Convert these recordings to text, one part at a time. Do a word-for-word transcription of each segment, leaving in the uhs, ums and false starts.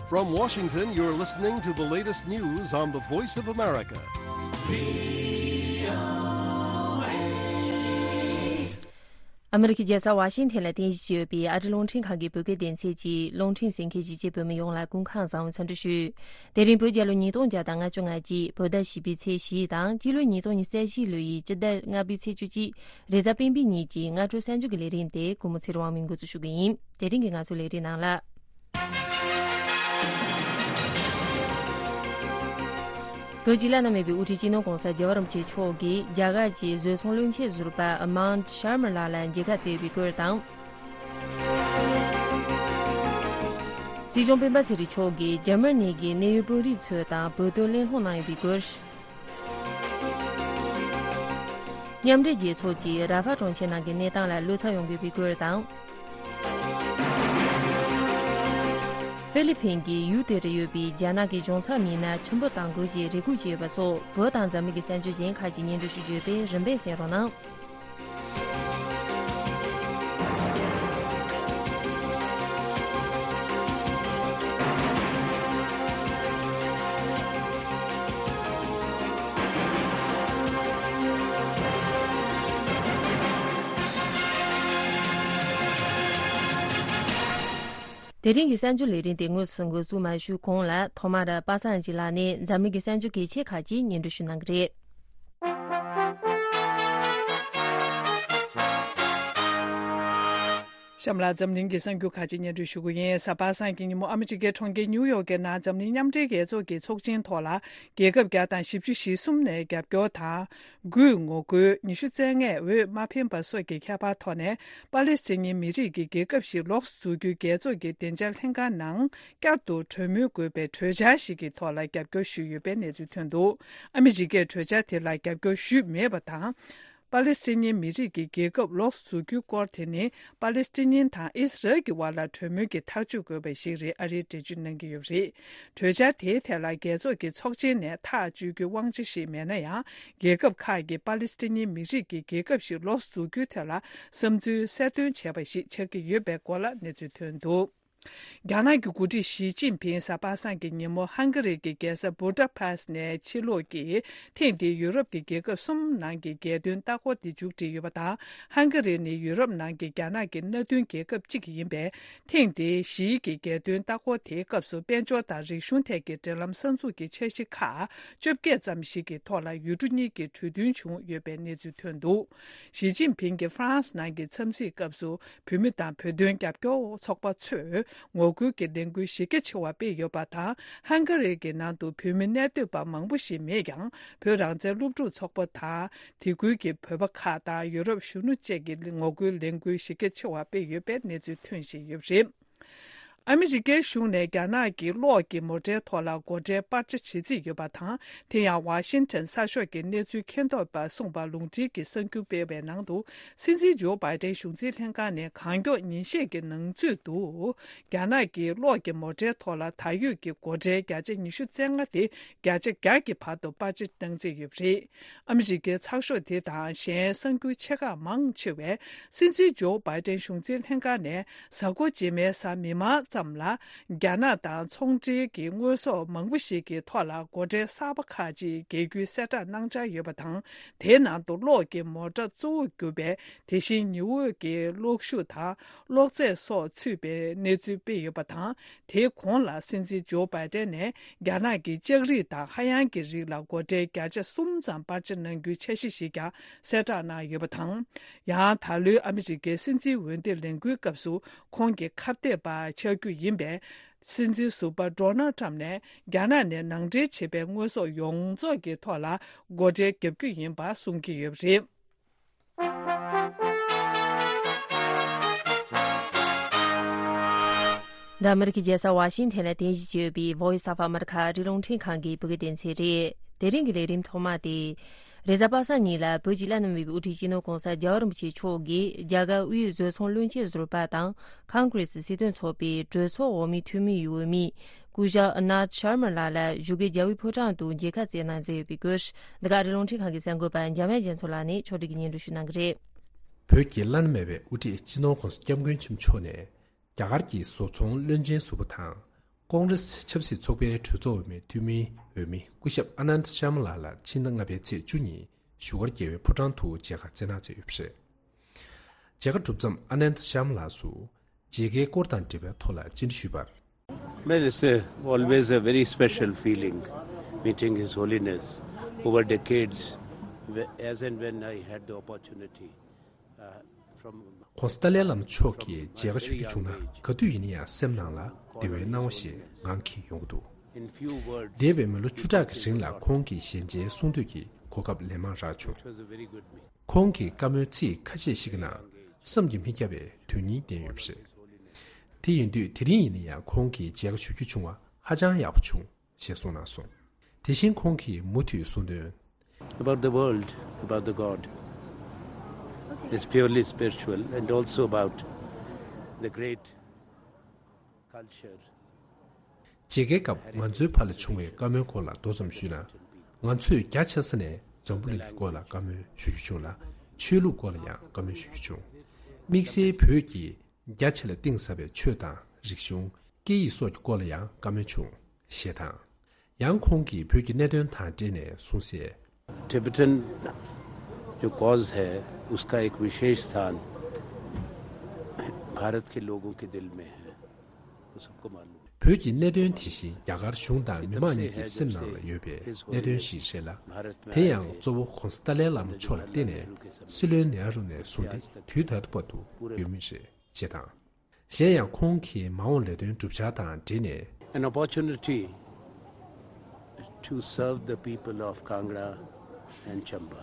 From Washington, you're listening to the latest news on the Voice of America. ཨ་མི་རི་ཀའི་རྒྱལ་ས་ཝ་ཤིང་ཐན་ལ་རྟེན་གཞི་བྱས་ཡོད་པའི་ཨ་རི་རླུང་འཕྲིན་ཁང་གི་བོད་སྐད་སྡེ་ཚན་གྱི་རླུང་འཕྲིན་གསན་མཁན་གཞིས་བྱེས་བོད་མི་ཡོངས་ལ་སྐུ་ཁམས་བཟང་བའི་འཚམས་འདྲི་ཞུ། དེ་རིང་བོད་རྒྱལ་ལོ་ཉིས་སྟོང་བརྒྱ་དང་ལྔ་བཅུ་ང་གཅིག་བོད་ཟླ་བཞི་པའི་ཚེས་བཞི་དང་སྤྱི་ལོ་ཉིས་སྟོང་ཉི་ཤུ་རྩ་བཞི་ལོ་ཡི་སྤྱི་ཟླ་ལྔ་པའི་ཚེས་བཅུ་གཅིག་རེས་གཟའ་སྤེན་པའི་ཉིན་གྱི་སྔ་དྲོ་གསར་འགྱུར་གྱི་ལས་རིམ་དེ་སྐུ་ངོ་ཚེ་རིང་དབང་མོས་འགོ་འཛུགས་ཞུ་གི་ཡིན། དེ་རིང་གི་ང་ཚོའི་ལས་རིམ་ནང་ལ། བོད་ཀྱི་བླ་ན་མེད་པའི་དབུ་ཁྲིད་སྤྱི་ནོར་༧གོང་ས་༧རྒྱལ་བ་རིན་པོ་ཆེ་མཆོག་གིས་རྒྱ་གར་གྱི་བཟོ་ཚོང་བློན་ཆེན་ཟུར་པ་Amand Sharma་ལགས་ལ་མཇལ་ཁ་བསྩལ་ཡོད་པའི་སྐོར་དང་། སྲིད་སྐྱོང་སྤེན་པ་ཚེ་རིང་མཆོག་གིས་འཇར་མ་ནི་གི་གནད་ཡོད་དཔོན་རིགས་ཚོ་དང་བོད་དོན་གླེང་སློང་གནང་ཡོད་པའི་སྐོར། མཉམ་འབྲེལ་རྒྱལ་ཚོགས་ཀྱིས་ར་ཧྥ་གྲོང་ཁྱེར་ནང་གི་གནས་སྟངས་ལ་བློ་འཚབ་ཡོང་གི་ཡོད་པའི་སྐོར་དང་། ཧྥི་ལི་ཕིན་གྱི་ཡུལ་དེར་ཡོད་པའི་རྒྱ་ནག་གི་གཞུང་ཚབ་མི་སྣ་ཆེན་པོ་གཏང་དགོས་ཞེས་རེ་སྐུལ་བྱས་ཡོད་པ་སོགས་བོད་དང་འཛམ་གླིང་གི་གསར་འགྱུར་གཞན་ཁག་ཅིག་སྙན་སྒྲོན་ཞུ་རྒྱུ་ཡོད་པས་རིམ་པས་གསན་རོགས་གནང་། དེ་རིང་གི་གསར་འགྱུར་ལས་རིམ་དེ་དངོས་སུ་འགོ་འཛུགས་མ་ཞུས་གོང་ལ་ཐོག་མར་པ་སངས་སྐྱིད་ལགས་ནས་འཛམ་གླིང་གི་གསར་འགྱུར་གལ་ཆེ་ཁག་ཅིག་སྙན་སྒྲོན་ཞུ་གནང་གི་རེད། གཤམ་ལ་འཛམ་གླིང་གི་གསར་འགྱུར་ཁག་ཅིག་སྙན་སྒྲོན་ཞུ་གི་ཡིན། གཟའ་པ་སངས་ཀྱི་ཉིན་མོ་ཨ་མི་རི་ཀའི་གྲོང་ཁྱེར་ཉིའུ་ཡོག་གི་ནང་འཛམ་གླིང་མཉམ་འབྲེལ་རྒྱལ་ཚོགས་ཀྱི་ཚོགས་ཆེན་ཐོག་ལ་རྒྱལ་ཁབ་བརྒྱ་དང་བཞི་བཅུ་ཞེ་གསུམ་ནས་རྒྱབ་སྐྱོར་དང་། དགུས་ངོ་རྒོལ། ཉི་ཤུ་རྩ་ལྔས་འོས་མ་འཕེན་པ་སོགས་ཀྱི་ཁྱད་པར་ཐོག་ནས་པ་ལེ་སི་ཐན་ཉིན་མི་རིགས་ཀྱི་རྒྱལ་ཁབ་ཞིག་ལོགས་སུ་འཛུགས་རྒྱུའི་རྒྱལ་ཚོགས་ཀྱི་བདེ་འཇགས་ལྷན་ཁང་ནང་བསྐྱར་དུ་གྲོས་མོལ་དགོས་པའི་གྲོས་འཆར་ཞིག་གི་ཐོག་ལ་རྒྱབ་སྐྱོར་ཞུས་ཡོད་པའི་གནས་ཚུལ་ཐོན་འདུག་ཨ་མི་རི་ཀས་གྲོས་འཆར་དེ་ལ་རྒྱབ་སྐྱོར་ཞུས་མེད་པ་དང་། པ་ལེ་སི་ཐན་ཉིན་མི་རིགས་ཀྱི་རྒྱལ་ཁབ་ལོགས་སུ་འཛུགས་རྒྱུའི་སྐོར་དེ་ནི་པ་ལེ་སི་ཐན་ཉིན་དང་ཨི་སི་རལ་གྱི་བར་ལ་གྲོས་མོལ་གྱི་ཐག་གཅོད་དགོས་པ་ཞིག་རེད། ཨ་རིས་འགྲེལ་བརྗོད་གནང་གི་ཡོད་པ་རེད། གྲོས་འཆར་དེའི་ཐད་ལ་རྒྱལ་ཚོགས་ཀྱི་ཚོགས་ཆེན་ནས་ཐག་གཅོད་རྒྱུའི་དབང་ཆ་ཞིག་མེད་ན་ཡང་། རྒྱལ་ཁབ་ཁག་གིས་པ་ལེ་སི་ཐན་ཉིན་མི་རིགས་ཀྱི་རྒྱལ་ཁབ་ཞིག་ལོགས་སུ་འཛུགས་རྒྱུའི་ཐད་ལ་བསམ་ཚུལ་གསལ་སྟོན་བྱས་པ་ཞིག་ཆགས་ཀྱི་ཡོད་པའི་སྐོར་ལ་གནས་ཚུལ་ཐོན་འདུག་རྒྱ་ནག་གི་འགོ་ཁྲིད་ཞི་ཅིན་ཕིང་གཟའ་པ་སངས་ཀྱི་ཉིན་མོ་ཧང་ག་རི་གི་རྒྱལ་ས་བུ་ད་པེ་སི་ནས་ཕྱིར་ལོག་གིས་ཐེངས་འདིའི་ཡུ་རོབ་ཀྱི་རྒྱལ་ཁབ་གསུམ་ནང་གི་རྒྱལ་དོན་ལྟ་སྐོར་དེ་མཇུག་སྒྲིལ་ཡོད་པ་དང་། ཧང་ག་རི་ནི་ཡུ་རོབ་ནང་གི་རྒྱ་ནག་གི་མནའ་མཐུན་རྒྱལ་ཁབ་གཅིག་ཡིན་པས། ཐེངས་འདིའི་ཞི་ཡི་གི་རྒྱལ་དོན་ལྟ་སྐོར་དེའི་སྐབས་སུ་དཔལ་འབྱོར་དང་རིག་གཞུང་ཐད་ཀྱི་འབྲེལ་ལམ་གསར་འཛུགས་ཀྱི་འཆར་གཞི་ཁག་བཅོ་བརྒྱད་ཙམ་ཞིག་གི་ཐོག་ལ་ཡུལ་གྲུ་གཉིས་ཀྱི་གྲོས་མཐུན་བྱུང་ཡོད་པའི་གནས་ཚུལ་ཐོན་འདུག་ཞི་ཅིན་ཕིང་གིས་ཧྥ་རན་སི་ནང་གི་འཚམས་གཟིགས་སྐབས་སུ། བོད་མི་དང་བོད་དོན་རྒྱབ་སྐྱོར་ཚོགས་པ་ཚོས་ངོ་རྒོལ་གྱི་ལས་འགུལ་གཞི་རྒྱ་ཆེ་བ་སྤེལ་ཡོད་པ་དང་། ཧང་ག་རི་གི་ནང་དུ་བོད་མི་གནས་སྡོད་པ་མང་པོ་ཞིག་མེད་ཀྱང་། བོད་རང་བཙན་སློབ་ཕྲུག་ཚོགས་པ་དང་། དེ་ཁུལ་གྱི་བོད་པ་ཁག་དང་ཡུ་རོབ་གཞོན་ནུ་བཅས་ཀྱིས་ངོ་རྒོལ་ལས་འགུལ་གཞི་རྒྱ་ཆེ་བ་སྤེལ་ཡོད་པའི་གནས་ཚུལ་ཐོན་བཞིན་ཡོད་པ་རེད། ཨ་མི་རི་ཀའི་གཞུང་ནས་རྒྱ་ནག་གི་གློག་གི་མོ་ཊའི་ཐོག་ལ་སྒོ་ཁྲལ་སྤར་ཆ་བྱེད་རྩིས་ཡོད་པ་དང་། དེ་ཡང་ཝ་ཤིང་ཊོན་གསར་ཤོག་གི་གནས་ཚུལ་མཁྱེན་རྟོག་པས་གསུངས་པ་ལུང་འདྲེན་གྱི་གསར་འགྱུར་སྤེལ་བའི་ནང་དུ། སྲིད་འཛིན་ཇོ་བྷའི་ཏན་གཞུང་འཛིན་ལྷན་ཁང་ནས་གང་མགྱོགས་ཉིན་ཤས་ཀྱི་ནང་ཚུད་དུ། རྒྱ་ནག་གི་གློག་གི་མོ་ཊའི་ཐོག་ལ་ད་ཡོད་ཀྱི་སྒོ་ཁྲལ་བརྒྱ་ཆ་ཉི་ཤུ་རྩ་ལྔ་དེ་བརྒྱ་ཆ་བརྒྱ་ཀྱི་བར་དུ་སྤར་ཆ་གནང་རྩིས་ཡོད་པ་རེད། ཨ་མི་རི་ཀའི་ཚགས་ཤོག་དེ་དང་གཞན་གསར་འགྱུར་ཆེ་ཁག་མང་ཆེ་བས། སྲིད་འཛིན་ཇོ་བྷའི་ཏན་གཞུང་འཛིན་ལྷན་ཁང་ནས་གཟའ་འཁོར་རྗེས་མའི་གཟའ་མིག་དམར་ཙམ་ལ། རྒྱ་ནག་དང་ཚོང་འབྲེལ་གྱི་དངོས་ཟོག་མང་པོ་ཞིག་གི་ཐོག་ལ་སྒོ་ཁྲལ་གསར་པ་ཁག་ཅིག་འགེལ་རྒྱུའི་གསལ་བསྒྲགས་གནང་འཆར་ཡོད་པ་དང་། དེའི་ནང་དུ་གློག་གི་མོ་ཊ་གཙོ་བོར་གྱུར་པའི་དེ་བཞིན་ཉི་འོད་ཀྱི་གློག་ཤུགས་དང་གློག་རྫས་སོགས་ཚུད་པའི་གནས་ཚུལ་སྤེལ་ཡོད་པ་དང་། དེའི་གོང་ལ་སྲིད་འཛིན་ཇོ་བྷའི་ཏན་ནས་རྒྱ་ནག་གི་ལྕགས་རིགས་དང་ཧ་ཡང་གི་རིགས་ལ་སྒོ་ཁྲལ་བརྒྱ་ཆ་གསུམ་ཙམ་སྤར་ཆ་གནང་རྒྱུའི་འཆར་གཞི་ཞིག་ཀྱང་གསལ་བསྒྲགས་གནང་ཡོད་པ་དང་། ཡང་ད་ལོའི་ཨ་མི་རི་ཀའི་སྲིད་འཛིན་འོས་འདེམས་ལས་འགུལ་སྐབས་སུ་ཁོང་གི་ཁ་གཏད་པ་ཆགས་རྒྱུ་ཡིན་པས། སྲིད་འཛིན་ཟུར་པ་ཌོ་ནལ་ཊམ་ནས་རྒྱ་ནག་ནས་ནང་འདྲེན་བྱས་པའི་དངོས་ཟོག་ཡོངས་རྫོགས་ཀྱི་ཐོག་ལ་སྒོ་ཁྲལ་བརྒྱབ་རྒྱུ་ཡིན་པ་གསུང་གི་ཡོད་པ་རེད། འདི་ཨ་མི་རི་ཀའི་རྒྱལ་ས་ཝ་ཤིང་ཐན་ལ་རྟེན་གཞི་བྱས་ཡོད་པའི་Voice of America ཨ་རིའི་རླུང་འཕྲིན་ཁང་གི་བོད་སྐད་སྡེ་ཚན་རེད། དེ་རིང་གི་ལས་རིམ་ཐོག་མ་དེ། རེས་གཟའ་པ་སངས་ཉིན་ལ་བོད་ཀྱི་བླ་ན་མེད་པའི་དབུ་ཁྲིད་སྤྱི་ནོར་༧གོང་ས་༧རྒྱལ་བ་རིན་པོ་ཆེ་མཆོག་གིས་རྒྱ་གར་དབུས་བཟོ་ཚོང་བློན་ཆེན་ཟུར་པ་དང་ཁོང་གྷ་རེ་སི་སྲིད་དོན་ཚོགས་པའི་གྲོས་ཚོགས་འོག་མའི་འཐུས་མི་ཡི་འོས་མི། སྐུ་ཞབས་Anand Sharma་ལགས་ལ་བཞུགས་སྒར་རྒྱལ་བའི་ཕོ་བྲང་དུ་མཇལ་ཁ་བསྩལ་གནང་མཛད་ཡོད་པའི་སྐོར། འདི་ག་ཨ་རིའི་རླུང་འཕྲིན་ཁང་གི་གསར་འགོད་པ་འཇམ་དབྱངས་རྒྱ་མཚོ་ལགས་ནས་ཕྱོགས་སྒྲིག་གིས་སྙན་སྒྲོན་ཞུ་གནང་གི་རེད། བོད་ཀྱི་བླ་ན་མེད་པའི་དབུ་ཁྲིད་སྤྱི་ནོར་༧གོང་ས་༧སྐྱབས་མགོན་ཆེན་པོ་མཆོག་ནས། རྒྱ་གར་གྱི་བཟོ་ཚོང་བློན་ཆེན་ཟུར་པ་དང་། ཀོང་རེས་ཆབ་སྲིད་ཚོགས་པའི་གྲོས་ཚོགས་འོས་མིའི་འཐུས་མི་འོས་མི་སྐུ་ཞབས་ཨ་ནནྡ་ཤར་མ་ལ་ལ་ཕྱི་ཟླ་ལྔ་པའི་ཚེས་བཅུ་ཉིན་བཞུགས་སྒར་རྒྱལ་བའི་ཕོ་བྲང་དུ་མཇལ་ཁ་བསྩལ་གནང་མཛད་ཡོད་པ་རེད། མཇལ་ཁ་གྲུབ་མཚམས་ཨ་ནནྡ་ཤར་མ་ལ་སུ་མཇལ་ཁའི་སྐོར་དང་འབྲེལ་བའི་ཐོག་ལ་བཅར་འདྲི་ཞུས་པར། Well, it's a, always a very special feeling meeting His Holiness over decades, wh- as and when I had the opportunity. Uh, from གོང་ས་ཏཱ་ལའི་བླ་མ་མཆོག་གིས་མཇལ་ཁ་ཞུ་རྒྱུ་བྱུང་ན་ག་དུས་ཡིན་ན་ཡང་སེམས་ནང་ལ་བདེ་བའི་སྣང་བ་ཞིག་ངང་གིས་ཡོང་གི་འདུག In few words, འདས་པའི་མི་ལོ་བཅུ་ཕྲག་གི་རིང་ལ་ཁོང་གི་ཞལ་མཇལ་གསུང་ཐོས་ཀྱི་གོ་སྐབས་ལན་མང་རག་བྱུང་། it was a very good meeting. ཁོང་གི་བཀའ་མོལ་ཚིག་ཁ་ཤས་ཤིག་གི་ནང་བསམ་གྱིས་མི་ཁྱབ་པའི་དོན་སྙིང་ལྡན་ཡོད་པ་རེད། དེ་ཡིན་དུས་དེ་རིང་ཡིན་ན་ཡང་ཁོང་གི་མཇལ་ཁ་ཞུ་རྒྱུ་བྱུང་བ་ཧ་ཅང་ཡག་པོ་བྱུང་ཞེས་གསུངས་གནང་སོང་། དེ་བཞིན་ཁོང་གིས་མུ་མཐུད་གསུངས་དོན། About the world, about the God. It's purely spiritual and also about the great culture. མཇལ་ཁའི་སྐབས་ང་ཚོའི་བར་ལ་བྱུང་བའི་བཀའ་མོལ་སྐོར་ལ་མདོ་ཙམ་ཞུས་ན། ང་ཚོས་རྒྱ་ཆེ་ས་ནས་འཛམ་བུ་གླིང་གི་སྐོར་ལ་བཀའ་མོལ་ཞུ་རྒྱུ་བྱུང་ལ། ཆོས་ལུགས་སྐོར་ལ་ཡང་བཀའ་མོལ་ཞུ་རྒྱུ་བྱུང་། དམིགས་བསལ་བོད་ཀྱི་རྒྱ་ཆེ་ལ་གཏིང་ཟབ་པའི་ཆོས་དང་རིག་གཞུང་། སྐད་ཡིག་སོགས་ཀྱི་སྐོར་ལ་ཡང་བཀའ་མོལ་བྱུང་། ཞེས་དང་། ཡང་ཁོང་གིས་བོད་ཀྱི་གནད་དོན་དང་འབྲེལ་ནས་གསུངས་གསལ། टिबेटन जो कॉज है, उसका एक विशेष स्थान भारत के लोगों के दिल में है। वो सबको मालूम है। བོད་ཀྱི་གནད་དོན་དེ་བཞིན་རྒྱ་གར་གཞུང་དང་མི་མང་གཉིས་ཀྱི་སེམས་ནང་ལ་ཡོད་པའི་གནད་དོན་ཞིག་རེད་ལ། དེ་ཡང་གཙོ་བོ་གོང་ས་ཏཱ་ལའི་བླ་མ་མཆོག་ལ་བརྟེན་ནས་སྲིད་བློན་ནེ་རུ་ནས་བཟུང་སྟེ་དུས་ད་ལྟ་བར་དུ་ཡོད་མུས་རེད། ཅེས་དང་། གཞན་ཡང་ཁོང་གིས་མ་འོངས་ལས་དོན་བསྒྲུབ་འཆར་དང་འབྲེལ་ནས། An opportunity to serve the people of Kangra and Chamba.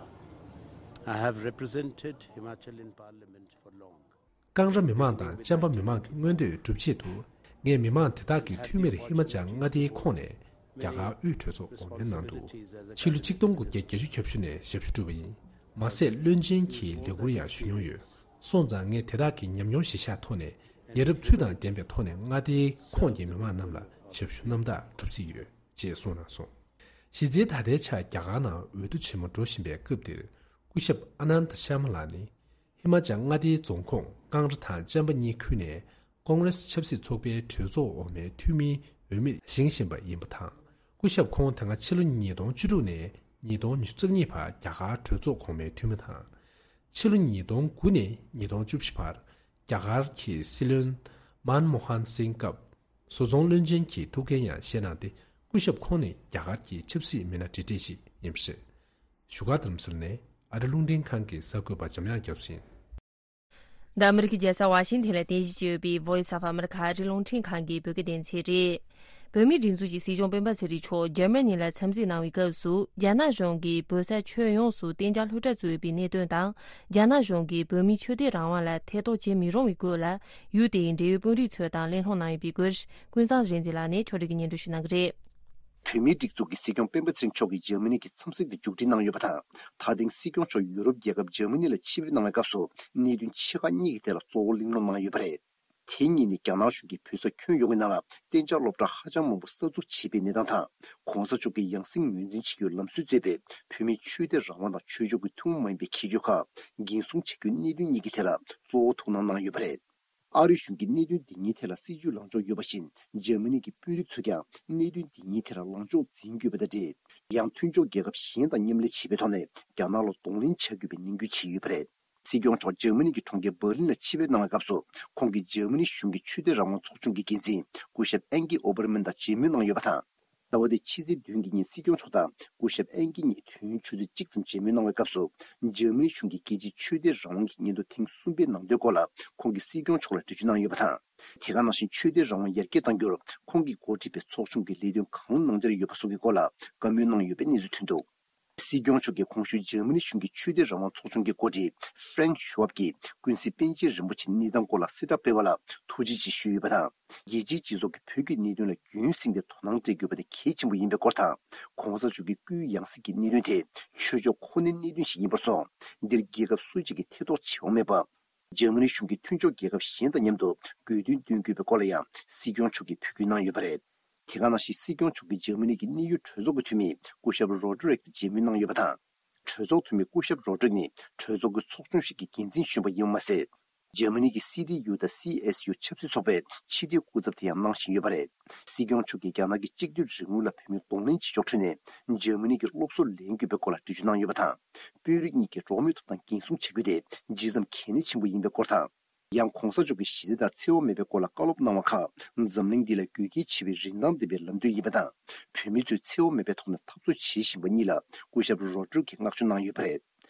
I have represented Himachal in Parliament for long. ཀང་ར་མི་མང་དང་ཅམ་པ་མི་མང་གི་མངོན་འདོད་སྒྲུབ་ཆེད་དུ། ངས་མི་མང་དེ་དག་གི་འཐུས་མིར་ཧི་མ་ཅལ་མངའ་སྡེའི་ཁོངས་ནས་རྒྱ་གར་དབུས་གྲོས་ཚོགས་འོས་མིར་གནང་འདུག་ཕྱི་ལོ་ཆིག་སྟོང་དགུ་བརྒྱ་བརྒྱད་ཅུ་གྱ་བཞི་ནས་ཞབས་ཞུ་བསྒྲུབས་པ་ཡིན། མ་ཟད་བློན་ཆེན་གྱི་ལས་འཁུར་ཡང་ཞུ་མྱོང་ཡོད། སོང་ཙང་ངས་དེ་དག་གི་ཉམས་མྱོང་གཞིར་བཞག་ཐོག་ནས་ཡ་རབས་ཚུལ་དང་ལྡན་པའི་ཐོག་ནས་མངའ་སྡེའི་ཁོངས་ཀྱི་མི་མང་རྣམས་ལ་ཞབས་ཞུ་རྣམ་དག་སྒྲུབ་རྩིས་ཡོད་ཅེས་གསུངས་གནང་སོང་། གཞི་རྩའི་ད་ལྟའི་ཆར་རྒྱ་གར་ནང་འོས་བསྡུ་ཆེན་མོ་འགྲོ་བཞིན་པའི་སྐབས་འདིར། སྐུ་ཞབས་ཨ་ནན་ད་ཤར་མ་ལ་ནི། ཧི་མ་ཅལ་མངའ་སྡེའི་རྫོང་ཁོངས་ཀང་ར་དང་ཅམ་པ་གཉིས་ཁུལ་ནས་ཀོང་རེས་ཆབ་སྲིད་ཚོགས་པའི་གྲོས་ཚོགས་འོག་མའི་འཐུས་མིའི་འོས་མིར་བཞེངས་བཞིན་པ་ཡིན་པ་དང་། སྐུ་ཞབས་ཁོང་ད་སྔ་ཕྱི་ལོ་ཉིས་སྟོང་བཅུ་དྲུག་ནས་ཉིས་སྟོང་ཉི་ཤུ་རྩ་གཉིས་བར་རྒྱ་གར་གྲོས་ཚོགས་གོང་མའི་འཐུས་མི་དང་། ཕྱི་ལོ་ཉིས་སྟོང་དགུ་ནས་ཉིས་སྟོང་བཅུ་བཞི་བར་རྒྱ་གར་གྱི་སྲིད་བློན་མན་མོ་ཧན་སིང་སྐབས། བཟོ་ཚོང་བློན་ཆེན་གྱི་ཐུགས་འགན་ཡང་བཞེས་གནང་སྟེ། སྐུ་ཞབས་ཁོང་ནི་རྒྱ་གར་གྱི་ཆབ་སྲིད་མི་སྣ་གྲས་གྲས་ཤིག་ཡིན་པ་རེད། བཞུགས་སྒར་རྡ་རམ་ས་ལ་ནས་ཨ་རི་རླུང་འཕྲིན་ཁང་གི་གསར་འགོད་པ་འཇམ་དབྱངས་རྒྱ་མཚོ་ཡིན། འདི་ཨ་མི་རི་ཀའི་རྒྱལ་ས་ཝ་ཤིང་ཐན་ལ་རྟེན་གཞི་བྱས་ཡོད་པའི་Voice of America ཨ་རིའི་རླུང་འཕྲིན་ཁང་གི་བོད་སྐད་སྡེ་ཚན་རེད། བོད་མིའི་སྒྲིག་འཛུགས་ཀྱི་སྲིད་སྐྱོང་སྤེན་པ་ཚེ་རིང་མཆོག་འཇར་མ་ནི་ལ་འཚམས་གཟིགས་གནང་བའི་སྐབས་སུ། རྒྱ་ནག་གཞུང་གིས་བོད་ས་ཁྱོན་ཡོངས་སུ་གཏན་འཇགས་སློབ་གྲྭ་བཙུགས་ཡོད་པའི་གནད་དོན་དང་། རྒྱ་ནག་གཞུང་གིས་བོད་མིའི་ཆོས་དད་རང་དབང་ལ་ཐེ་གཏོགས་བྱེད་མི་རུང་བའི་སྐོར་ལ། ཡུལ་དེའི་འབྲེལ་ཡོད་དཔོན་རིགས་ཚོ་དང་གླེང་སློང་གནང་ཡོད་པའི་སྐོར། ཀུན་བཟང་རིག་འཛིན་ལགས་ནས་ཕྱོགས་སྒྲིག་གིས་སྙན་སྒྲོན་ཞུ་གནང་གི་རེད། བོད་མིའི་སྒྲིག་འཛུགས་ཀྱི་སྲིད་སྐྱོང་སྤེན་པ་ཚེ་རིང་མཆོག་གིས་འཇར་མ་ནི་གི་འཚམས་གཟིགས་དེ་མཇུག་སྒྲིལ་གནང་ཡོད་པ་དང་། ད་ཐེངས་སྲིད་སྐྱོང་མཆོག་ཡུ་རོབ་རྒྱལ་ཁབ་འཇར་མ་ནི་ལ་ཆེད་ཕེབས་གནང་བའི་སྐབས་སུ། གནད་དོན་ཆེ་ཁག་གཉིས་ཀྱི་ཐད་ལ་གཙོ་བོ་གླེང་སློང་གནང་ཡོད་པ་རེད། དེ་གཉིས་ནི་རྒྱ་ནག་གཞུང་གིས་བོད་ས་ཁྱོན་ཡོངས་ཀྱི་ནང་ལ་གཏན་འཇགས་སློབ་གྲྭ་ཧ་ཅང་མང་པོ་གསར་འཛུགས་བྱས་པའི་གནས་སྟངས་དང་། གོང་ས་མཆོག་གིས་ཡང་སྲིད་ངོས་འཛིན་བྱེད་རྒྱུའི་ལམ་སྲོལ་མཛད་པའི་བོད་མིའི་ཆོས་དད་རང་དབང་དང་ཆོས་ཕྱོགས་ཀྱི་ཐུན་མོང་མ་ཡིན་པའི་ཁྱད་ཆོས་ཁག་འགན་སྲུང་བྱ་རྒྱུའི་གནད་དོན་གཉིས་ཀྱི་ཐད་ལ་གཙོ་བོ་ཐུགས་སྣང་གནང་ཡོད་པ་རེད། ཨ་རི་གཞུང་གིས་གནད་དོན་འདི་གཉིས་ཐད་ལ་སྲིད་བྱུས་ལངས་ཕྱོགས་ཡོད་པ་བཞིན། འཇར་མ་ནི་གི་དཔོན་རིགས་ཚོས་ཀྱང་གནད་དོན་འདི་གཉིས་ཐད་ལ་ལངས་ཕྱོགས་འཛིན་དགོས་པ་དང་འབྲེལ། ཡང་མཐུན་ཕྱོགས་རྒྱལ་ཁབ་གཞན་དང་མཉམ་ལས་བྱེད་པའི་ཐོག་ནས་རྒྱ་ནག་ལ་གདོང་ལེན་བྱ་དགོས་པའི་ནན་སྐུལ་བྱས་ཡོད་པ་རེད། སྲིད་སྐྱོང་མཆོག་འཇར་མ་ནི་གི་གྲོང་ཁྱེར་འབར་ལིན་ལ་ཆེད་ཕེབས་གནང་བའི་སྐབས་སུ། ཁོང་གིས་འཇར་མ་ནི་གཞུང་གི་ཆོས་དད་རང་དབང་ཚོགས་ཆུང་གི་འགན་འཛིན་སྐུ་ཞབས་ཨན་ཀི་ཨོ་པར་མན་དང་མཇལ་མོལ་གནང་ཡོད་པ་དང་། ཟླ་བ་འདིའི་ཕྱི་ཚེས་བདུན་གྱི་ཉིན་སྲིད་སྐྱོང་མཆོག་དང་སྐུ་ཞབས་ཨན་ཀི་གཉིས་དུས་ཡུན་ཆུ་ཚོད་གཅིག་ཙམ་མཇལ་མོལ་གནང་བའི་སྐབས་སུ། འཇར་མ་ནི་གཞུང་གིས་རྒྱལ་སྤྱིའི་ཆོས་དད་རང་དབང་གི་སྙན་ཐོ་ཐེངས་གསུམ་པའི་ནང་དོན་སྐོར་ལ་ཁོང་གིས་སྲིད་སྐྱོང་མཆོག་ལ་འགྲེལ་བརྗོད་གནང་ཡོད་པ་དང་། དེ་ག་ནང་བཞིན་ཆོས་དད་རང་དབང་ཡར་རྒྱས་གཏང་རྒྱུར་ཁོང་གིས་འགོ་ཁྲིད་པའི་ཚོགས་ཆུང་གིས་ལས་དོན་གང་གནང་འཆར་ཡོད་པ་སོགས་ཀྱི་སྐོར་ལ་བཀའ་མོལ་གནང་ཡོད་པའི་གནས་ཚུལ་ཐོན་འདུག་སྲིད་སྐྱོང་མཆོག་གིས་གོང་ཞུས་འཇར་མ་ནི་གཞུང་གི་ཆོས་དད་རང་དབང་ཚོགས་ཆུང་གི་འགོ་ཁྲིད་ཧྥ་རེང་ཤུ་ཝབ་ཀྱིས་ཀུན་གཟིགས་པཎ་ཆེན་རིན་པོ་ཆེའི་གནས་སྟངས་སྐོར་ལ་གསལ་བསྒྲགས་སྤེལ་བ་ལ་ཐུགས་རྗེ་ཆེ་ཞུས་ཡོད་པ་དང་། རྒྱལ་སྤྱིའི་སྤྱི་ཚོགས་ཀྱིས་བོད་ཀྱི་གནད་དོན་ལ་རྒྱུན་བསྲིངས་ཏེ་དོ་སྣང་སྤྲད་དགོས་པ་དེ་གལ་ཆེན་པོ་ཡིན་པའི་སྐོར་དང་། གོང་ས་མཆོག་གི་སྐུའི་ཡང་སྲིད་ཀྱི་གནད་དོན་དེ་ཆོས་ཕྱོགས་ཁོ་ནའི་གནད་དོན་ཞིག་ཡིན་པར་སོང་། འདིར་རྒྱལ་ཁབ་སུ་གཅིག་གིས་ཐེ་གཏོགས་བྱེད་དབང་མེད་པ། འཇར་མ་ནི་གཞུང་གིས་མཐུན་ཕྱོགས་རྒྱལ་ཁབ་གཞན་དང་མཉམ་དུ་དགོས་འདུན་འདོན་དགོས་པའི་སྐོར་ལ་ཡང་སྲིད་སྐྱོང་མཆོག་གིས་འབོད་སྐུལ་གནང་ཡོད་པ་རེད། དེ་ག་ནང་བཞིན་སྲིད་སྐྱོང་མཆོག་གིས་འཇར་མ་ནི་གི་གནད་ཡོད་གྲོས་ཚོགས་ཀྱི་འཐུས་མི་སྐུ་ཞབས་རོ་ཌི་རིག་དང་མཇལ་མོལ་གནང་ཡོད་པ་དང་། གྲོས་ཚོགས་འཐུས་མི་སྐུ་ཞབས་རོ་ཌི་རིག་ནི་གྲོས་ཚོགས་ཀྱི་ཚོགས་ཆུང་ཞིག་གི་འགན་འཛིན་གཞོན་པ་ཡིན་པ་མ་ཟད། འཇར་མ་ནི་གི་སི་ཌི་ཡུ་དང་སི་ཨེས་ཡུ་ཆབ་སྲིད་ཚོགས་པས་ཕྱི་འབྲེལ་སྐུ་ཚབ་དེ་ཡང་གནང་བཞིན་ཡོད་པ་རེད། སྲིད་སྐྱོང་མཆོག་གིས་རྒྱ་ནག་གི་གཅིག་སྡུད་རིང་ལུགས་ལ་བོད་མིས་གདོང་ལེན་བྱེད་ཕྱོགས་ཁྲོད་ནས་འཇར་མ་ནི་གིས་སློབ་གསོ་ལེན་དགོས་པའི་སྐོར་ལ་འགྲེལ་བརྗོད་གནང་ཡོད་པ་དང་། དཔོན་རིགས་གཉིས་ཀྱིས་འགྲོ་བ་མིའི་ཐོབ་ཐང་འགན་སྲུང་བྱ་རྒྱུ་དེ་ཇི་ཙམ་གལ་གནད་ཆེན་པོ་ཡིན་པའི་སྐོར་དང་། ཡང་གོང་ས་མཆོག་གིས་ཞི་བདེ་དང་འཚེ་བ་མེད་པའི་སྐོར་ལ་བཀའ་སློབ་གནང་བ་ཁག་འཛམ་གླིང་འདི་ལ་དགོས་གལ་ཆེ་བའི་རིན་ཐང་ལྡན་པའི་ལམ་སྟོན་ཡིན་པ་དང་། བོད་མི་ཚོས་འཚེ་བ་མེད་པའི་ཐོག་ནས་འཐབ་རྩོད་བྱེད་བཞིན་པ་གཉིས་ལ་སྐུ་ཞབས་རོ་ཌི་རི་གིས་བསྔགས་བརྗོད་གནང་ཡོད་པ་རེད།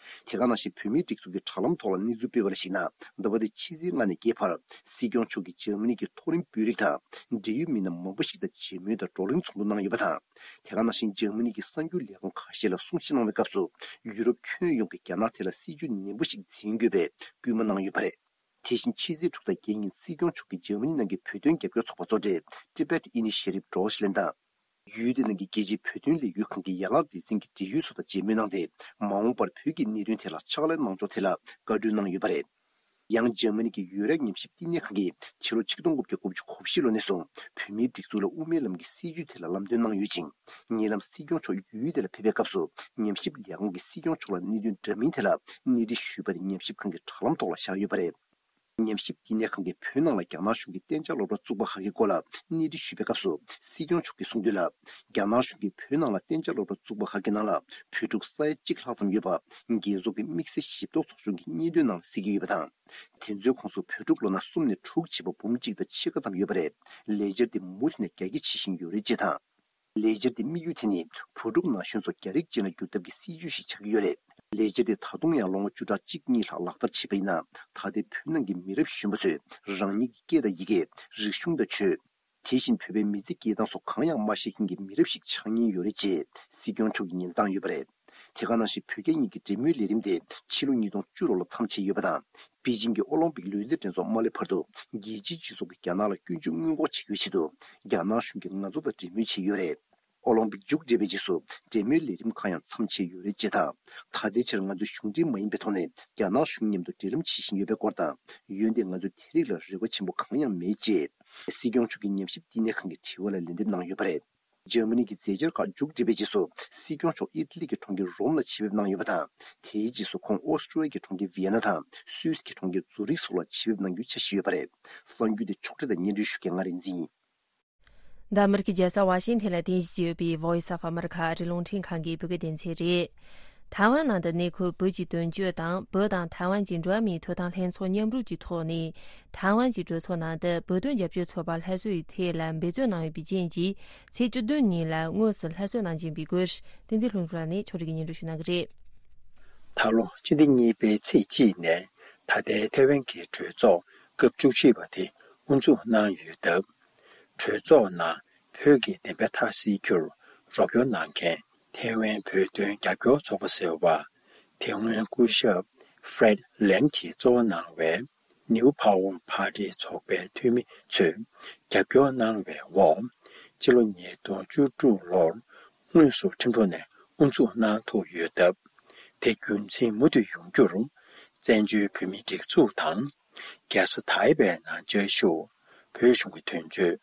དེ་ག་ནང་བཞིན་བོད་མིའི་སྒྲིག་འཛུགས་ཀྱི་དྲ་ལམ་ཐོག་ལ་གནས་ཚུལ་སྤེལ་བ་ལ་གཞིགས་ན། ཟླ་བ་འདིའི་ཕྱི་ཚེས་ལྔ་ནས་བརྒྱད་བར་སྲིད་སྐྱོང་མཆོག་གིས་འཇར་མ་ནི་གི་མཐོ་རིམ་དཔོན་རིགས་དང་འབྲེལ་ཡོད་མི་སྣ་མང་པོ་ཞིག་དང་མཇལ་མོལ་དང་བགྲོ་གླེང་ཚོགས་འདུ་གནང་ཡོད་པ་དང་། དེ་ག་ནང་བཞིན་འཇར་མ་ནི་གི་གསར་འགྱུར་ལས་ཁང་ཁ་ཤས་ལ་གསུང་བཤད་གནང་བའི་སྐབས་སུ། ཡུ་རོབ་ཁྱོན་ཡོངས་ཀྱིས་རྒྱ་ནག་ཐད་ལ་སྲིད་ཇུས་ནན་པོ་ཞིག་འཛིན་དགོས་པའི་སྐུལ་མ་གནང་ཡོད་པ་རེད། དེ་བཞིན་ཕྱི་ཚེས་དྲུག་དང་བརྒྱད་ཉིན་སྲིད་སྐྱོང་མཆོག་གིས་འཇར་མ་ནི་ནང་གི་བོད་དོན་རྒྱབ་སྐྱོར་ཚོགས་པ་གཙོ་གྲས་Tibet Initiative Deutschland དང་། ཡུལ་དེ་ནང་གི་རྒྱལ་སྤྱིའི་བོད་དོན་ལས་འགུལ་ཁང་གི་ཡན་ལག་སྡེ་ཚན་གྱི་འབྲེལ་ཡོད་ཚོ་དང་མཇལ་མོལ་གནང་སྟེ། མ་འོངས་པར་བོད་ཀྱི་གནད་དོན་ཐད་ལ་ཕྱག་ལས་གནང་ཕྱོགས་ཐད་ལ་བཀའ་འཁྲོལ་གནང་ཡོད་པ་རེད། ཡང་འཇར་མ་ནི་གི་ཡུ་རོབ་ཉམས་ཞིབ་བསྟི་གནས་ཁང་གིས་ཕྱི་ལོ་ཆིག་སྟོང་དགུ་བརྒྱ་དགུ་བཅུ་གོ་བཞི་ལོ་ནས་བཟུང་བོད་མིའི་སྒྲིག་འཛུགས་ལ་དབུ་མའི་ལམ་གྱི་སྲིད་བྱུས་ཐད་ལ་ལམ་སྟོན་གནང་ཡོད་ཅིང་། ཉེ་ལམ་སྲིད་སྐྱོང་མཆོག་ཡུལ་དེ་ལ་ཕེབས་པའི་སྐབས་སུ་ཉམས་ཞིབ་ལས་ཁང་གིས་སྲིད་སྐྱོང་མཆོག་ལ་གནད་དོན་འདྲ་མིན་ཐད་ལ་གནས་འདྲི་ཞུས་པ་དེ་ཉམས་ཞིབ་ཁང་གི་དྲ་ལམ་ཐོག་ལ་བཞག་ཡོད་པ་རེད། ཉམས་ཞིབ་བསྟི་གནས་ཁང་གིས་བོད་ནང་ལ་རྒྱ་ནག་གཞུང་གི་གཏན་འཇགས་སློབ་གྲྭ་བཙུགས་པ་ཁག་གི་སྐོར་ལ་གནས་འདྲི་ཞུས་པའི་སྐབས་སུ། སྲིད་སྐྱོང་མཆོག་གིས་གསུངས་དོན་ལ། རྒྱ་ནག་གཞུང་གིས་བོད་ནང་ལ་གཏན་འཇགས་སློབ་གྲྭ་བཙུགས་པ་ཁག་གི་ནང་ལ་བོད་ཕྲུག་ས་ཡ་གཅིག་ལྷག་ཙམ་ཡོད་པ་རྒྱལ་ཚོགས་ཀྱི་དམིགས་བསལ་ཞིབ་རྟོག་ཚོགས་ཆུང་གིས་སྙན་ཐོའི་ནང་གསལ་གྱི་ཡོད་པ་དང་། དེ་ཚོའི་ཁོངས་སུ་བོད་ཕྲུག་ལོ་ན་གསུམ་ནས་དྲུག་བྱས་པ་འབུམ་གཅིག་དང་ཕྱེད་ཀ་ཙམ་ཡོད་པ་རེད། ལས་འཆར་དེ་མུ་མཐུད་ནས་རྒྱ་སྐྱེད་བྱེད་བཞིན་ཡོད་རེད་ཅེས་དང་། ལས་འཆར་དེའི་དམིགས་ཡུལ་དེ་ནི་བུ་ཕྲུག་ན་གཞོན་ཚོ་རྒྱ་རིགས་ཅན་ལ་བསྒྱུར་ཐབས་ཀྱི་སྲིད་ཇུས་ཤིག་ཆགས་ཀྱི་ཡོད་རེད། ལས་འཆར་དེ་ད་དུང་ཡང་ལོ་ངོ་བཅུ་ཕྲག་གཅིག་གཉིས་ལྷག་ལག་བསྟར་བྱས་པ་ཡིན་ན། ད་ལྟའི་བོད་ནང་གི་མི་རབས་གཞོན་པ་ཚོས་རང་ཉིད་ཀྱི་སྐད་དང་ཡི་གེ། རིག་གཞུང་དང་ཆོས། དེ་བཞིན་བོད་པའི་མི་ཚེ་སྐྱེལ་སྟངས་སོགས་གང་ཡང་མ་ཤེས་མཁན་གྱི་མི་རབས་ཤིག་ཆགས་ཉེན་ཡོད་རེད་ཅེས་སྲིད་སྐྱོང་མཆོག་གིས་ཉེན་བརྡ་བཏང་ཡོད་པ་རེད། དེ་ག་ནང་བཞིན་བོད་རྒྱ་གཉིས་ཀྱི་འབྲེལ་མོལ་ལས་རིམ་དེ་ཕྱི་ལོ་ཉིས་སྟོང་བཅུ་དྲུག་ལོར་མཚམས་ཆད་ཡོད་པ་དང་། པེ་ཅིང་གི་ཨོ་ལིམ་པིག་ལུས་རྩལ་འགྲན་ཚོགས་མ་སླེབས་བར་དུ་རྒྱལ་སྤྱིའི་སྤྱི་ཚོགས་ཀྱིས་རྒྱ་ནག་ལ་སྐྱོན་བརྗོད་སྔོན་འགོག་བྱེད་རྒྱུའི་ཆེད་དུ་རྒྱ་ནག་གཞུང་གིས་ང་ཚོ་དང་འབྲེལ་མོལ་བྱས་ཡོད་རེད། ཨོ་ལིམ་པིག་མཇུག་བསྒྲིལ་བའི་རྗེས་སུ་འབྲེལ་མོལ་ལས་རིམ་ཁག་ཡང་མཚམས་ཆད་ཡོད་རེད་ཅེས་དང་། ད་ལྟའི་ཆར་ང་ཚོས་གཞུང་འབྲེལ་མ་ཡིན་པའི་ཐོག་ནས་རྒྱ་ནག་གཞུང་མཉམ་དུ་འབྲེལ་ལམ་བྱེད་བཞིན་ཡོད་པའི་སྐོར་དང་། འོན་ཏེ་ང་ཚོས་དེ་རིགས་ལ་རེ་བ་ཆེན་པོ་གང་ཡང་མེད་ཅེས་སྲིད་སྐྱོང་མཆོག་གིས་ཉམས་ཞིབ་བསྟི་གནས་ཁང་གི་དྲི་བ་ལ་ལན་འདེབས་གནང་ཡོད་པ་རེད། འཇར་མ་ནི་གི་མཛད་འཆར་ཁག་མཇུག་བསྒྲིལ་བའི་རྗེས་སུ། སྲིད་སྐྱོང་མཆོག་ཨི་ཊ་ལི་གི་གྲོང་ཁྱེར་རོམ་ལ་ཆེད་ཕེབས་གནང་ཡོད་པ་དང་། དེའི་རྗེས་སུ་ཁོང་ཨོ་སི་ཀྲི་ཡ་གི་གྲོང་ཁྱེར་ཝི་ཡེ་ན་དང་སུད་སི་གི་གྲོང་ཁྱེར་ཛུ་རིག་སོགས་ལ་ཆེད་ཕེབས་གནང་རྒྱུའི་འཆར་གཞི་ཡོད་པ་རེད། གསར་འགྱུར་དེ་ཕྱོགས་སྒྲིག་དང་སྙན་སྒྲོན་ཞུ་མཁན་ང་རིག་འཛིན་ཡིན། འདི་ཨ་མི་རི་ཀའི་རྒྱལ་ས་ཝ་ཤིང་ཐན་ལ་རྟེན་གཞི་བྱས་ཡོད་པའི་Voice of America ཨ་རིའི་རླུང་འཕྲིན་ཁང་གི་བོད་སྐད་སྡེ་ཚན་རེད། ཐའེ་ཝན་ནང་དུ་གནས་འཁོད་བོད་ཀྱི་དོན་གཅོད་དང་། བོད་དང་ཐའེ་ཝན་གྱི་འགྲོ་བ་མིའི་ཐོབ་ཐང་ལྷན་ཚོགས་མཉམ་རུབ་ཀྱི་ཐོག་ནས། ཐའེ་ཝན་གྱི་གྲོས་ཚོགས་ནང་དུ་བོད་དོན་རྒྱབ་སྐྱོར་ཚོགས་པ་སླར་གསོ་ཡི་ཐད་ལ་འབད་བརྩོན་གནང་ཡོད་པའི་རྐྱེན་གྱིས། ཚེས་བཅུ་བདུན་ཉིན་ལ་དངོས་སུ་སླར་གསོ་གནང་བཞིན་པའི་སྐོར། བསྟན་འཛིན་ལྷུན་གྲུབ་ལགས་ནས་ཕྱོགས་སྒྲིག་གིས་སྙན་སྒྲོན་ཞུ་གནང་གི་རེད། ད་ལོ་སྤྱི་ཟླ་གཉིས་པའི་ཚེས་གཅིག་ནས་ད་ལྟའི་ཐའེ་ཝན་གྱི་གྲོས་ཚོགས་སྐབས་བཅུ་བཞི་པ་དེ་དབུ་འཛུགས་གནང་ཡོད་སྟབས། གྲོས་ཚོགས་ནང་བོད་ཀྱི་བདེན་པ་མཐའ་གསལ་རྒྱུར་རོགས་སྐྱོར་གནང་མཁན་ཐའེ་ཝན་བོད་དོན་རྒྱབ་སྐྱོར་ཚོགས་པ་ཟེར་བ། དེ་སྔོན་སྐུ་ཞབས་Fred Lam གྱིས་གཙོ་བོ་གནང་བའི་New Power Party ཚོགས་པའི་འཐུས་མི་ཚོས་རྒྱབ་སྐྱོར་གནང་བའི་འོག་སྤྱི་ལོ་ཉིས་སྟོང་བཅུ་དྲུག་ལོར་དངོས་སུ་ཁྲིམས་ཐོག་ནས་དབུ་འཛུགས་གནང་ཐུབ་ཡོད་སྟབས། དེ་རྒྱུན་འཛིན་མུ་མཐུད་ཡོང་རྒྱུར་བཙན་བྱོལ་བོད་མིའི་སྒྲིག་འཛུགས་དང་། རྒྱལ་ས་ཐའེ་པེ་ནང་བཅའ་བཞུགས་བོད་གཞུང་གི་དོན་གཅོད།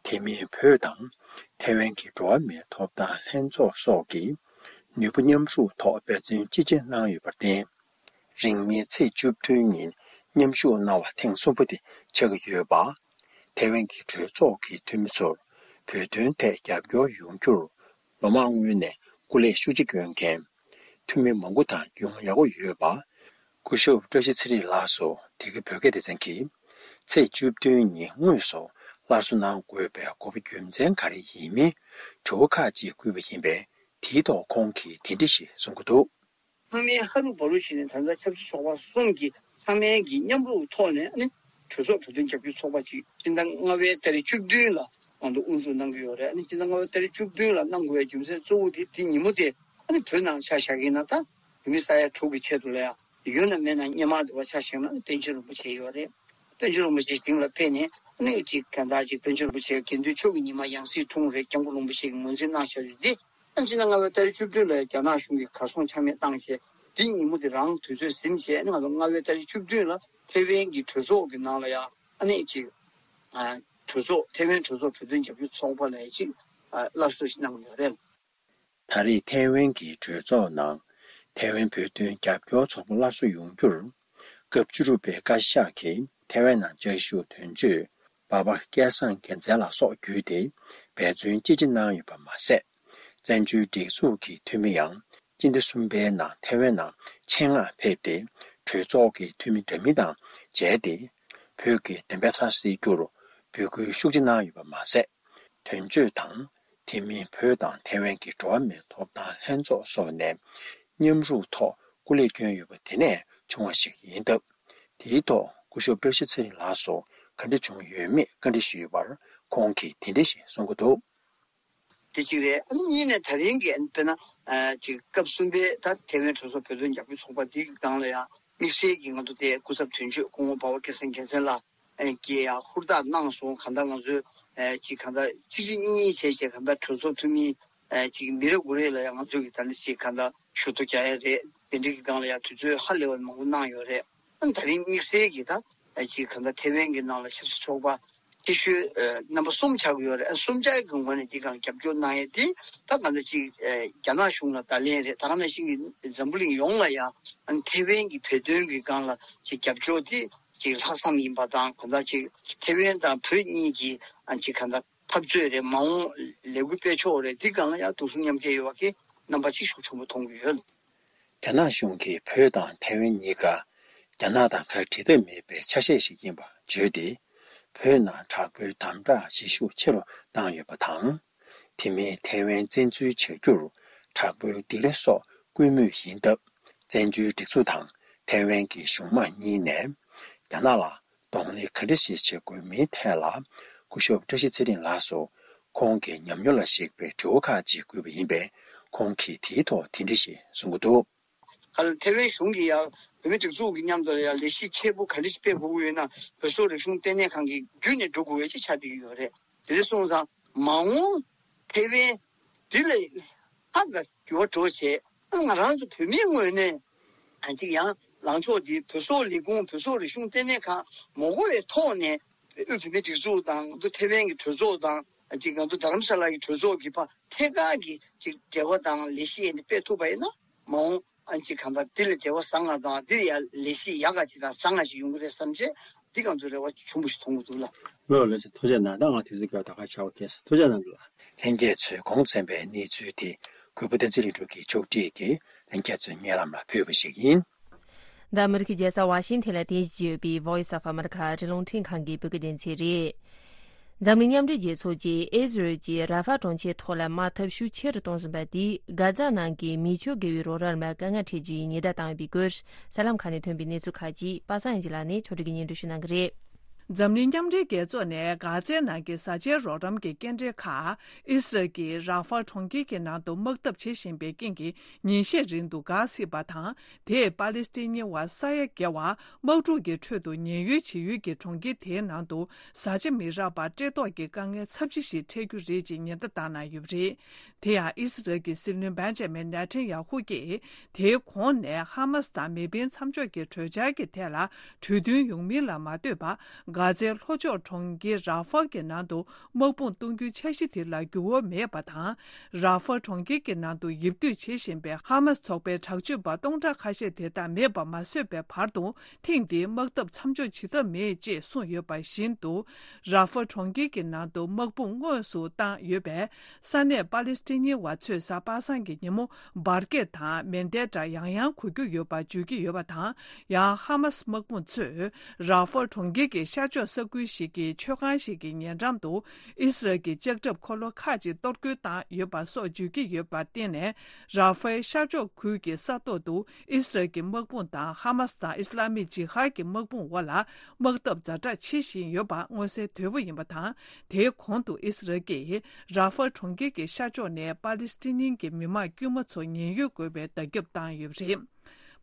དེ་མིན་བོད་དང་ཐའེ་ཝན་གྱི་འགྲོ་བ་མིའི་ཐོབ་ཐང་ལྷན་ཚོགས་སོགས་ཀྱི་ནུས་པ་མཉམ་རུབ་ཐོག་འབད་བརྩོན་ཅི་ཆེ་གནང་ཡོད་པར་བརྟེན། རིང་མིན་ཚེས་བཅུ་བདུན་ཉིན་མཉམ་ཞུགས་གནང་བ་ཐེངས་གསུམ་པ་དེ་ཆགས་ཀྱི་ཡོད་པ། ཐའེ་ཝན་གྱི་གྲོས་ཚོགས་ཀྱི་འཐུས་མི་ཚོར་བོད་དོན་ཐད་རྒྱབ་སྐྱོར་ཡོང་རྒྱུར་ལོ་མང་སྔོན་ནས་སྐུ་ལས་ཤུགས་ཆེ་བསྐྱོན་མཁན་འཐུས་མི་མང་པོ་དང་རྒྱུས་མངའ་ཡག་པོ་ཡོད་པ། སྐུ་ཞབས་བཀྲ་ཤིས་ཚེ་རིང་ལགས་སུ་དེ་གའི་བོད་སྐད་སྡེ་ཚན་གྱིས་ཚེས་བཅུ་བདུན་ཉིན་དངོས་སུ་སླར་གསོ་གནང་དགོས་པའི་དགོས་པ་རྒྱུ་མཚན་ག་རེ་ཡིན་མིན་དྲི་བ་ཁག་ཅིག་བསྐུལ་བ་ཡིན་པས། དེའི་ཐོག་ཁོང་གིས་དེ་འདྲ་ཞིག་གསུང་གི་འདུག། ཚང་མས་ཧ་རུ་བ་རུ་བྱས་ནས་ད་ལྟ་ཆབ་སྲིད་ཚོགས་པ་གསུམ་གྱིས་ཚང་མས་ཀྱི་མཉམ་རུབ་ཐོག་ནས་ཨ་ནི་གྲོས་ཚོགས་བོད་དོན་རྒྱབ་སྐྱོར་ཚོགས་པ་ཅིག་སྤྱི་ཟླ་ལྔ་པའི་ཏ་རིག་བཅུ་བདུན་ལ་ང་ཚོ་དབུ་འཛུགས་གནང་གི་ཡོད་རེད། ཨ་ནི་སྤྱི་ཟླ་ལྔ་པའི་ཏ་རིག་བཅུ་བདུན་ལ་གནང་དགོས་པའི་རྒྱུ་མཚན་གཙོ་བོ་དེ་དེ་ཉིན་མོ་དེ་ཨ་ནི་བོད་ནང་ཆ་བཞག་གི་ཡིན་ན་ད་བོད་མི་ས་ཡ་དྲུག་གི་ཆེད་དུ་ལ་ཡ་ཡོད་ན་མེད་ན་སྔོན་མ་དེ་བ་ཆ་བཞག་ན་ཨ་ནི་པཎ་ཆེན་རིན་པོ་ཆེ་ཡོད་རེད། པཎ་ཆེན་རིན་པོ་ཆེ་སྟེང་ལ་ཕེབས་ནས་ཨ་ནི་ཅིག་གང་ལྟར་ཅིག་པཎ་ཆེན་རིན་པོ་ཆེ་དགེ་འདུན་ཆོས་ཀྱི་ཉི་མ་ཡང་སྲིད་འཁྲུངས་རེད། སྐྱབས་མགོན་རིན་པོ་ཆེ་གིས་ངོས་འཛིན་གནང་བཞག་རྒྱུ་དེ། ཨ་ནི་སྤྱི་ཟླ་ལྔ་པའི་ཏ་རིག་བཅུ་བདུན་ལ་རྒྱ་ནག་གཞུང་གིས་གར་སོང་ཆ་མེད་བཏང་བྱས། དེ་ཉིན་མོ་དེ་རང་དུས་ཚོད་ཟིན་བྱས། ཨ་ནི་ང་ཚོ་ལྔ་པའི་ཏ་རིག་བཅུ་བདུན་ལ་ཐེ་ཝན་གྱི་གྲོས་ཚོགས་ཀྱི་ནང་ལ་ཡང་ཨ་ནི་ཅིག་ཨ་གྲོས་ཚོགས་ཐེ་ཝན་གྲོས་ཚོགས་བོད་དོན་རྒྱབ་སྐྱོར་ཚོགས་པ་ལ་ཅིག་ཨ་སླར་གསོ་ཞིག་གནང་གི་ཡོད་རེད། ད་རེས་ཐེ་ཝན་གྱི་གྲོས་ཚོགས་ནང་ཐེ་ཝན་བོད་དོན་རྒྱབ་སྐྱོར་ཚོགས་པ་སླར་གསོ་ཡོང་རྒྱུར་ སྐབས་བཅུ་དྲུག་པའི་བཀའ་ཤག་གིས་ཐེ་ཝན་ནང་བཅའ་བཞུགས་དོན་གཅོད་འབའ་པ་སྐལ་བཟང་རྒྱལ་མཚན་ལགས་སོགས་བརྒྱུད་དེ་འབད་བརྩོན་ཅི་ཆེ་གནང་ཡོད་པ་མ་ཟད། བཙན་བྱོལ་སྒྲིག་འཛུགས་ཀྱི་འཐུས་མི་ཡང་སྤྱི་ཟླ་གསུམ་པའི་ནང་ཐེ་ཝན་ནང་ཆེད་མངགས་ཕེབས་ཏེ། གྲོས་ཚོགས་ཀྱི་འཐུས་མི་འདྲ་མིན་དང་མཇལ་ཏེ། བོད་ཀྱི་བདེན་པ་ཚ་སེལ་རྒྱུར་འབོད་སྐུལ་ཤུགས་ཆེ་གནང་ཡོད་པ་མ་ཟད། དོན་གཅོད་དང་། དེ་མིན་བོད་དང་ཐེ་ཝན་གྱི་འགྲོ་བ་མིའི་ཐོབ་ཐང་ལྷན་ཚོགས་སོགས་ནས་མཉམ་རུབ་ཐོག་སྐུ་ལས་བསྐྱོན་ཡོད་པ་དེ་ནས་བྱུང་བ་ཞིག་ཡིན་སྟབས། དེའི་ཐོག་སྐུ་ཞབས་བཀྲ་ཤིས་ཚེ་རིང་ལགས་སུ་ག་འདྲ་བྱུང་ཡོད་མེད་བཀའ་འདྲི་ཞུས་པར། ཁོང་གིས་དེ་འདྲ་ཞིག་གསུང་གི་འདུག། དེ་གཅིག་རེད། ཨ་ནི་གཉིས་ནས་ད་རིང་གི་དཔེར་ན་ཅིག་སྐབས་གསུམ་པའི་ད་ཐེ་ཝན་གྲོས་ཚོགས་བོད་དོན་རྒྱབ་སྐྱོར་ཚོགས་པ་འདིའི་སྒང་ལ་ཡང་དམིགས་བསལ་གྱི་ང་ཚོ་དེ་སྐུ་ཚབ་དོན་གཅོད་སྐུ་ངོ་འབའ་པ་སྐལ་བཟང་རྒྱལ་མཚན་ལགས་ཀྱིས་ཡང་ཧུར་ཐག་གནང་སོང་། གང་ལྟར་ང་ཚོས་ཅིག་གང་ལྟར་གཅིག་གཅིག་གཉིས་གཉིས་བྱས་བྱས་གང་ལྟར་གྲོས་ཚོགས་འཐུས་མི་ཅིག་མི་རེ་ངོ་རེ་ལ་ཡང་ང་ཚོས་ཀྱི་ད་ནི་ཅིག་གང་ལྟར་ཞུ་གཏུག་རྒྱག་ཡ་རེད། དེ་འདྲའི་གི་སྒང་ལ་ཡང་དུས་ཚོད་ཧ་ལས་པ་མང་པོ་གནང་ཡོད་རེད། ཨ་ནི་ད་རིང་དམིགས་བསལ་གྱི་ད་ཅིག་གང་ལྟར་ཐེ་ཝན་གྱི་ནང་ལ་ཆབ་སྲིད་ཚོགས་པ་ཆེ་ཤོས་རྣམ་པ་གསུམ་ཆགས་ཀྱི་ཡོད་རེད། ཨ་གསུམ་ཆ་གི་ངོས་ནས་འདི་སྒང་རྒྱབ་སྐྱོར་གནང་ཡས་དེ་ད་གང་ལྟར་ཅིག་རྒྱ་ནག་གཞུང་ལ་བརྡ་ལན་རེད། ད་ག་ནང་བཞིན་གྱི་འཛམ་བུ་གླིང་ཡོངས་ལ་ཡང་ཨ་ནི་ཐེ་ཝན་གྱི་བོད་དོན་གྱི་སྒང་ལ་ཅིག་རྒྱབ་སྐྱོར་དེ་ཅིག་ལྷག་བསམ་ཡིན་པ་དང་། གང་ལྟར་ཅིག་ཐེ་ཝན་དང་བོད་གཉིས་ཀྱི་ཨ་ཅིག་གང་ལྟར་འཐབ་རྩོད་རེད། མ་འོངས་ལས་འགུལ་སྤེལ་ཕྱོགས་རེད། འདི་སྒང་ལ་ཡང་དུང་སུམ་མཉམ་སྐྱེད་ཡོད་པ་གི་རྣམ་པ་ཅིག་ཤུགས་ཆེན་པོ་མཐོང་གི་ཡོད། རྒྱ་ནག་གཞུང་གིས་བོད་དང་ཐའེ་ཝན་གཉིས་ཀ་རྒྱ་ནག་དང་ཁ་བྲལ་ཐབས་མེད་པའི་ཆ་ཤས་ཤིག་ཡིན་པ་བརྗོད་དེ། བོད་ནང་དྲག་པོའི་དམ་དྲག་བྱེད་ཤུགས་ཆེ་རུ་བཏང་ཡོད་པ་དང་། དེ་མིན་ཐའེ་ཝན་བཙན་འཛུལ་བྱ་རྒྱུར་དྲག་པོའི་སྡིགས་ར་སོགས་བསྐུལ་མུས་ཡིན་སྟབས། བཙན་བྱོལ་སྒྲིག་འཛུགས་དང་ཐའེ་ཝན་གྱི་གཞུང་མང་གཉིས་ནས་རྒྱ་ནག་ལ་གདོང་ལེན་ག་འདྲ་ཞིག་བྱེད་དགོས་མིན་ཐད་ལ། སྐུ་ཞབས་བཀྲ་ཤིས་ཚེ་རིང་ལགས་སུ་ཁོང་གི་ཉམས་མྱོང་ལ་གཞིགས་པའི་དྲི་བ་ཁག་ཅིག་བཀོད་པ་ཡིན་པས། ཁོང་གིས་དེའི་ཐོག་དེ་འདྲ་ཞིག་གསུང་གི་འདུག། ག་ལ་ཐའེ་ཝན་གཞུང་གིས་ཡང་བོད་མི་སྒྲིག་འཛུགས་ཀྱི་མཉམ་དུ་ལ་ཡང་ལས་གཞི་ཆེ་པོ་ག་འདྲ་ཞིག་སྤེལ་དགོས་ཀྱི་ཡོད་ན། བོད་སོག་རིག་གཞུང་ལྟེ་གནས་ཁང་གི་བརྒྱུད་ནས་འགྲོ་དགོས་པའི་ཅིག་ཆགས་བསྡད་ཀྱི་ཡོད་རེད། དེ་འདྲ་སོང་ཙང་མ་འོངས་ཐའེ་ཝན་འདི་ལ་ཧ་ག་འགྱུར་བ་འགྲོ་བྱས། ང་རང་ཚོ་བོད་མིའི་ངོས་ནས་ཨ་ཅིག་ཡང་ལངས་ཕྱོགས་འདི་བོད་སོག་ལས་ཁུངས་བོད་སོག་རིག་གཞུང་ལྟེ་གནས་ཁང་མ་དགོས་པའི་ཐོག་ནས། དབུས་བོད་མིའི་སྒྲིག་འཛུགས་དང་ཐའེ་ཝན་གྱི་གྲོས་ཚོགས་དང་ཅིག་ང་ཚོ་རྡ་རམ་ས་ལ་གི་གྲོས་ཚོགས་ཀྱི་བར་ཐད་ཀར་གྱི་ཅིག་འབྲེལ་བ་དང་ལས་གཞི་ཡིན་སྤེལ་ཐུབ་པ་ཡིན་ན། མ་འོངས་ཨ་ཅིག་གང་ལྟར་འདི་ལས་འབྲེལ་བ་བཟང་ང་དང་འདི་ལས་ཡ་ལས་གཞི་ཡག་ག་ཅིག་དང་བཟང་ང་ཞིག་ཡོང་གི་རེད་བསམ་བྱས་འདི་གང་ཚོད་རེ་བ་ཆུང་པོ་ཞིག་མཐོང་གི་འདུག་ལ། ལོ་ལ་ཅིག་ཐུགས་རྗེ་གནང་། ད་ང་དུས་ཚོད་སྐབས་ད་ག་ཆགས་པ་ཁེལ་སོང་། ཐུགས་རྗེ་གནང་འདུག་ལ། ལྷན་རྒྱས་ཚོས་གོང་གསན་པའི་གནས་ཚུལ་དེ་གུས་པ་བསྟན་འཛིན་ལྷུན་གྲུབ་ཀྱིས་ཕྱོགས་སྒྲིག་གིས་ལྷན་རྒྱས་ཚོའི་སྙན་ལམ་ལ་ཕུལ་བ་ཞིག་ཡིན། འདི་ཨ་མི་རི་ཀའི་རྒྱལ་ས་ཝ་ཤིང་ཐན་ལ་རྟེན་གཞི་བྱས་ཡོད་པའི་Voice of America ཨ་རིའི་རླུང་འཕྲིན་ཁང་གི་བོད་སྐད་སྡེ་ཚན་རེད། འཛམ་གླིང་མཉམ་འབྲེལ་རྒྱལ་ཚོགས་ཀྱིས་ཨི་ཟི་རལ་གྱི་ར་ཧྥ་གྲོང་ཁྱེར་ཐོག་ལ་དམག་འཐབ་ཤུགས་ཆེ་རུ་གཏོང་བཞིན་པ་དེས་གྷ་ཛ་ནང་གི་མི་ཆོས་དགེ་བའི་རོགས་རམ་ལ་དཀའ་ངལ་འཕྲད་རྒྱུའི་ཉེན་བརྡ་བཏང་ཡོད་པའི་སྐོར། གསར་ལམ་ཁག་ནས་ཐོན་པའི་གནས་ཚུལ་ཁག་ཅིག་པ་སངས་ཡིན་ལགས་ནས་ཕྱོགས་སྒྲིག་གིས་སྙན་སྒྲོན་ཞུ་གནང་གི་རེད། འཛམ་གླིང་མཉམ་འབྲེལ་རྒྱལ་ཚོགས་ནས་གྷ་ཛའི་ནང་གི་བཟའ་བཅའི་རོགས་རམ་གྱི་སྐྱེལ་འདྲེན་ཁག་ཨི་སི་རལ་གྱིས་ར་ཧྥ་གྲོང་ཁྱེར་གྱི་ནང་དུ་དམག་འཐབ་བྱེད་བཞིན་པའི་རྐྱེན་གྱིས་ཉིན་ཤས་རིང་དུ་འགག་སྲིད་པ་དང་། དེས་པ་ལི་སི་ཐན་མི་བ་ས་ཡ་བརྒལ་བ་དམག་འཁྲུག་གི་ཁྲོད་དུ་ཉེན་གཡོལ་བྱེད་ཡུལ་གྱི་གྲོང་ཁྱེར་དེའི་ནང་དུ་བཟའ་བཅའ་མི་རག་པར་བཀྲེས་ལྟོགས་ཀྱི་དཀའ་ངལ་ཚབས་ཆེ་ཞིག་འཕྲད་རྒྱུ་རེད་ཅེས་ཉེན་བརྡ་བཏང་གནང་ཡོད་པ་རེད། དེ་ཡང་ཨི་སི་རལ་གྱི་སྲིད་བློན་བེན་ཇ་མིན་ནེ་ཐན་ཡ་ཧུ་གྱིས་དེའི་གོང་ནས་ཧ་མ་སི་དང་མེ་འཕེན་མཚམས་འཇོག་གི་གྲོས་འཆར་གྱི་ཐད་ལ་གྲོས་མཐུན་ཡོང་མིན་ལ་མ་ལྟོས་པར། གྷ་ཛའི་ལྷོ་ཕྱོགས་གྲོང་ཁྱེར་ར་ཧྥ་གྱི་ནང་དུ་དམག་དཔུང་གཏོང་རྒྱུའི་འཆར་གཞི་དེ་ལ་འགྱུར་བ་མེད་པ་དང་། ར་ཧྥ་གྲོང་ཁྱེར་གྱི་ནང་དུ་ཡིབ་སྡོད་བྱེད་བཞིན་པའི་ཧ་མ་སི་ཚོགས་པའི་དྲག་སྤྱོད་པ་སྟོང་ཕྲག་ཁ་ཤས་དེ་དག་མེད་པ་མ་བཟོས་པའི་བར་དུ། ཐེངས་འདིའི་དམག་འཐབ་མཚམས་འཇོག་བྱེད་ཐབས་མེད་ཅེས་གསུངས་ཡོད་པ་བཞིན་དུ། ར་ཧྥ་གྲོང་ཁྱེར་གྱི་ནང་དུ་དམག་དཔུང་དངོས་སུ་བཏང་ཡོད་པས། ས་གནས་པ་ལི་སི་ཐན་མི་བ་ཚོས་གཟའ་པ་སངས་ཀྱི་ཉིན་མོ་འབར་གས་དང་མེ་མདའི་སྒྲ་ཡང་ཡང་གོ་རྒྱུ་ཡོད་པ་བརྗོད་ཀྱི་ཡོད་པ་དང་། ཡང་ཧ་མ་སི་དམག་དཔུང་ཚོས་ར་ཧྥ་གྲོང་ཁྱེར་གྱི་ཤར་ཕྱོགས་ས་ཁུལ་ཞིག་གི་མཆོད་ཁང་ཞིག་གི་ཉེ་འགྲམ་དུ་ཨི་སི་རལ་གྱི་ལྕགས་ཁྲབ་འཁོར་ལོ་ཁག་ཅིག་གཏོར་རྒོལ་བཏང་ཡོད་པ་སོགས་བརྗོད་ཀྱི་ཡོད་པར་བརྟེན་ནས། ར་ཧྥའི་ཤར་ཕྱོགས་ཁུལ་གྱི་ས་ཐོག་ཏུ་ཨི་སི་རལ་གྱི་དམག་དཔུང་དང་ཧ་མ་སི་དང་ཨི་སི་ལ་མིག་ཇི་ཧཱད་ཀྱི་དམག་དཔུང་དབར་ལ་དམག་འཐབ་ཛ་དྲག་ཆེ་བཞིན་ཡོད་པ་མངོན་གསལ་དོད་པོ་ཡིན་པ་དང་། དེའི་གོང་དུ་ཨི་སི་རལ་གྱིས་ར་ཧྥ་གྲོང་ཁྱེར་གྱི་ཤར་ཕྱོགས་ནས་པ་ལི་སི་ཐན་གྱི་མི་མང་དཀྱུས་མ་ཚོ་ཉེན་གཡོལ་དགོས་པའི་བརྡ་ཁྱབ་བཏང་ཡོད་པ་རེད།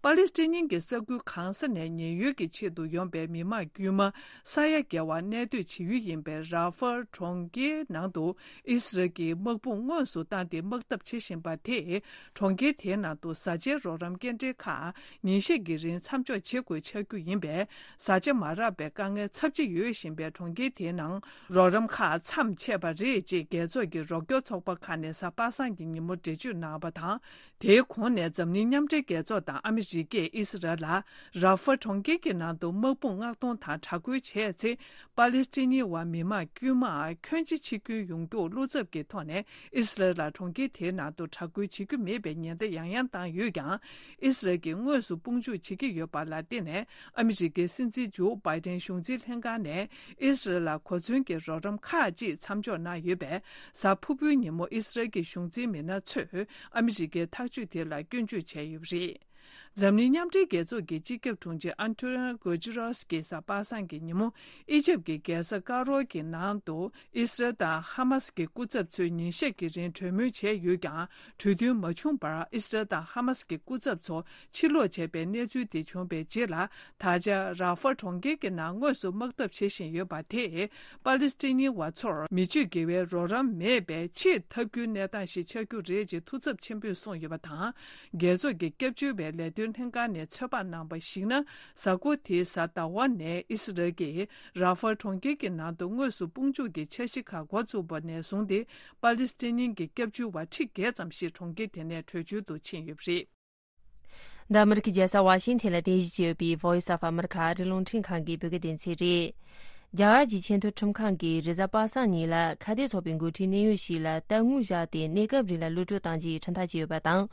པ་ལི་སི་ཐན་གྱི་ས་ཁུལ་གང་ས་ནས་ཉེན་གཡོལ་གྱི་ཆེད་དུ་ཡོང་པའི་མི་མང་དཀྱུས་མ་ས་ཡ་བརྒལ་བ་གནས་སྡོད་བྱེད་ཡུལ་ཡིན་པའི་ར་ཧྥ་གྲོང་ཁྱེར་ནང་དུ་ཨི་སི་རལ་གྱི་དམག་དཔུང་དངོས་སུ་བཏང་སྟེ་དམག་འཐབ་བྱེད་བཞིན་པ་དེས་གྲོང་ཁྱེར་དེའི་ནང་དུ་བཟའ་བཅའི་རོགས་རམ་སྐྱེལ་འདྲེན་ཁག་ཉིན་ཤས་ཀྱི་རིང་མཚམས་འཇོག་བྱེད་དགོས་ཆགས་རྒྱུ་ཡིན་པས། བཟའ་བཅའ་མ་རག་པའི་དཀའ་ངལ་ཚབས་ཆེ་ཡོད་བཞིན་པའི་གྲོང་ཁྱེར་དེའི་ནང་རོགས་རམ་ཁག་མཚམས་ཆད་པ་རེད་ཅེས་རྒྱལ་ཚོགས་ཀྱི་རོགས་སྐྱོར་ཚོགས་པ་ཁག་ནས་གཟའ་པ་སངས་ཀྱི་ཉིན་མོ་འགྲེལ་བརྗོད་གནང་བ་དང་། དེའི་གོང་ནས་འཛམ་གླིང་མཉམ་འབྲེལ་རྒྱལ་ཚོགས་དང་ཨ་མི་ ཇི་སྐད་ཨི་སི་རལ་ལ་ར་ཧྥ་གྲོང་ཁྱེར་གྱི་ནང་དུ་དམག་དཔུང་མངགས་གཏོང་དང་དྲག་རྒོལ་བྱས་ཚེ། པ་ལི་སི་ཐན་ནི་བ་མི་མང་དཀྱུས་མ་ཁྱོན་ཆེ་འཆི་སྐྱོན་ཡོང་རྒྱུར་བློ་འཚབ་ཀྱི་ཐོག་ནས་ཨི་སི་རལ་ལ་གྲོང་ཁྱེར་དེའི་ནང་དུ་དྲག་རྒོལ་བྱེད་རྒྱུ་མེད་པའི་ཉེན་བརྡ་ཡང་ཡང་བཏང་ཡོད་ཀྱང་། ཨི་སི་རལ་གྱིས་དངོས་སུ་དཔུང་འཇུག་བྱེད་ཀྱི་ཡོད་པ་ལ་བརྟེན་ནས། ཨ་མི་རི་ཀའི་སྲིད་འཛིན་ཇོ་བྷའི་ཏན་གཞུང་འཛིན་ལྷན་ཁང་ནས་ཨི་སི་རལ་ལ་གོ་མཚོན་གྱི་རོགས་རམ་ཁག་ཅིག་མཚམས་འཇོག་གནང་ཡོད་པས། གཟའ་ཕུར་བུའི་ཉིན་མོ་ཨི་སི་རལ་གྱི་གཞུང་འཛིན་མི་སྣ་ཚོས་ཨ་མི་རི་ཀའི་ཐག་གཅོད་དེ་ལ་སྐྱོན་བརྗོད་བྱས་ཡོད་པ་རེད། འཛམ་གླིང་མཉམ་འབྲེལ་རྒྱལ་ཚོགས་ཀྱི་སྤྱི་ཁྱབ་དྲུང་ཆེ་ཨན་ཏོ་ནིའོ་གུ་ཏེ་རེས་ཀྱིས་གཟའ་པ་སངས་ཀྱི་ཉིན་མོ་ཨི་ཇིབ་ཀྱི་རྒྱལ་ས་ཀ་རོ་གྱི་ནང་དུ་ཨི་སི་རལ་དང་ཧ་མ་སི་གི་སྐུ་ཚབ་ཚོས་ཉིན་ཤས་ཀྱི་རིང་གྲོས་མོལ་བྱས་ཡོད་ཀྱང་། གྲོས་མཐུན་མ་བྱུང་བར་ཨི་སི་རལ་དང་ཧ་མ་སི་གི་སྐུ་ཚབ་ཚོ་ཕྱིར་ལོག་བྱས་པའི་གནས་ཚུལ་དེ་བྱུང་བའི་རྗེས་ལ། ད་ཆ་ར་ཧྥ་གྲོང་ཁྱེར་གྱི་ནང་དངོས་སུ་དམག་འཐབ་བྱེད་བཞིན་ཡོད་པ་དེས། པ་ལི་སི་ཐན་ནི་བ་ཚོར་མི་སྤྱོད་དགེ་བའི་རོགས་རམ་མེད་པའི་ཆེས་ཐབས་སྐྱོའི་གནས་སྟངས་ཤིག་ཆགས་རྒྱུ་རེད་ཅེས་ཐུགས་འཚབ་ཆེན་པོས་གསུངས་ཡོད་པ་དང་། རྒྱལ་ཚོགས་ཀྱི་སྐྱབས་བཅོལ་བའི་ལས་དོན་ལྷན་ཁང་ནས་ཚོད་དཔག་གནང་བར་གཞིགས་ན། གཟའ་འཁོར་དེའི་གཟའ་ཟླ་བ་ནས་ཨི་སི་རལ་གྱིས་ར་ཧྥ་གྲོང་ཁྱེར་གྱི་ནང་དུ་དངོས་སུ་དཔུང་འཇུག་གི་འཆར་གཞི་ཁག་འགོ་བཙུགས་པ་ནས་བཟུང་སྟེ། པ་ལི་སི་ཐན་གྱི་སྐྱབས་བཅོལ་བ་ཁྲི་བརྒྱད་ཙམ་ཞིག་གྲོང་ཁྱེར་དེ་ནས་བྲོས་བྱོལ་དུ་ཕྱིན་ཡོད་པ་རེད། འདི་ཨ་མི་རི་ཀའི་རྒྱལ་ས་ཝ་ཤིང་ཐན་ལ་རྟེན་གཞི་བྱས་ཡོད་པའི་Voice of America ཨ་རིའི་རླུང་འཕྲིན་ཁང་གི་བོད་སྐད་སྡེ་ཚན་རེད། རྒྱ་གར་གྱི་ཆེས་མཐོའི་ཁྲིམས་ཁང་གིས་རེས་གཟའ་པ་སངས་ཉིན་ལ་ཁ་གཏད་ཚོགས་པའི་འགོ་ཁྲིད་གནད་ཡོད་ཞིག་ལ་ལྟ་དངོས་བཞག་སྟེ་གནས་སྐབས་རིང་ལ་གློད་གྲོལ་གཏང་རྒྱུའི་ཁྲིམས་ཐག་བཅད་ཡོད་པ་དང་།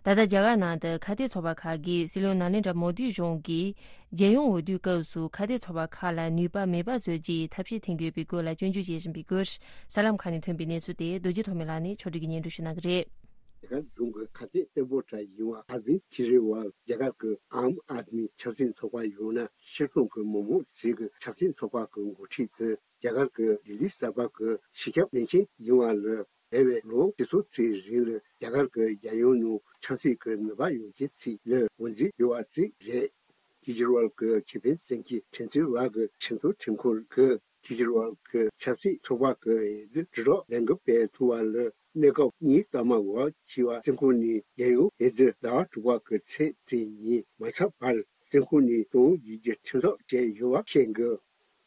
ད་ལྟ་རྒྱ་གར་ནང་དུ་ཁ་གཏད་ཚོགས་པ་ཁག་གིས་སྲིད་བློན་ན་རེན་དྲ་མོ་དི་གཞུང་གིས་རྒྱལ་ཡོངས་འོས་བསྡུའི་སྐབས་སུ་ཁ་གཏད་ཚོགས་པ་ཁག་ལ་ནུས་པ་མེད་པ་བཟོ་རྒྱུའི་ཐབས་ཤེས་འཐེན་དགོས་པའི་སྐོར་ལ་སྐྱོན་བརྗོད་བྱེད་བཞིན་པའི་སྐོར། གསར་ལམ་ཁག་ནས་ཐོན་པའི་གནས་ཚུལ་དེ་རྡོ་རྗེ་ཐོགས་མེད་ལགས་ནས་ཕྱོགས་སྒྲིག་གིས་སྙན་སྒྲོན་ཞུ་གནང་གི་རེད། རྒྱ་གར་གཞུང་གི་ཁ་གཏད་གཏན་པོ་གྲས་ཡིན་པ་ཨ་ར་བིན་ཁེ་ཇི་རི་ཝལ་རྒྱ་གར་གྱི་ཨམ་ཨད་མི་ཆབ་སྲིད་ཚོགས་པ་ཡང་ན་ཕྱིར་ཚོང་གི་མི་མང་ཟེར་གྱི་ཆབ་སྲིད་ཚོགས་པ་གི་འགོ་ཁྲིད་དེ་རྒྱ་གར་གྱི་ལྡི་ལི་གསར་པ་གི་སྤྱི་ཁྱབ་བློན་ཆེན་ཡིན་པ་ལ་འདས་པའི་ལོ་ཁྲི་ཚོ་ཚོའི་རིང་ལ་རྒྱ་གར་གྱི་རྒྱལ་ཡོངས་ནང་ཆབ་སྲིད་ཀྱི་ནུས་པ་ཡོད་མཁན་ཚོ་ལ་ངོས་འཛིན་ཡོད་པ་ཅིག་རེད། ཁེ་ཇི་རི་ཝལ་གྱི་ཁེ་ཕན་བཙན་གྱི་ཁྲིམས་རྩོད་པ་གི་ཁྲིམས་རྩོད་ཁྲིམས་ཁང་གིས་ཁེ་ཇི་རི་ཝལ་གྱི་ཆབ་སྲིད་ཚོགས་པ་གི་འོས་བསྡུ་དྲིལ་སྒྲོག་ལས་འགུལ་སྤེལ་ཐུབ་པ་ལ་གནས་སྐབས་གཉིས་ལྟར་མ་འགོར་བར་བྱས་པ་བཙོན་ཁང་ནས་རྒྱལ་ཡོངས་འོས་བསྡུ་ཟླ་བ་དྲུག་པ་གི་ཚེས་བཅུ་ཉིན་མ་ཚར་བར་བཙོན་ཁང་ནས་གཏོང་རྒྱུའི་ཁྲིམས་ཐག་བཅད་ཡོད་པ་བཤད་འདུག་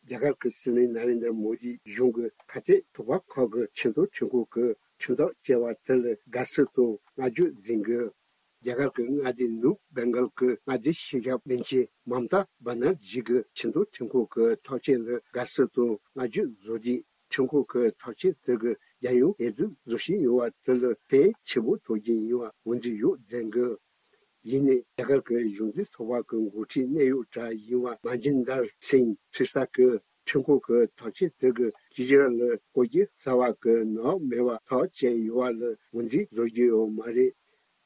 རྒྱ་གར་གྱི་སྲིད་བློན་ན་རེན་དྲ་མོ་དི་གཞུང་གི་ཁ་གཏད་ཚོགས་པ་ཁག་གི་ཁྲིམས་རྩོད་ཁྲིམས་ཁང་གིས་ཁྲིམས་ཐག་བཅད་པ་དེ་ལ་དགའ་བསུ་དང་བསྔགས་བརྗོད་མཛད་འདུག་རྒྱ་གར་གྱི་མངའ་སྡེ་ནུབ་བེང་གལ་གྱི་མངའ་སྡེ་སྤྱི་ཁྱབ་བློན་ཆེན་མམ་ཏཱ་བྷ་ན་ཇི་གིས་ཁྲིམས་རྩོད་ཁྲིམས་ཁང་གི་ཐག་གཅོད་ལ་དགའ་བསུ་དང་བསྔགས་བརྗོད་བཟོ་དུས། ཁྲིམས་ཁང་གི་ཐག་གཅོད་དེ་གིས་རྒྱལ་ཡོངས་འོས་བསྡུ་རྫོགས་ཞིན་ཡོད་པ་དེ་ལ་ཕན་ཆེན་པོ་ཐོགས་ཀྱི་ཡིན་པ་ངོས་འཛིན་ཡོད་མཛད་འདུག་ཡིན་ནའི་རྒྱ་གར་གྱི་གཞུང་འཛིན་ཚོགས་པ་གི་འགོ་ཁྲིད་གནད་ཡོད་གྲས་ཡིན་པ་མ་ཇིན་དར་སིང་ཐིར་ས་གིས་ཁྲིམས་ཁང་གི་ཐག་གཅོད་དེ་གིས་ཁེ་ཇི་རི་ཝལ་ལ་བཀོད་རྒྱུ་གསར་པ་གི་ནག་མེད་པ་ཐག་བཅད་ཡོད་པ་ལ་ངོས་འཛིན་བཟོ་རྒྱུ་ཡོད་མ་རེད།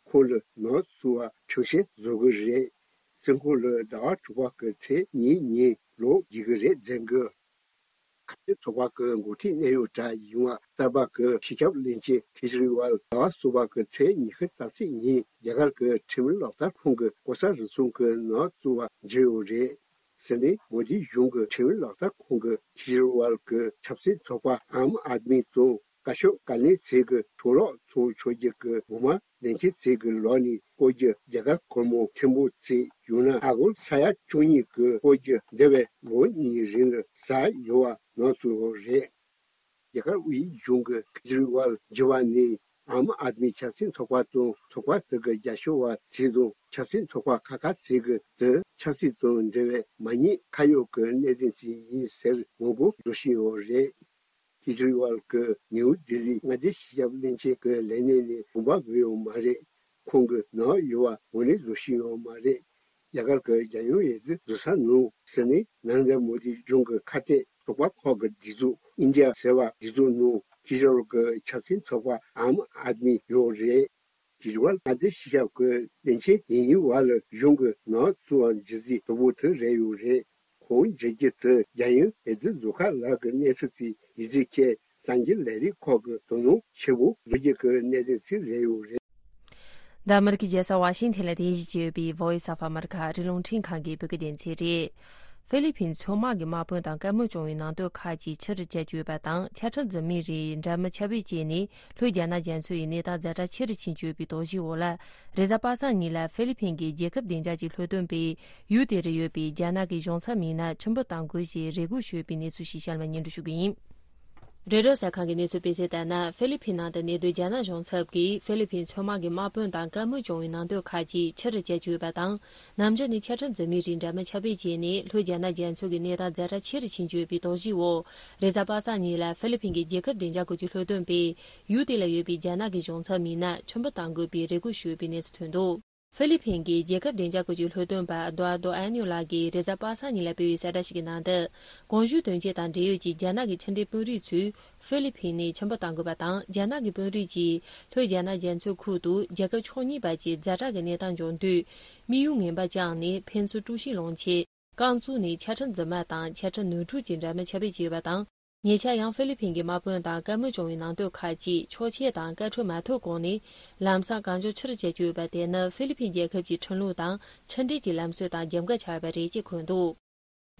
ཁོང་ལ་ནག་བཙུགས་པ་ཁྲིམས་ཆད་བཟོ་གི་རེད། བཙོན་ཁང་ལ་ཟླ་བ་དྲུག་པ་གི་ཚེས་གཉིས་ཉིན་ལོག་རྒྱུ་གི་རེད་མཛད་འདུག་ཁ་གཏད་ཚོགས་པ་གི་འགོ་ཁྲིད་གནད་ཡོད་གྲས་ཡིན་པ་གསར་པ་གི་སྤྱི་ཁྱབ་བློན་ཆེན་ཁེ་ཇི་རི་ཝལ་ཟླ་བ་གསུམ་པ་གི་ཚེས་ཉི་ཤུ་རྩ་གཅིག་ཉིན་རྒྱ་གར་གྱི་ཁྲིམས་ལག་བསྟར་ཁང་གི་ལྐོག་ཟ་རུལ་སུངས་ཀྱི་ནག་བཙུགས་པ་བརྗོད་ཡོད་རེད། སྲིད་བློན་མོ་དིའི་གཞུང་གི་ཁྲིམས་ལག་བསྟར་ཁང་གིས་ཁེ་ཇི་རི་ཝལ་གྱི་ཆབ་སྲིད་ཚོགས་པ་ཨམ་ཨད་མི་དང་བཀའ་ཤག་བཀའ་བློན་ཚོས་ཀྱི་གྲོས་རོགས་ཚོགས་ཆོག་རྒྱུ་གི་འོག་མ་ལས་འཆར་ཚིག་གི་ལོག་ནས་བཀོད་རྒྱུ་རྒྱ་གར་སྒོར་མོ་ཐེར་འབུམ་ཚིག་ཡང་ན་ཨ་སྒོར་ས་ཡ་བཅུ་གཉིས་ཀྱི་བཀོད་རྒྱུ་འདས་པའི་ལོ་གཉིས་རིང་ལ་ཟ་ཡོད་པ་ནང་ཚུད་ཡོད་རེད། རྒྱ་གར་དབུས་གཞུང་གིས་ཁེ་ཇི་རི་ཝལ་འགྱུར་བ་ནི་ཨམ་ཨད་མི་ཆབ་སྲིད་ཚོགས་པ་དང་ཚོགས་པ་དེ་གི་རྒྱབ་སྐྱོར་བ་ཚོས་དང་ཆབ་སྲིད་ཚོགས་པ་ཁག་ཁག་ཚོས་ཀྱིས་དེ་ཆབ་སྲིད་དང་འབྲེལ་བའི་མ་ཉེས་ཁ་གཡོག་གི་གནད་དོན་ཞིག་ཡིན་ཟེར་ངོ་རྒོལ་བཟོ་བཞིན་ཡོད་རེད། ཁེ་ཇི་རི་ཝལ་གྱིས་ནིའུ་ལྡི་ལི་མངའ་སྡེ་སྤྱི་ཁྱབ་བློན་ཆེན་གྱི་ལས་གནས་ནས་དགོངས་པ་འགལ་ཡོད་མ་རེད། ཁོང་གིས་ནག་ཡོད་པ་ངོས་ལེན་བཟོ་བཞིན་ཡོད་མ་རེད། རྒྱ་གར་གྱི་རྒྱལ་ཡོངས་འོས་བསྡུ་རྫོགས་ས་ནང་སྲིད་བློན་ན་རེན་དྲ་མོ་དི་གཞུང་གི་ཁ་གཏད་ཚོགས་པ་ཁག་གི་སྒྲིག་འཛུགས་ཨིན་ཌི་ཡ་ཟེར་བ་སྒྲིག་འཛུགས་ནང་ཁེ་ཇི་རི་ཝལ་གྱི་ཆབ་སྲིད་ཚོགས་པ་ཨམ་ཨད་མི་ཡོད་རེད། ཁེ་ཇི་རི་ཝལ་མངའ་སྡེ་སྤྱི་ཁྱབ་ཀྱི་བློན་ཆེན་ཡིན་ཡིན་བར་ལ་གཞུང་གི་ནག་བཙུགས་པ་འགྱུར་རྩིས་དོད་པོ་དེ་རེད་ཡོད་རེད། ཁོང་འགྱུར་རྒྱུ་དེ་རྒྱལ་ཡོངས་འོས་བསྡུ་རྫོགས་ཁ་ལ་གི་གནས་ཚུལ་ཅིག་ཡིན་ཚུལ་ཁྱེད་གསར་འགྱུར་ལས་རིགས་ཁག་གི་དོ་སྣང་ཆེན་པོ་བཟོ་རྒྱུ་གི་གནད་དོན་ཅིག་རེད་ཡོད་རེད། འདི་ཨ་མི་རི་ཀའི་རྒྱལ་ས་ཝ་ཤིང་ཐན་ལ་རྟེན་གཞི་བྱས་ཡོད་པའི་Voice of America ཨ་རིའི་རླུང་འཕྲིན་ཁང་གི་བོད་སྐད་སྡེ་ཚན་རེད། ཧྥི་ལི་ཕིན་མཚོ་དམག་གི་དམག་དཔོན་དང་བཀའ་མོལ་བྱུང་བའི་ནང་དོན་ཁག་ཅིག་ཕྱིར་བསྐྱལ་བཅུག་ཡོད་པ་དང་། ཆ་ཁྲག་འཛིན་མའི་རིགས་འདྲ་མིན་ཁྱབ་སྤེལ་བྱས་ནས་ལྷོའི་རྒྱ་ནག་རྒྱ་མཚོའི་གནས་སྟངས་ཛ་དྲག་ཆེ་རུ་ཕྱིན་བཅུག་པའི་དོགས་གཞིའི་འོག་ལ། རེས་གཟའ་པ་སངས་ཉིན་ལ་ཧྥི་ལི་ཕིན་གྱི་རྒྱལ་ཁབ་བདེ་འཇགས་ཀྱི་ལྷོ་སྟོན་པས་ཡུལ་དེར་ཡོད་པའི་རྒྱ་ནག་གི་གཞུང་ཚབ་མི་སྣ་ཆུ་འབུད་གཏང་དགོས་ཞེས་རེ་སྐུལ་ཞུས་པའི་གནས་ཚུལ་ཞིག་གཤམ་ལ་སྙན་སྒྲོན་ཞུ་གི་ཡིན། རོའི་ཊར་གསར་ཁང་གིས་གནས་ཚུལ་སྤེལ་གསལ་ལྟར་ན། ཧྥི་ལི་ཕིན་ནང་དུ་གནས་སྡོད་རྒྱ་ནག་གཞུང་ཚབ་ཀྱིས་ཧྥི་ལི་ཕིན་མཚོ་དམག་གི་དམག་དཔོན་དང་བཀའ་མོལ་བྱུང་བའི་ནང་དོན་ཁག་ཅིག་ཕྱིར་བསྐྱལ་བཅུག་ཡོད་པ་དང་། ནམ་རྒྱུན་ནས་ཆ་འཕྲིན་འཛིན་མའི་རིགས་འདྲ་མིན་ཁྱབ་སྤེལ་བྱས་ནས། ལྷོ་རྒྱ་ནག་རྒྱ་མཚོ་གི་གནས་སྟངས་ཛ་དྲག་ཆེ་རུ་ཕྱིན་བཅུག་ཡོད་པའི་དོགས་གཞིའི་འོག་རེས་གཟའ་པ་སངས་ཉིན་ལ་ཧྥི་ལི་ཕིན་གྱི་རྒྱལ་ཁབ་བདེ་འཇགས་སྐོར་གྱི་སློབ་སྟོན་པས། ཡུལ་དེ་ལ་ཡོད་པའི་རྒྱ་ནག་གི་གཞུང་ཚབ་མི་སྣ་ཕྱིར་འབུད་གཏང་དགོས་པའི་རེ་སྐུལ་ཞུས་ཡོད་པའི་གནས་ཚུལ་ཐོན་འདུག་ཧྥི་ལི་ཕིན་གྱི་རྒྱལ་ཁབ་བདེ་འཇགས་སྐོར་གྱི་སློབ་སྟོན་པ་ཨ་དོ་ཨ་དོ་ཨ་ནིའོ་ལགས་ཀྱིས་རེས་གཟའ་པ་སངས་ཉིན་ལ་སྤེལ་བའི་གསལ་བསྒྲགས་ཤིག་གི་ནང་དུ། གོང་ཞུས་དོན་རྐྱེན་དང་འབྲེལ་ཡོད་ཀྱི་རྒྱ་ནག་གི་ཕྱི་འབྲེལ་དཔོན་རིགས་ཚོས་ཧྥི་ལི་ཕིན་ནས་ཕྱིར་འབུད་གཏང་དགོས་པ་དང་། རྒྱ་ནག་གི་དཔོན་རིགས་ཀྱིས་ལྷོ་རྒྱ་ནག་རྒྱ་མཚོའི་ཁུལ་དུ་རྒྱལ་ཁབ་ཕྱོགས་གཉིས་བར་གྱི་ཛ་དྲག་གི་གནས་སྟངས་འབྱུང་དུས། དམིགས་ཡུལ་ངན་པ་བཅངས་ནས། ཕན་ཚུན་དཀྲུག་ཤིང་སློང་ཆེད། རྐང་བཙུགས་ནས་ཆ་འཕྲིན་རྫུན་མ་དང་ཆ་འཕྲིན་ནོར་འཁྲུལ་གྱི་འདྲ་མིན་ཁྱབ་སྤེལ་བྱས་ཡོད་པ་དང་། ཉེ་ཆར་ཡང་ཧྥི་ལི་ཕིན་གྱི་དམག་དཔོན་དང་བཀའ་མོལ་བྱུང་བའི་ནང་དོན་ཁག་ཅིག་ཆོག་མཆན་དང་བཀའ་འཁྲོལ་མ་ཐོབ་གོང་ནས། ལམ་སང་གང་མགྱོགས་ཕྱིར་བསྐྱལ་རྒྱུ་ཡོད་པ་དེ་ནི་ཧྥི་ལི་ཕིན་རྒྱལ་ཁབ་ཀྱི་ཁྲིམས་ལུགས་དང་ཕྱི་འབྲེལ་གྱི་ལམ་སྲོལ་དང་རྒྱབ་འགལ་ཆགས་ཡོད་པ་རེད་ཅེས་འཁོད་འདུག་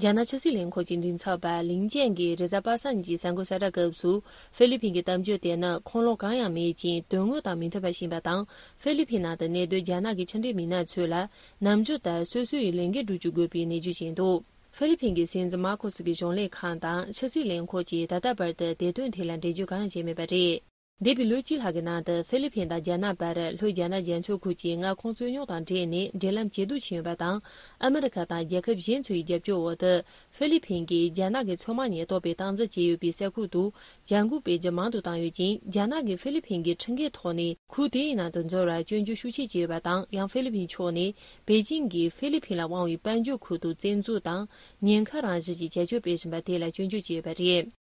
རྒྱ་ནག་ཕྱི་སྲིད་ལས་ཁུངས་ཀྱི་མགྲིན་ཚབ་པ་ལིང་ཅན་གྱིས་རེས་གཟའ་པ་སངས་ཉིན་གྱི་གསར་འགོད་གསལ་བསྒྲགས་སྐབས་སུ། ཧྥི་ལི་ཕིན་གྱི་གཏམ་བརྗོད་དེ་ནི་ཁུངས་ལུང་གང་ཡང་མེད་ཅིང་། དོན་དངོས་དང་མི་མཐུན་པ་ཞིག་ཡིན་པ་དང་། ཧྥི་ལི་ཕིན་ནང་དུ་གནས་སྡོད་རྒྱ་ནག་གི་ཕྱི་འབྲེལ་མི་སྣ་ཚོས་ལ། ནམ་རྒྱུན་ལྟར་སོ་སོ་ཡི་ལས་འགན་སྒྲུབ་བཅུག་དགོས་པའི་གནས་ཚུལ་བྱས་འདུག་ཧྥི་ལི་ཕིན་གྱི་སྲིད་འཛིན་མར་ཁོ་སི་གི་གཞུང་ལས་ཁང་དང་ཕྱི་སྲིད་ལས་ཁུངས་ཀྱིས་ད་ལྟ་བར་དུ་དེ་དོན་ཐད་ལ་འགྲེལ་བརྗོད་གང་ཡང་བྱས་མེད་པ་རེད། འདས་པའི་ལོ་གཅིག་ལྷག་གི་ནང་དུ་ཧྥི་ལི་ཕིན་དང་རྒྱ་ནག་བར་ལྷོ་རྒྱ་ནག་རྒྱ་མཚོའི་ཁུལ་གྱི་མངའ་ཁོངས་རྩོད་རྙོག་དང་འབྲེལ་ནས་འབྲེལ་ལམ་ཇེ་སྡུག་ཕྱིན་ཡོད་པ་དང་། ཨ་མི་རི་ཁ་དང་རྒྱལ་ཁབ་གཞན་ཚོའི་རྒྱབ་སྐྱོར་འོག་ཏུ། ཧྥི་ལི་ཕིན་གྱིས་རྒྱ་ནག་གི་མཚོ་དམག་ཉེན་རྟོག་པས་སྟངས་འཛིན་བྱས་ཡོད་པའི་ས་ཁུལ་དུ་བྱ་འགུལ་སྤེལ་རྒྱུ་མང་དུ་བཏང་ཡོད་ཅིང་། རྒྱ་ནག་གིས་ཧྥི་ལི་ཕིན་གྱི་ཁྲིམས་འགལ་ཐོག་ནས་ཁུལ་དེའི་ནང་དུ་འཛུལ་བར་སྐྱོན་བརྗོད་ཤུགས་ཆེ་བྱས་ཡོད་པ་དང་། ཡང་ཧྥི་ལི་ཕིན་ཕྱོགས་ནས་པེ་ཅིང་གིས་ཧྥི་ལི་ཕིན་ལ་དབང་བའི་དཔལ་འབྱོར་ཁུལ་དུ་བཙན་འཛུལ་དང་ཉེན་ཁ་རང་བཞིན་གྱི་བྱ་སྤྱོད་སྤེལ་བཞིན་པ་དེ་ལ་སྐྱོན་བརྗོད་བྱས་ཡོད་པ་རེད།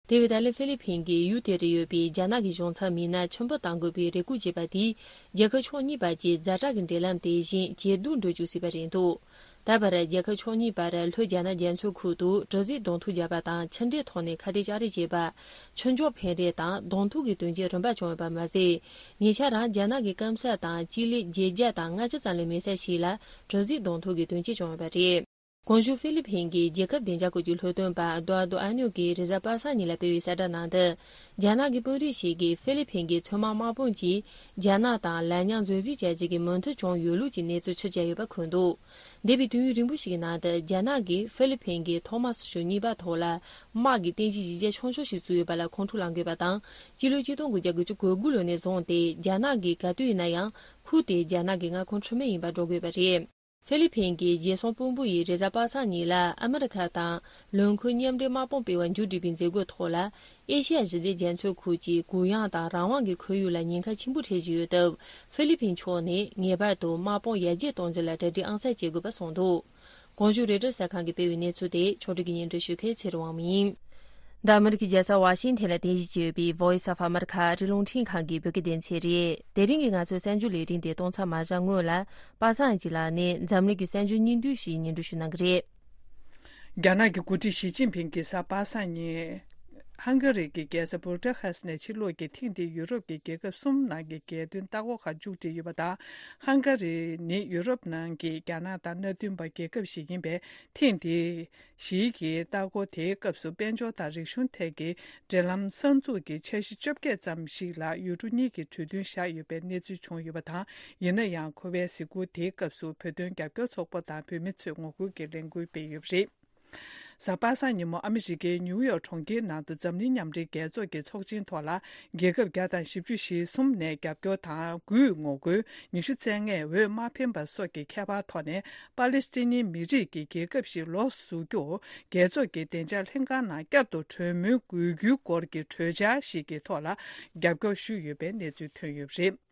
དེ་བས་ད་ལན་ཧྥི་ལི་ཕིན་གྱིས་ཡུལ་དེ་རུ་ཡོད་པའི་རྒྱ་ནག་གི་གཞུང་ཚབ་མི་སྣ་ཕྱིར་འབུད་གཏང་དགོས་པའི་རེ་སྐུལ་བྱས་པ་དེས། རྒྱལ་ཁབ་ཕྱོགས་གཉིས་བར་གྱི་ཛ་དྲག་གི་འབྲེལ་ལམ་དེ་བཞིན་ཇེ་སྡུག་འགྲོ་བཅུག་སྲིད་པ་རེད་འདུག་ད་བར་རྒྱལ་ཁབ་ཕྱོགས་གཉིས་བར་ལྷོ་རྒྱ་ནག་རྒྱ་མཚོའི་ཁུལ་དུ་དྲོ་ཟད་གདོང་ཐུག་བརྒྱབ་པ་དང་། ཕྱི་འབྲེལ་ཐོག་ནས་ཁ་གཏད་གཅོག་རེས་བྱས་པ། ཆོས་འབྱོར་ཕན་རེས་དང་གདོང་ཐུག་གི་དོན་རྐྱེན་རིམ་པ་བྱུང་ཡོད་པ་མ་ཟད། ཉེ་ཆར་རང་རྒྱ་ནག་གི་སྐམ་ས་དང་སྤྱི་ལེ་བརྒྱད་བརྒྱ་དང་ལྔ་བཅུ་ཙམ་ལས་མེད་ས་ཞིག་ལ་དྲོ་ཟད་གདོང་ཐུག་གི་དོན་རྐྱེན་བྱུང་ཡོད་པ་རེད། གོང་ཞུས་ཧྥི་ལི་ཕིན་གྱི་རྒྱལ་ཁབ་བདེ་འཇགས་སྐོར་གྱི་སློབ་སྟོན་པ་ཨ་དོ་ཨ་དོ་ཨ་ནིའོ་གིས་རེས་གཟའ་པ་སངས་ཉིན་ལ་སྤེལ་བའི་གསལ་བསྒྲགས་ནང་དུ། རྒྱ་ནག་གི་དཔོན་རིགས་ཤིག་གིས་ཧྥི་ལི་ཕིན་གྱི་མཚོ་དམག་དམག་དཔུང་གིས་རྒྱ་ནག་དང་ལན་མཉམ་བཟོ་རྩིས་བྱ་རྒྱུ་གི་མོས་མཐུན་བྱུང་ཡོད་ལུགས་ཀྱི་གནས་ཚུལ་ཕྱིར་བསྐྱལ་ཡོད་པ་འཁོད་འདུག་འདས་པའི་དུས་ཡུན་རིང་པོ་ཞིག་གི་ནང་དུ། རྒྱ་ནག་གིས་ཧྥི་ལི་ཕིན་གྱི་ཐོག་མ་སོ་སོ་གཉིས་པ་ཐོག་ལ་དམག་གི་རྟེན་གཞི་གཞི་རྒྱ་ཆུང་ཤོས་ཤིག་བཙུགས་ཡོད་པ་ལ་ཁོང་ཁྲོ་ལངས་དགོས་པ་དང་། སྤྱི་ལོ་ཆིག་སྟོང་དགུ་བརྒྱ་དགུ་བཅུ་གོ་དགུ་ལོ་ནས་བཟུང་སྟེ། རྒྱ་ནག་གིས་ག་དུས་ཡིན་ན་ཡང་ཁུལ་དེ་རྒྱ་ནག་གི་མངའ་ཁོངས་འཕྲི་སྨོན་ཡིན་པར་འགྲོ་དགོས་པ་རེད། ཧྥི་ལི་ཕིན་གྱི་རྒྱལ་སྲུང་དཔོན་པོ་ཡིས་རེས་གཟའ་པ་སངས་ཉིན་ལ་ཨ་མི་རི་ཁ་དང་ལོ་འཁོར་མཉམ་འབྲེལ་དམག་དཔུང་སྤེལ་བ་མཇུག་སྒྲིལ་བའི་མཛད་སྒོའི་ཐོག་ལ། ཨེ་ཤི་ཡ་ཞི་བདེ་རྒྱ་མཚོའི་ཁུལ་གྱི་གུ་ཡངས་དང་རང་དབང་གི་ཁོར་ཡུག་ལ་ཉེན་ཁ་ཆེན་པོ་འཕྲད་བཞིན་ཡོད་སྟབས། ཧྥི་ལི་ཕིན་ཕྱོགས་ནས་ངེས་པར་དུ་དམག་དཔུང་ཡར་རྒྱས་གཏོང་རྒྱུ་ལ་གྲ་སྒྲིག་ཨང་གསར་བྱེད་དགོས་པ་གསུངས་འདུག་གོང་ཞུས་རོའི་ཊར་གསར་ཁང་གིས་སྤེལ་བའི་གནས་ཚུལ་དེ་ཕྱོགས་སྒྲིག་གིས་སྙན་སྒྲོན་ཞུ་མཁན་ཚེ་རིང་དབང་མོ་ཡིན། འདི་ཨ་མི་རི་ཀའི་རྒྱལ་ས་ཝ་ཤིང་ཐན་ལ་རྟེན་གཞི་བྱས་ཡོད་པའི་Voice of America ཨ་རིའི་རླུང་འཕྲིན་ཁང་གི་བོད་སྐད་སྡེ་ཚན་རེད། དེ་རིང་གི་ང་ཚོའི་གསར་འགྱུར་ལས་རིམ་དེ་གཏོང་མཚམས་མ་བཞག་སྔོན་ལ། པ་སངས་སྐྱིད་ལགས་ནས་འཛམ་གླིང་གི་གསར་འགྱུར་སྙིང་བསྡུས་ཤིག་སྙན་སྒྲོན་ཞུ་གནང་གི་རེད། རྒྱ་ནག་གི་འགོ་ཁྲིད་ཞི་ཅིན་ཕིང་གིས་གཟའ་པ་སངས་ཉིན། ཧང་ག་རི་གི་རྒྱལ་ས་བུ་ད་ཧ་སི་ནས་ཕྱིར་ལོག་གིས་ཐེངས་འདིའི་ཡུ་རོབ་ཀྱི་རྒྱལ་ཁབ་གསུམ་ནང་གི་རྒྱལ་དོན་ལྟ་སྐོར་ཁག་མཇུག་སྒྲིལ་ཡོད་པ་དང་། ཧང་ག་རི་ནི་ཡུ་རོབ་ནང་གི་རྒྱ་ནག་དང་མནའ་མཐུན་པ་རྒྱལ་ཁབ་ཞིག་ཡིན་པས། ཐེངས་འདིའི་ཞི་ཡི་གི་ལྟ་སྐོར་དེའི་སྐབས་སུ་དཔལ་འབྱོར་དང་རིག་གཞུང་ཐད་ཀྱི་འབྲེལ་ལམ་གསར་འཛུགས་ཀྱི་འཆར་གཞི་བཅོ་བརྒྱད་ཙམ་ཞིག་ལ་ཡུལ་གྲུ་གཉིས་ཀྱི་གྲོས་མཐུན་བཞག་ཡོད་པའི་གནས་ཚུལ་བྱུང་ཡོད་པ་དང་། ཡིན་ན་ཡང་། ཁོ་པའི་གཟིགས་སྐོར་དེའི་སྐབས་སུ་བོད་དོན་རྒྱབ་སྐྱོར་ཚོགས་པ་དང་བོད་མི་ཚོས་ངོ་རྒོལ་གྱི་ལས་འགུལ་སྤེལ་ཡོད་པ་རེད། གཟའ་པ་སངས་ཉིན་མོ་ཨ་མི་རི་ཀའི་ནིའུ་ཡོག་གྲོང་ཁྱེར་ནང་དུ་འཛམ་གླིང་མཉམ་འབྲེལ་རྒྱལ་ཚོགས་ཀྱི་ཚོགས་ཆེན་ཐོག་ལ། རྒྱལ་ཁབ་བརྒྱ་དང་བཞི་བཅུ་ཞེ་གསུམ་ནས་རྒྱབ་སྐྱོར་དང་དགུས་ངོ་རྒོལ། ཉི་ཤུ་རྩ་ལྔས་འོས་མ་འཕེན་པ་སོགས་ཀྱི་ཁྱད་པར་ཐོག་ནས། པ་ལི་སི་ཐན་མི་རིགས་ཀྱི་རྒྱལ་ཁབ་ཞིག་ལོགས་སུ་བཟོ་རྒྱུར། རྒྱལ་ཚོགས་ཀྱི་བདེ་འཇགས་ལྷན་ཁང་ནང་བསྐྱར་དུ་གྲོས་མོལ་དགོས་རྒྱུའི་སྐོར་གྱི་གྲོས་འཆར་ཞིག་གི་ཐོག་ལ་རྒྱབ་སྐྱོར་ཞུས་ཡོད་པའི་གནས་ཚུལ་ཐོན་ཡོད་པ་རེད།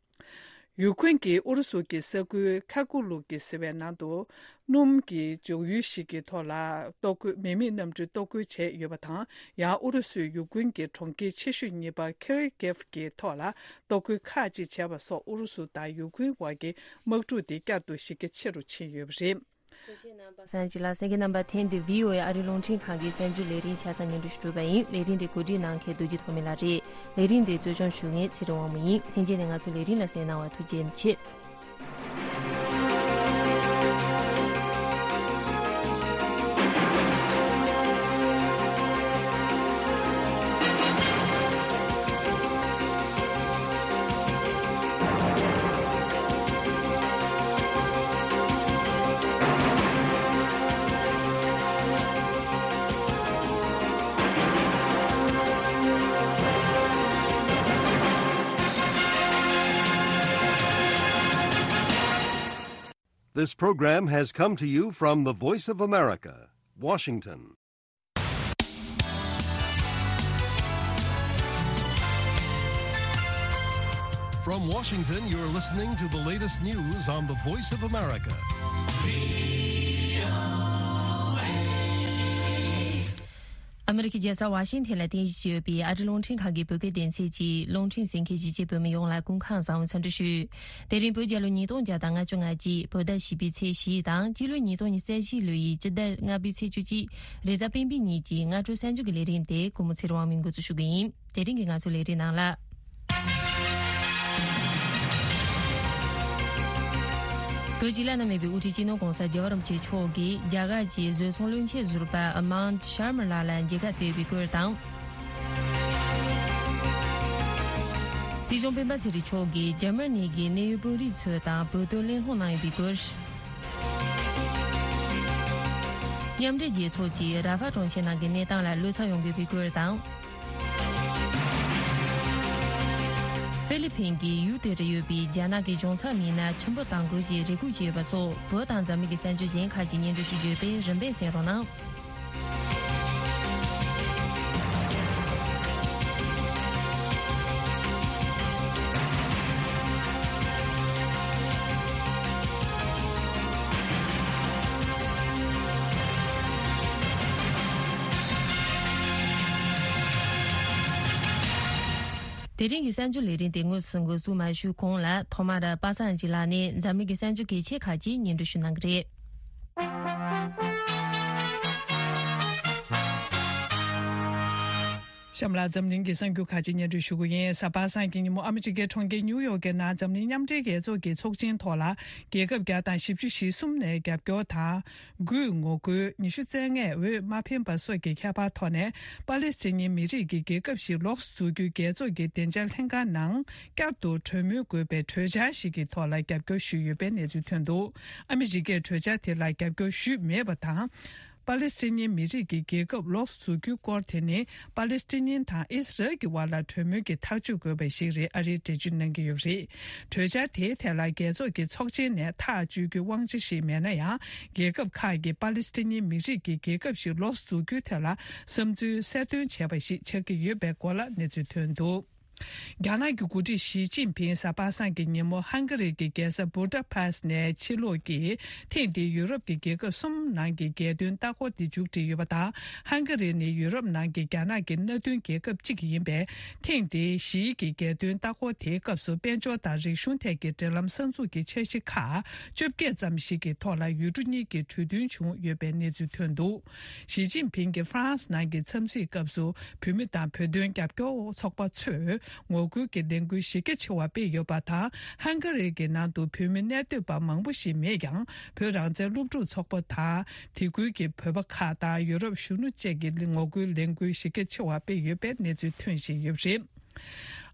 ཡུ་ཁུན་གྱིས་ཨུ་རུ་སུ་གྱི་ས་ཁུལ་ཁ་ཀུ་ལུག་གི་ཟེར་བའི་ནང་དུ། སྣུམ་གྱི་འཇོག་ཡུལ་ཞིག་གི་ཐོག་ལ་གཏོར་རྒོལ། མེ་མེད་གནམ་གྲུས་གཏོར་རྒོལ་བྱས་ཡོད་པ་དང་། ཡང་ཨུ་རུ་སུས་ཡུ་ཀུན་གྱི་གྲོང་ཁྱེར་ཆེ་ཤོས་གཉིས་པ་ཁེར་ཀེབ་ཀྱི་ཐོག་ལ་གཏོར་རྒོལ་ཁག་ཅིག་བྱས་པ་སོགས། ཨུ་རུ་སུ་དང་ཡུ་ཀུན་དབར་གྱི་དམག་འཁྲུག་དེ་བསྐྱར་དུ་གཞི་རྒྱ་ཆེ་རུ་ཕྱིན་ཡོད་པ་རེད། ཐུགས་རྗེ་གནང་། པ་སངས་སྐྱིད་ལགས། གསན་མཁན་རྣམ་པ། ཐེངས་འདིའི་བྷི་ཨོ་ཨེ་ཨ་རིའི་རླུང་འཕྲིན་ཁང་གི་གསར་འགྱུར་ལས་རིམ་ཆ་ཚང་སྙན་སྒྲོན་ཞུ་གྲུབ་པ་ཡིན། ལས་རིམ་དེ་གོ་སྒྲིག་གནང་མཁན་རྡོ་རྗེ་ཐོགས་མེད་ལགས་རེད། ལས་རིམ་དེ་གཙོ་སྐྱོང་ཞུ་མཁན་ཚེ་རིང་དབང་མོ་ཡིན། ལྷན་རྒྱས་ནས་ང་ཚོའི་ལས་རིམ་ལ་གསན་གནང་བར་ཐུགས་རྗེ་ཆེ། This program has come to you from the Voice of America, Washington. From Washington, you're listening to the latest news on the Voice of America. ཨ་མི་རི་ཀའི་རྒྱལ་ས་ཝ་ཤིང་ཐན་ལ་རྟེན་གཞི་བྱས་ཡོད་པའི་ཨ་རི་རླུང་འཕྲིན་ཁང་གི་བོད་སྐད་སྡེ་ཚན་གྱིས་རླུང་འཕྲིན་གསན་མཁན་གཞིས་བྱེས་བོད་མི་ཡོངས་ལ་སྐུ་ཁམས་བཟང་བའི་འཚམས་འདྲི་ཞུ། དེ་རིང་བོད་རྒྱལ་ལོ་ཉིས་སྟོང་བརྒྱ་དང་ལྔ་བཅུ་ང་གཅིག་བོད་ཟླ་བཞི་པའི་ཚེས་བཞི་དང་སྤྱི་ལོ་ཉིས་སྟོང་ཉི་ཤུ་རྩ་བཞི་ལོའི་སྤྱི་ཟླ་ལྔ་པའི་ཚེས་བཅུ་གཅིག་རེས་གཟའ་སྤེན་པའི་ཉིན་གྱི་སྔ་དྲོ་གསར་འགྱུར་གྱི་ལས་རིམ་དེ་སྐུ་ངོ་ཚེ་རིང་དབང་མོས་འགོ་འཛུགས་ཞུ་གི་ཡིན། དེ་རིང་གི་ང་ཚོའི་ལས་རིམ་ནང་ལ། བོད་སྤྱི་བླ་ན་མེད་པའི་དབུ་ཁྲིད་སྤྱི་ནོར་༧གོང་ས་༧རྒྱལ་བ་རིན་པོ་ཆེ་མཆོག་གིས་རྒྱ་གར་གྱི་བཟོ་ཚོང་བློན་ཆེན་ཟུར་པ་མཱན་ཤར་མ་ལགས་ལ་མཇལ་ཁ་བསྩལ་ཡོད་པའི་སྐོར་དང་། སྲིད་སྐྱོང་སྤེན་པ་ཚེ་རིང་མཆོག་གིས་འཇར་མ་ནི་གི་གནད་ཡོད་དཔོན་རིགས་ཚོ་དང་བོད་དོན་གླེང་སློང་གནང་ཡོད་པའི་སྐོར། མཉམ་འབྲེལ་རྒྱལ་ཚོགས་ཀྱིས་ར་ཧྥ་གྲོང་ཁྱེར་ནང་གི་གནས་སྟངས་ལ་བློ་འཚབ་ཡོང་གི་ཡོད་པའི་སྐོར་དང་། ཧྥི་ལི་ཕིན་གྱི་ཡུལ་དེར་ཡོད་པའི་རྒྱ་ནག་གི་གཞུང་ཚབ་མི་སྣ་ཆེན་པོ་དང་དགོས་ཞེས་རེ་སྐུལ་བྱས་ཡོད་པ་སོགས་བོད་དང་འཛམ་གླིང་གི་གསར་འགྱུར་གཞན་ཁག་ཅིག་སྙན་སྒྲོན་ཞུ་རྒྱུ་ཡོད་པས་རིམ་པས་གསན་རོགས་གནང་། དེ་རིང་གི་གསར་འགྱུར་ལས་རིམ་དེ་དངོས་སུ་འགོ་འཛུགས་མ་ཞུས་གོང་ལ་ཐོག་མར་པ་སངས་སྐྱིད་ལགས་ནས་འཛམ་གླིང་གི་གསར་འགྱུར་གལ་ཆེ་ཁག་ཅིག་སྙན་སྒྲོན་ཞུ་གནང་གི་རེད། གཤམ་ལ་འཛམ་གླིང་གི་གསར་འགྱུར་ཁག་ཅིག་སྙན་སྒྲོན་ཞུ་གི་ཡིན། གཟའ་པ་སངས་ཀྱི་ཉིན་མོ་ཨ་མི་རི་ཀའི་གྲོང་ཁྱེར་ཉིའུ་ཡོག་གི་ནང་འཛམ་གླིང་མཉམ་འབྲེལ་རྒྱལ་ཚོགས་ཀྱི་ཚོགས་ཆེན་ཐོག་ལ་རྒྱལ་ཁབ་བརྒྱ་དང་བཞི་བཅུ་ཞེ་གསུམ་ནས་རྒྱབ་སྐྱོར་དང་། དགུས་ངོ་རྒོལ། ཉི་ཤུ་རྩ་ལྔས་འོས་མ་འཕེན་པ་སོགས་ཀྱི་ཁྱད་པར་ཐོག་ནས་པ་ལེ་སི་ཐན་ཉིན་མི་རིགས་ཀྱི་རྒྱལ་ཁབ་ཞིག་ལོགས་སུ་འཛུགས་རྒྱུའི་རྒྱལ་ཚོགས་ཀྱི་བདེ་འཇགས་ལྷན་ཁང་ནང་བསྐྱར་དུ་གྲོས་མོལ་དགོས་པའི་གྲོས་འཆར་ཞིག་གི་ཐོག་ལ་རྒྱབ་སྐྱོར་ཞུས་ཡོད་པའི་གནས་ཚུལ་ཐོན་འདུག་ཨ་མི་རི་ཀས་གྲོས་འཆར་དེ་ལ་རྒྱབ་སྐྱོར་ཞུས་མེད་པ་དང་། པ་ལེ་སི་ཐན་ཉིན་མི་རིགས་ཀྱི་རྒྱལ་ཁབ་ལོགས་སུ་འཛུགས་རྒྱུའི་སྐོར་དེ་ནི་པ་ལེ་སི་ཐན་ཉིན་དང་ཨིས་རལ་གྱི་དབར་ལ་གྲོས་མོལ་གྱི་ཐག་གཅོད་དགོས་པ་ཞིག་རེད། ཨ་རིས་འགྲེལ་བརྗོད་གནང་གི་ཡོད་པ་རེད། གྲོས་འཆར་དེའི་ཐད་ལ་རྒྱལ་ཚོགས་ཀྱི་ཚོགས་ཆེན་ནས་ཐག་གཅོད་རྒྱུའི་དབང་ཆ་ཞིག་མེད་ན་ཡང་། རྒྱལ་ཁབ་ཁག་གིས་པ་ལེ་སི་ཐན་ཉིན་མི་རིགས་ཀྱི་རྒྱལ་ཁབ་ཞིག་ལོགས་སུ་འཛུགས་རྒྱུའི་ཐད་ལ་བསམ་ཚུལ་གསལ་སྟོན་བྱས་པ་ཞིག་ཆགས་ཀྱི་ཡོད་པའི་སྐོར་ལ་གནས་ཚུལ་ཐོན་འདུག་རྒྱ་ནག་གི་འགོ་ཁྲིད་ཞི་ཅིན་ཕིང་གཟའ་པ་སངས་ཀྱི་ཉིན་མོ་ཧང་ག་རི་གི་རྒྱལ་ས་བུ་ད་པེ་སི་ནས་ཕྱིར་ལོག་གིས་ཐེངས་འདིའི་ཡུ་རོབ་ཀྱི་རྒྱལ་ཁབ་གསུམ་ནང་གི་རྒྱལ་དོན་ལྟ་སྐོར་དེ་མཇུག་སྒྲིལ་ཡོད་པ་དང་། ཧང་ག་རི་ནི་ཡུ་རོབ་ནང་གི་རྒྱ་ནག་གི་མནའ་མཐུན་རྒྱལ་ཁབ་གཅིག་ཡིན་པས། ཐེངས་འདིའི་ཞིའི་གི་རྒྱལ་དོན་ལྟ་སྐོར་དེའི་སྐབས་སུ་དཔལ་འབྱོར་དང་རིག་གཞུང་ཐད་ཀྱི་འབྲེལ་ལམ་གསར་འཛུགས་ཀྱི་འཆར་གཞི་ཁག་བཅོ་བརྒྱད་ཙམ་ཞིག་གི་ཐོག་ལ་ཡུལ་གྲུ་གཉིས་ཀྱི་གྲོས་མཐུན་བྱུང་ཡོད་པའི་གནས་ཚུལ་ཐོན་འདུག་ཞི་ཅིན་ཕིང་གིས་ཧྥ་རན་སི་ནང་གི་འཚམས་གཟིགས་སྐབས་སུ་བོད་མི་དང་བོད་དོན་རྒྱབ་སྐྱོར་ཚོགས་པ་ཚོས་ངོ་རྒོལ་གྱི་ལས་འགུལ་གཞི་རྒྱ་ཆེ་བ་སྤེལ་ཡོད་པ་དང་། ཧང་ག་རི་གི་ནང་དུ་བོད་མི་གནས་སྡོད་པ་མང་པོ་ཞིག་མེད་ཀྱང་། བོད་རང་བཙན་སློབ་ཕྲུག་ཚོགས་པ་དང་། དེ་ཁུལ་གྱི་བོད་པ་ཁག་དང་ཡུ་རོབ་གཞོན་ནུ་བཅས་ཀྱིས་ངོ་རྒོལ་ལས་འགུལ་གཞི་རྒྱ་ཆེ་བ་སྤེལ་ཡོད་པའི་གནས་ཚུལ་ཐོན་བཞིན་ཡོད་པ་རེད།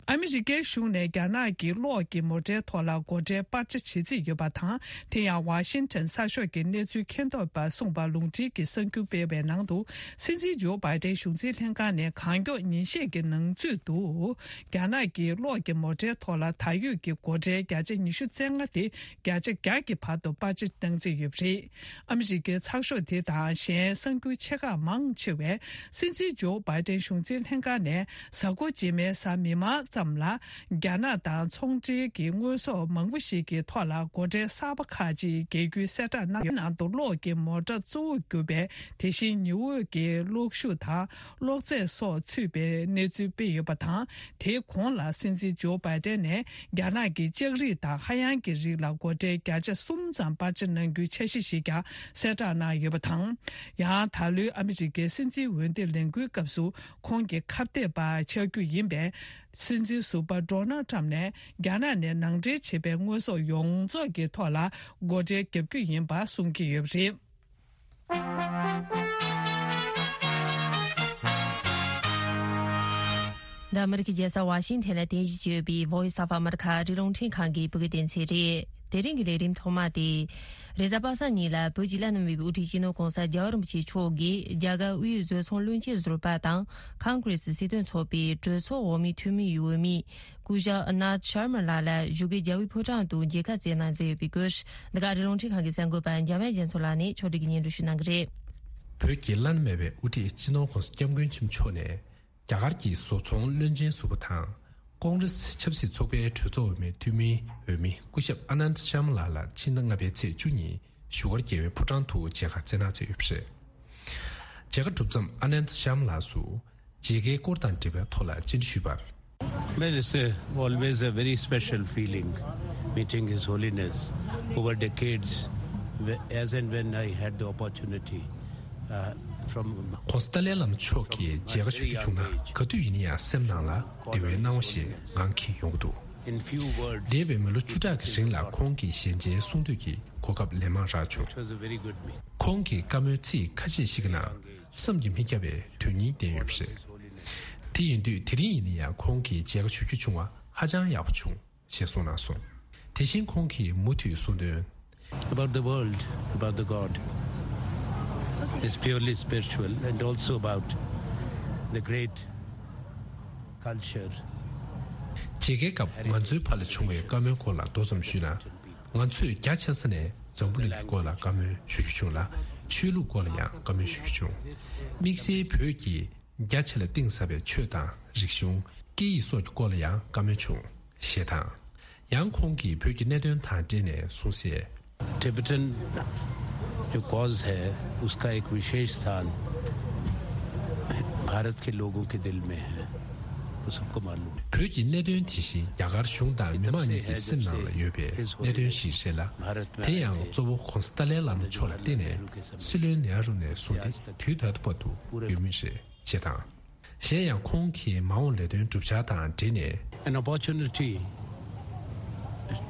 ཨ་མི་རི་ཀའི་གཞུང་ནས་རྒྱ་ནག་གི་གློག་གི་མོ་ཊའི་ཐོག་ལ་སྒོ་ཁྲལ་སྤར་ཆ་བྱེད་རྩིས་ཡོད་པ་དང་། དེ་ཡང་ཝ་ཤིང་ཊོན་གསར་ཤོག་གིས་གནས་ཚུལ་མཁྱེན་རྟོགས་པ་གསུངས་པ་ལུང་འདྲེན་གྱི་གསར་འགྱུར་སྤེལ་བའི་ནང་དུ། སྲིད་འཛིན་ཇོ་བྷའི་ཏན་གཞུང་འཛིན་ལྷན་ཁང་ནས་གང་མགྱོགས་ཉིན་ཤས་ཀྱི་ནང་ཚུད་དུ། རྒྱ་ནག་གི་གློག་གི་མོ་ཊའི་ཐོག་ལ་ད་ཡོད་ཀྱི་སྒོ་ཁྲལ་བརྒྱ་ཆ་ཉི་ཤུ་རྩ་ལྔ་དེ་བརྒྱ་ཆ་བརྒྱ་གི་བར་དུ་སྤར་ཆ་གནང་རྩིས་ཡོད་པ་རེད། ཨ་མི་རི་ཀའི་ཚགས་ཤོག་དེ་དང་གཞན་གསར་འགྱུར་ཆེ་ཁག་མང་ཆེ་བས། སྲིད་འཛིན་ཇོ་བྷའི་ཏན་གཞུང་འཛིན་ལྷན་ཁང་ནས་གཟའ་འཁོར་རྗེས་མའི་གཟའ་མིག་དམར་ཙམ་ལ། རྒྱ་ནག་དང་ཚོང་འབྲེལ་གྱི་དངོས་ཟོག་མང་པོ་ཞིག་གི་ཐོག་ལ་སྒོ་ཁྲལ་གསར་པ་ཁག་ཅིག་འགེལ་རྒྱུའི་གསལ་བསྒྲགས་གནང་། ཡུལ་ནང་དུ་གློག་གི་མོ་ཊ་གཙོ་བོ་གྱུར་པའི་དེ་བཞིན་ཉི་འོད་ཀྱི་གློག་ཤུགས་དང་གློག་རྫས་སོགས་ཚུད་པའི་གནས་ཚུལ་སྤེལ་ཡོད་པ་དང་། དེའི་གོང་ལ་སྲིད་འཛིན་ཇོ་བྷའི་ཏན་ནས་རྒྱ་ནག་གི་ལྕགས་རིགས་དང་ཧ་ཡང་གི་རིགས་ལ་སྒོ་ཁྲལ་བརྒྱ་ཆ་གསུམ་ཙམ་སྤར་ཆ་གནང་རྒྱུའི་འཆར་གཞི་ཞིག་ཀྱང་གསལ་བསྒྲགས་གནང་ཡོད་པ་དང་། ཡང་ད་ལོའི་ཨ་མི་རི་ཀའི་སྲིད་འཛིན་འོས་བསྡུ་ལས་འགུལ་སྐབས་སུ་ཁོང་གི་ཁ་གཏད་པ་ཆགས་རྒྱུ་ཡིན་པས། སྲིད་འཛིན་ཟུར་པ་ཌོ་ནལ་ཊམ་ནས་རྒྱ་ནག་ནས་ནང་འདྲེན་བྱས་པའི་དངོས་ཟོག་ཡོངས་རྫོགས་ཀྱི་ཐོག་ལ་སྒོ་ཁྲལ་བརྒྱབ་རྒྱུ་ཡིན་པ་གསུང་གི་ཡོད་པ་རེད། འདི་ཨ་མི་རི་ཀའི་རྒྱལ་ས་ཝ་ཤིང་ཐན་ལ་རྟེན་གཞི་བྱས་ཡོད་པའི་Voice of America་ཨ་རིའི་རླུང་འཕྲིན་ཁང་གི་བོད་སྐད་སྡེ་ཚན་རེད། དེ་རིང་གི་ལས་རིམ་ཐོག་མ་དེ། རེས་གཟའ་པ་སངས་ཉིན་ལ་བོད་ཀྱི་བླ་ན་མེད་པའི་དབུ་ཁྲིད་སྤྱི་ནོར་༸གོང་ས་༸རྒྱལ་བ་རིན་པོ་ཆེ་མཆོག་གིས་རྒྱ་གར་དབུས་བཟོ་ཚོང་བློན་ཆེན་ཟུར་པ་དང་ཁོང་གྷི་རེ་སི་སྲིད་དོན་ཚོགས་པའི་གྲོས་ཚོགས་འོག་མའི་འཐུས་མི་ཡི་འོས་མི། སྐུ་ཞབས་ཨ་ནཱཐ་ཤར་མ་ལགས་ལ་བཞུགས་སྒར་རྒྱལ་བའི་ཕོ་བྲང་དུ་མཇལ་ཁ་བསྩལ་གནང་མཛད་ཡོད་པའི་སྐོར། འདི་ག་ཨ་རིའི་རླུང་འཕྲིན་ཁང་གི་གསར་འགོད་པ་འཇམ་དབྱངས་རྒྱ་མཚོ་ལགས་ནས་ཕྱོགས་སྒྲིག་གིས་སྙན་སྒྲོན་ཞུ་གནང་གི་རེད། བོད་ཀྱི་བླ་ན་མེད་པའི་དབུ་ཁྲིད་སྤྱི་ནོར་༸གོང་ས་༸སྐྱབས་མགོན་ཆེན་པོ་མཆོག་ནས། རྒྱ་གར་གྱི་བཟོ་ཚོང་བློན་ཆེན་ཟུར་པ་དང་། ཀོང་རེ་སི་ཆབ་སྲིད་ཚོགས་པའི་གྲོས་ཚོགས་འོས་མིའི་འཐུས་མིའི་འོས་མི་སྐུ་ཞབས་ཨ་ནནྡ་ཤར་མ་ལགས་ལ་ཕྱི་ཟླ་ལྔ་པའི་ཚེས་བཅུ་གཉིས་བཞུགས་སྒར་རྒྱལ་བའི་ཕོ་བྲང་དུ་མཇལ་ཁ་བསྩལ་གནང་མཛད་ཡོད་པ་རེད། མཇལ་ཁ་གྲུབ་མཚམས་ཨ་ནནྡ་ཤར་མ་ལགས་སུ། མཇལ་ཁའི་སྐོར་དང་འབྲེལ་བའི་ཐོག་ལ་བཅར་འདྲི་ཞུས་པར། Well, it's a, always a very special feeling meeting His Holiness over decades, wh- as and when I had the opportunity uh, from ༸གོང་ས་ཏཱ་ལའི་བླ་མ་མཆོག་གིས་མཇལ་ཁ་ཞུ་རྒྱུ་བྱུང་ན་ག་དུས་ཡིན་ན་ཡང་སེམས་ནང་ལ་བདེ་བའི་སྣང་བ་ཞིག་ངང་འཁྱིལ་ཡོང་གི་འདུག In few words, འདས་པའི་མི་ལོ་བཅུ་ཕྲག་གི་རིང་ལ་ཁོང་གི་ཞལ་མཇལ་གསུང་འདོད་ཀྱི་གོ་སྐབས་ལན་མང་རག་བྱུང་། It was a very good meeting. ཁོང་གི་བཀའ་མོལ་ཚིག་ཁ་ཤས་ཤིག་གི་ནང་བསམ་གྱིས་མི་ཁྱབ་པའི་དོན་སྙིང་ལྡན་ཡོད་པ་རེད། དེ་ཡིན་དུས་དེ་རིང་ཡིན་ན་ཡང་ཁོང་གི་མཇལ་ཁ་ཞུ་རྒྱུ་བྱུང་བ་ཧ་ཅང་ཡག་པོ་བྱུང་ཞེས་གསུངས་གནང་སོང་། དེ་བཞིན་ཁོང་གིས་མུ་མཐུད་གསུངས་དོན། About the world, about the God. It's purely spiritual and also about the great culture. མཇལ་ཁའི་སྐབས་ང་ཚོའི་བར་ལ་བྱུང་བའི་བཀའ་མོལ་སྐོར་ལ་མདོ་ཙམ་ཞུས་ན། ང་ཚོས་རྒྱ་ཆེ་ས་ནས་འཛམ་བུ་གླིང་གི་སྐོར་ལ་བཀའ་མོལ་ཞུ་རྒྱུ་བྱུང་ལ། ཆོས་ལུགས་སྐོར་ལ་ཡང་བཀའ་མོལ་ཞུ་རྒྱུ་བྱུང་། དམིགས་བསལ་བོད་ཀྱི་རྒྱ་ཆེ་ལ་གཏིང་ཟབ་པའི་ཆོས་དང་རིག་གཞུང་། སྐད་ཡིག་སོགས་ཀྱི་སྐོར་ལ་ཡང་བཀའ་མོལ་བྱུང་ཞེས་དང་། ཡང་ཁོང་གིས་བོད་ཀྱི་གནད་དོན་དང་འབྲེལ་ནས་གསུངས་གསལ། टिबेटन जो कॉज है, उसका एक विशेष स्थान भारत के लोगों के दिल में है, वो सबको मालूम है। བོད་ཀྱི་གནད་དོན་དེ་བཞིན་རྒྱ་གར་གཞུང་དང་མི་མང་གཉིས་ཀྱི་སེམས་ནང་ལ་ཡོད་པའི་གནད་དོན་ཞིག་རེད་ལ། དེ་ཡང་གཙོ་བོ་༸གོང་ས་ཏཱ་ལའི་བླ་མ་མཆོག་ལ་བརྟེན་ནས་སྲིད་བློན་ནེ་རུ་ནས་བཟུང་སྟེ་དུས་ད་ལྟ་བར་དུ་ཡོད་མུས་རེད་ཅེས་དང་། གཞན་ཡང་ཁོང་གིས་མ་འོངས་ལས་དོན་བསྒྲུབ་འཆར་དང་འབྲེལ་ནས། An opportunity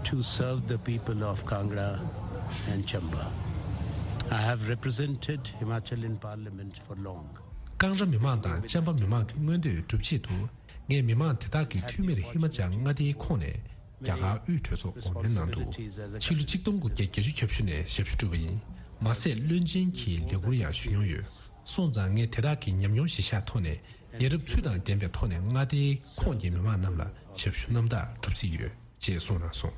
to serve the people of Kangra and Chamba. I have represented Himachal in Parliament for long. ཀང་ར་མི་མང་དང་ཅམ་པ་མི་མང་གི་མངོན་འདོད་སྒྲུབ་ཆེད་དུ། ངས་མི་མང་དེ་དག་གི་འཐུས་མིར་ཧི་མ་ཅལ་མངའ་སྡེའི་ཁོངས་ནས་རྒྱ་གར་དབུས་གྲོས་ཚོགས་འོག་མའི་ནང་དུ་ཕྱི་ལོ་ཆིག་སྟོང་དགུ་བརྒྱ་བརྒྱད་ཅུ་གྱ་བཞི་ནས་ཞབས་ཞུ་བསྒྲུབས་པ་ཡིན། མ་ཟད་བློན་ཆེན་གྱི་ལས་འཁུར་ཡང་ཞུ་མྱོང་ཡོད། སོང་ཙང་ངས་དེ་དག་གི་ཉམས་མྱོང་གཞི་བཞག་ཐོག་ནས་ཡ་རབས་ཚུལ་དང་ལྡན་པའི་ཐོག་ནས་མངའ་སྡེའི་ཁོངས་ཀྱི་མི་མང་རྣམས་ལ་ཞབས་ཞུ་རྣམ་དག་སྒྲུབ་རྩིས་ཡོད་ཅེས་གསུངས་གནང་སོང་།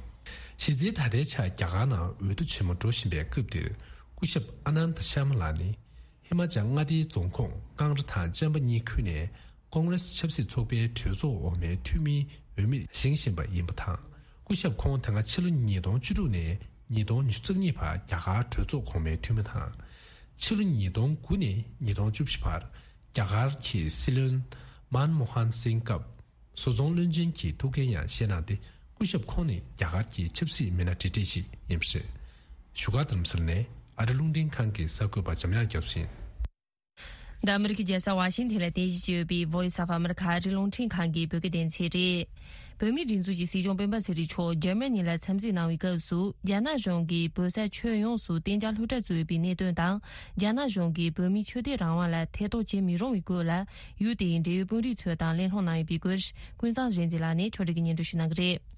གཞི་རྩའི་ད་ལྟའི་ཆར་རྒྱ་གར་ནང་འོས་བསྡུ་ཆེན་མོ་འགྲོ་བཞིན་པའི་སྐབས་འདིར་སྐུ་ཞབས་ཨ་ནནྡ་ཤར་མ་ལགས་ནི་ཧི་མ་ཅལ་མངའ་སྡེའི་རྫོང་ཁོངས་ཀང་ར་དང་ཅམ་པ་གཉིས་ཁུལ་ནས་ཀོང་རེ་སི་ཆབ་སྲིད་ཚོགས་པའི་གྲོས་ཚོགས་འོག་མའི་འཐུས་མིའི་འོས་མིར་བཞེངས་བཞིན་པ་ཡིན་པ་དང་། སྐུ་ཞབས་ཁོང་ད་སྔ་ཕྱི་ལོ་ཉིས་སྟོང་བཅུ་དྲུག་ནས་ཉིས་སྟོང་ཉི་ཤུ་རྩ་གཉིས་བར་རྒྱ་གར་གྲོས་ཚོགས་གོང་མའི་འཐུས་མི་དང་། ཕྱི་ལོ་ཉིས་སྟོང་དགུ་ནས་ཉིས་སྟོང་བཅུ་བཞི་བར་རྒྱ་གར་གྱི་སྲིད་བློན་མན་མོ་ཧན་སིང་སྐབས་བཟོ་ཚོང་བློན་ཆེན་གྱི་ཐུགས་འགན་ཡང་བཞེས་གནང་སྟེ། སྐུ་ཞབས་ཁོང་ནི་རྒྱ་གར་གྱི་ཆབ་སྲིད་མི་སྣ་གྲས་གྲས་ཤིག་ཡིན་པ་རེད། བཞུགས་སྒར་རྡ་རམ་ས་ལ་ནས་ཨ་རི་རླུང་འཕྲིན་ཁང་གི་གསར་འགོད་པ་འཇམ་དབྱངས་རྒྱ་མཚོ་ཡིན། འདི་ཨ་མི་རི་ཀའི་རྒྱལ་ས་ཝ་ཤིང་ཐན་ལ་རྟེན་གཞི་བྱས་ཡོད་པའི་Voice of America ཨ་རིའི་རླུང་འཕྲིན་ཁང་གི་བོད་སྐད་སྡེ་ཚན་རེད། བོད་མིའི་སྒྲིག་འཛུགས་ཀྱི་སྲིད་སྐྱོང་སྤེན་པ་ཚེ་རིང་མཆོག་འཇར་མ་ནི་ལ་འཚམས་གཟིགས་གནང་བའི་སྐབས་སུ། རྒྱ་ནག་གཞུང་གིས་བོད་ས་ཁྱོན་ཡོངས་སུ་གཏན་འཇགས་སློབ་གྲྭ་བཙུགས་ཡོད་པའི་གནད་དོན་དང་། རྒྱ་ནག་གཞུང་གིས་བོད་མིའི་ཆོས་དད་རང་དབང་ལ་ཐེ་གཏོགས་བྱེད་མི་རུང་བའི་སྐོར་ལ། ཡུལ་དེའི་འབྲེལ་ཡོད་དཔོན་རིགས་ཚོ་དང་གླེང་སློང་གནང་ཡོད་པའི་སྐོར། ཀུན་བཟང་རེ་འཛི་ལགས་ནས་ཕྱོགས་སྒྲིག་གིས་སྙན་སྒྲོན་ཞུ་གནང་གི་རེད།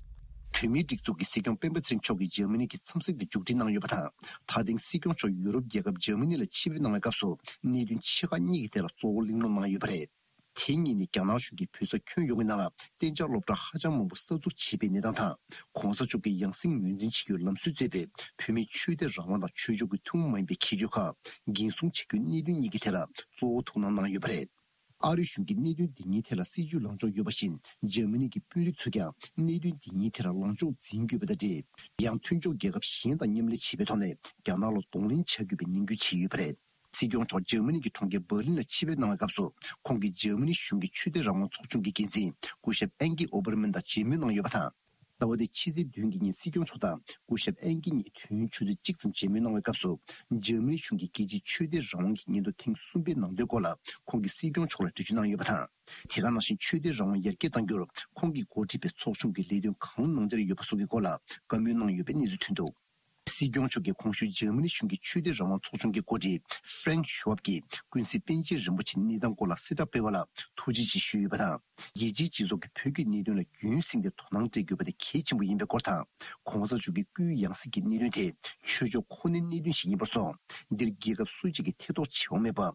བོད་མིའི་སྒྲིག་འཛུགས་ཀྱི་སྲིད་སྐྱོང་སྤེན་པ་ཚེ་རིང་མཆོག་གིས་འཇར་མ་ནི་གི་འཚམས་གཟིགས་དེ་མཇུག་སྒྲིལ་གནང་ཡོད་པ་དང་། ད་ཐེངས་སྲིད་སྐྱོང་མཆོག་ཡུ་རོབ་རྒྱལ་ཁབ་འཇར་མ་ནི་ལ་ཆིབས་བསྒྱུར་གནང་བའི་སྐབས་སུ། གནད་དོན་ཆེ་ཁག་གཉིས་ཀྱི་ཐད་ལ་གཙོ་བོ་གླེང་སློང་གནང་ཡོད་པ་རེད། དེ་གཉིས་ནི་རྒྱ་ནག་གཞུང་གིས་བོད་ས་ཁྱོན་ཡོངས་ཀྱི་ནང་ལ་གཏན་འཇགས་སློབ་གྲྭ་ཧ་ཅང་མང་པོ་གསར་འཛུགས་བྱས་པའི་གནས་སྟངས་དང་། གོང་ས་མཆོག་གིས་ཡང་སེ་ངོས་འཛིན་བྱེད་རྒྱུའི་ལམ་སྲོལ་མཛད་པའི་བོད་མིའི་ཆོས་དད་རང་དབང་དང་ཆོས་ཕྱོགས་ཀྱི་ཐུན་མོང་མ་ཡིན་པའི་ཁྱད་ཆོས་ཁག་འགན་སྲུང་བྱ་རྒྱུའི་གནད་དོན་གཉིས་ཀྱི་ཐད་ལ་གཙོ་བོ་ཐུགས་སྣང་གནང་ཡོད་པ་རེད། ཨ་རིའི་གཞུང་གིས་གནད་དོན་འདི་གཉིས་ཐད་ལ་སྲིད་ཇུས་ལངས་ཕྱོགས་ཡོད་པ་བཞིན། འཇར་མ་ནི་གི་དཔོན་རིགས་ཚོས་ཀྱང་གནད་དོན་འདི་གཉིས་ཐད་ལ་ལངས་ཕྱོགས་འཛིན་དགོས་པ་དང་འབྲེལ། ཡང་མཐུན་ཕྱོགས་རྒྱལ་ཁབ་གཞན་དང་མཉམ་ལས་བྱེད་པའི་ཐོག་ནས་རྒྱ་ནག་ལ་གདོང་ལེན་བྱ་དགོས་པའི་ནན་སྐུལ་བྱས་ཡོད་པ་རེད། སྲིད་སྐྱོང་མཆོག་འཇར་མ་ནི་གི་གྲོང་ཁྱེར་འབར་ལིན་ལ་ཆིབས་བསྒྱུར་གནང་བའི་སྐབས་སུ། ཁོང་གིས་འཇར་མ་ནི་གཞུང་གི་ཆོས་དད་རང་དབང་ཚོགས་ཆུང་གི་འགན་འཛིན་སྐུ་ཞབས་ཨན་ཀི་ཨོ་བར་མན་དང་མཇལ་མོལ་གནང་ཡོད་པ་དང་། ཟླ་བ་འདིའི་ཕྱི་ཚེས་བདུན་གྱི་ཉིན་སྲིད་སྐྱོང་མཆོག་དང་སྐུ་ཞབས་ཨན་ཀི་གཉིས་དུས་ཡུན་ཆུ་ཚོད་གཅིག་ཙམ་མཇལ་མོལ་གནང་བའི་སྐབས་སུ། འཇར་མ་ནི་གཞུང་གིས་རྒྱལ་སྤྱིའི་ཆོས་དད་རང་དབང་གི་སྙན་ཐོ་ཐེངས་གསུམ་པའི་ནང་དོན་སྐོར་ལ་ཁོང་གིས་སྲིད་སྐྱོང་མཆོག་ལ་འགྲེལ་བརྗོད་གནང་ཡོད་པ་དང་། དེ་ག་ནང་བཞིན་ཆོས་དད་རང་དབང་ཡར་རྒྱས་གཏང་རྒྱུར་ཁོང་གིས་འགོ་ཁྲིད་པའི་ཚོགས་ཆུང་གིས་ལས་དོན་གང་གནང་འཆར་ཡོད་པ་སོགས་ཀྱི་སྐོར་ལ་བཀའ་མོལ་གནང་ཡོད་པའི་གནས་ཚུལ་ཐོན་འདུག། སྲིད་སྐྱོང་མཆོག་གིས་གོང་ཞུས་འཇར་མ་ནི་གཞུང་གི་ཆོས་དད་རང་དབང་ཚོགས་ཆུང་གི་འགོ་ཁྲིད་ཧྥ་རེང་ཤུ་ཝབ་ཀྱིས་ཀུན་གཟིགས་པཎ་ཆེན་རིན་པོ་ཆེའི་གནས་སྟངས་སྐོར་ལ་གསལ་བསྒྲགས་སྤེལ་བ་ལ་ཐུགས་རྗེ་ཆེ་ཞུས་ཡོད་པ་དང་། རྒྱལ་སྤྱིའི་སྤྱི་ཚོགས་ཀྱིས་བོད་ཀྱི་གནད་དོན་ལ་རྒྱུན་བསྲིངས་ཏེ་དོ་སྣང་སྤྲད་དགོས་པ་དེ་གལ་ཆེན་པོ་ཡིན་པའི་སྐོར་དང་། གོང་ས་མཆོག་གི་སྐུའི་ཡང་སྲིད་ཀྱི་གནད་དོན་དེ་ཆོས་ཕྱོགས་ཁོ་ནའི་གནད་དོན་ཞིག་ཡིན་པར་སོང་། འདིར་རྒྱལ་ཁབ་སུ་གཅིག་གི་ཐེ་གཏོགས་བྱེད་དབང་མེད་པ།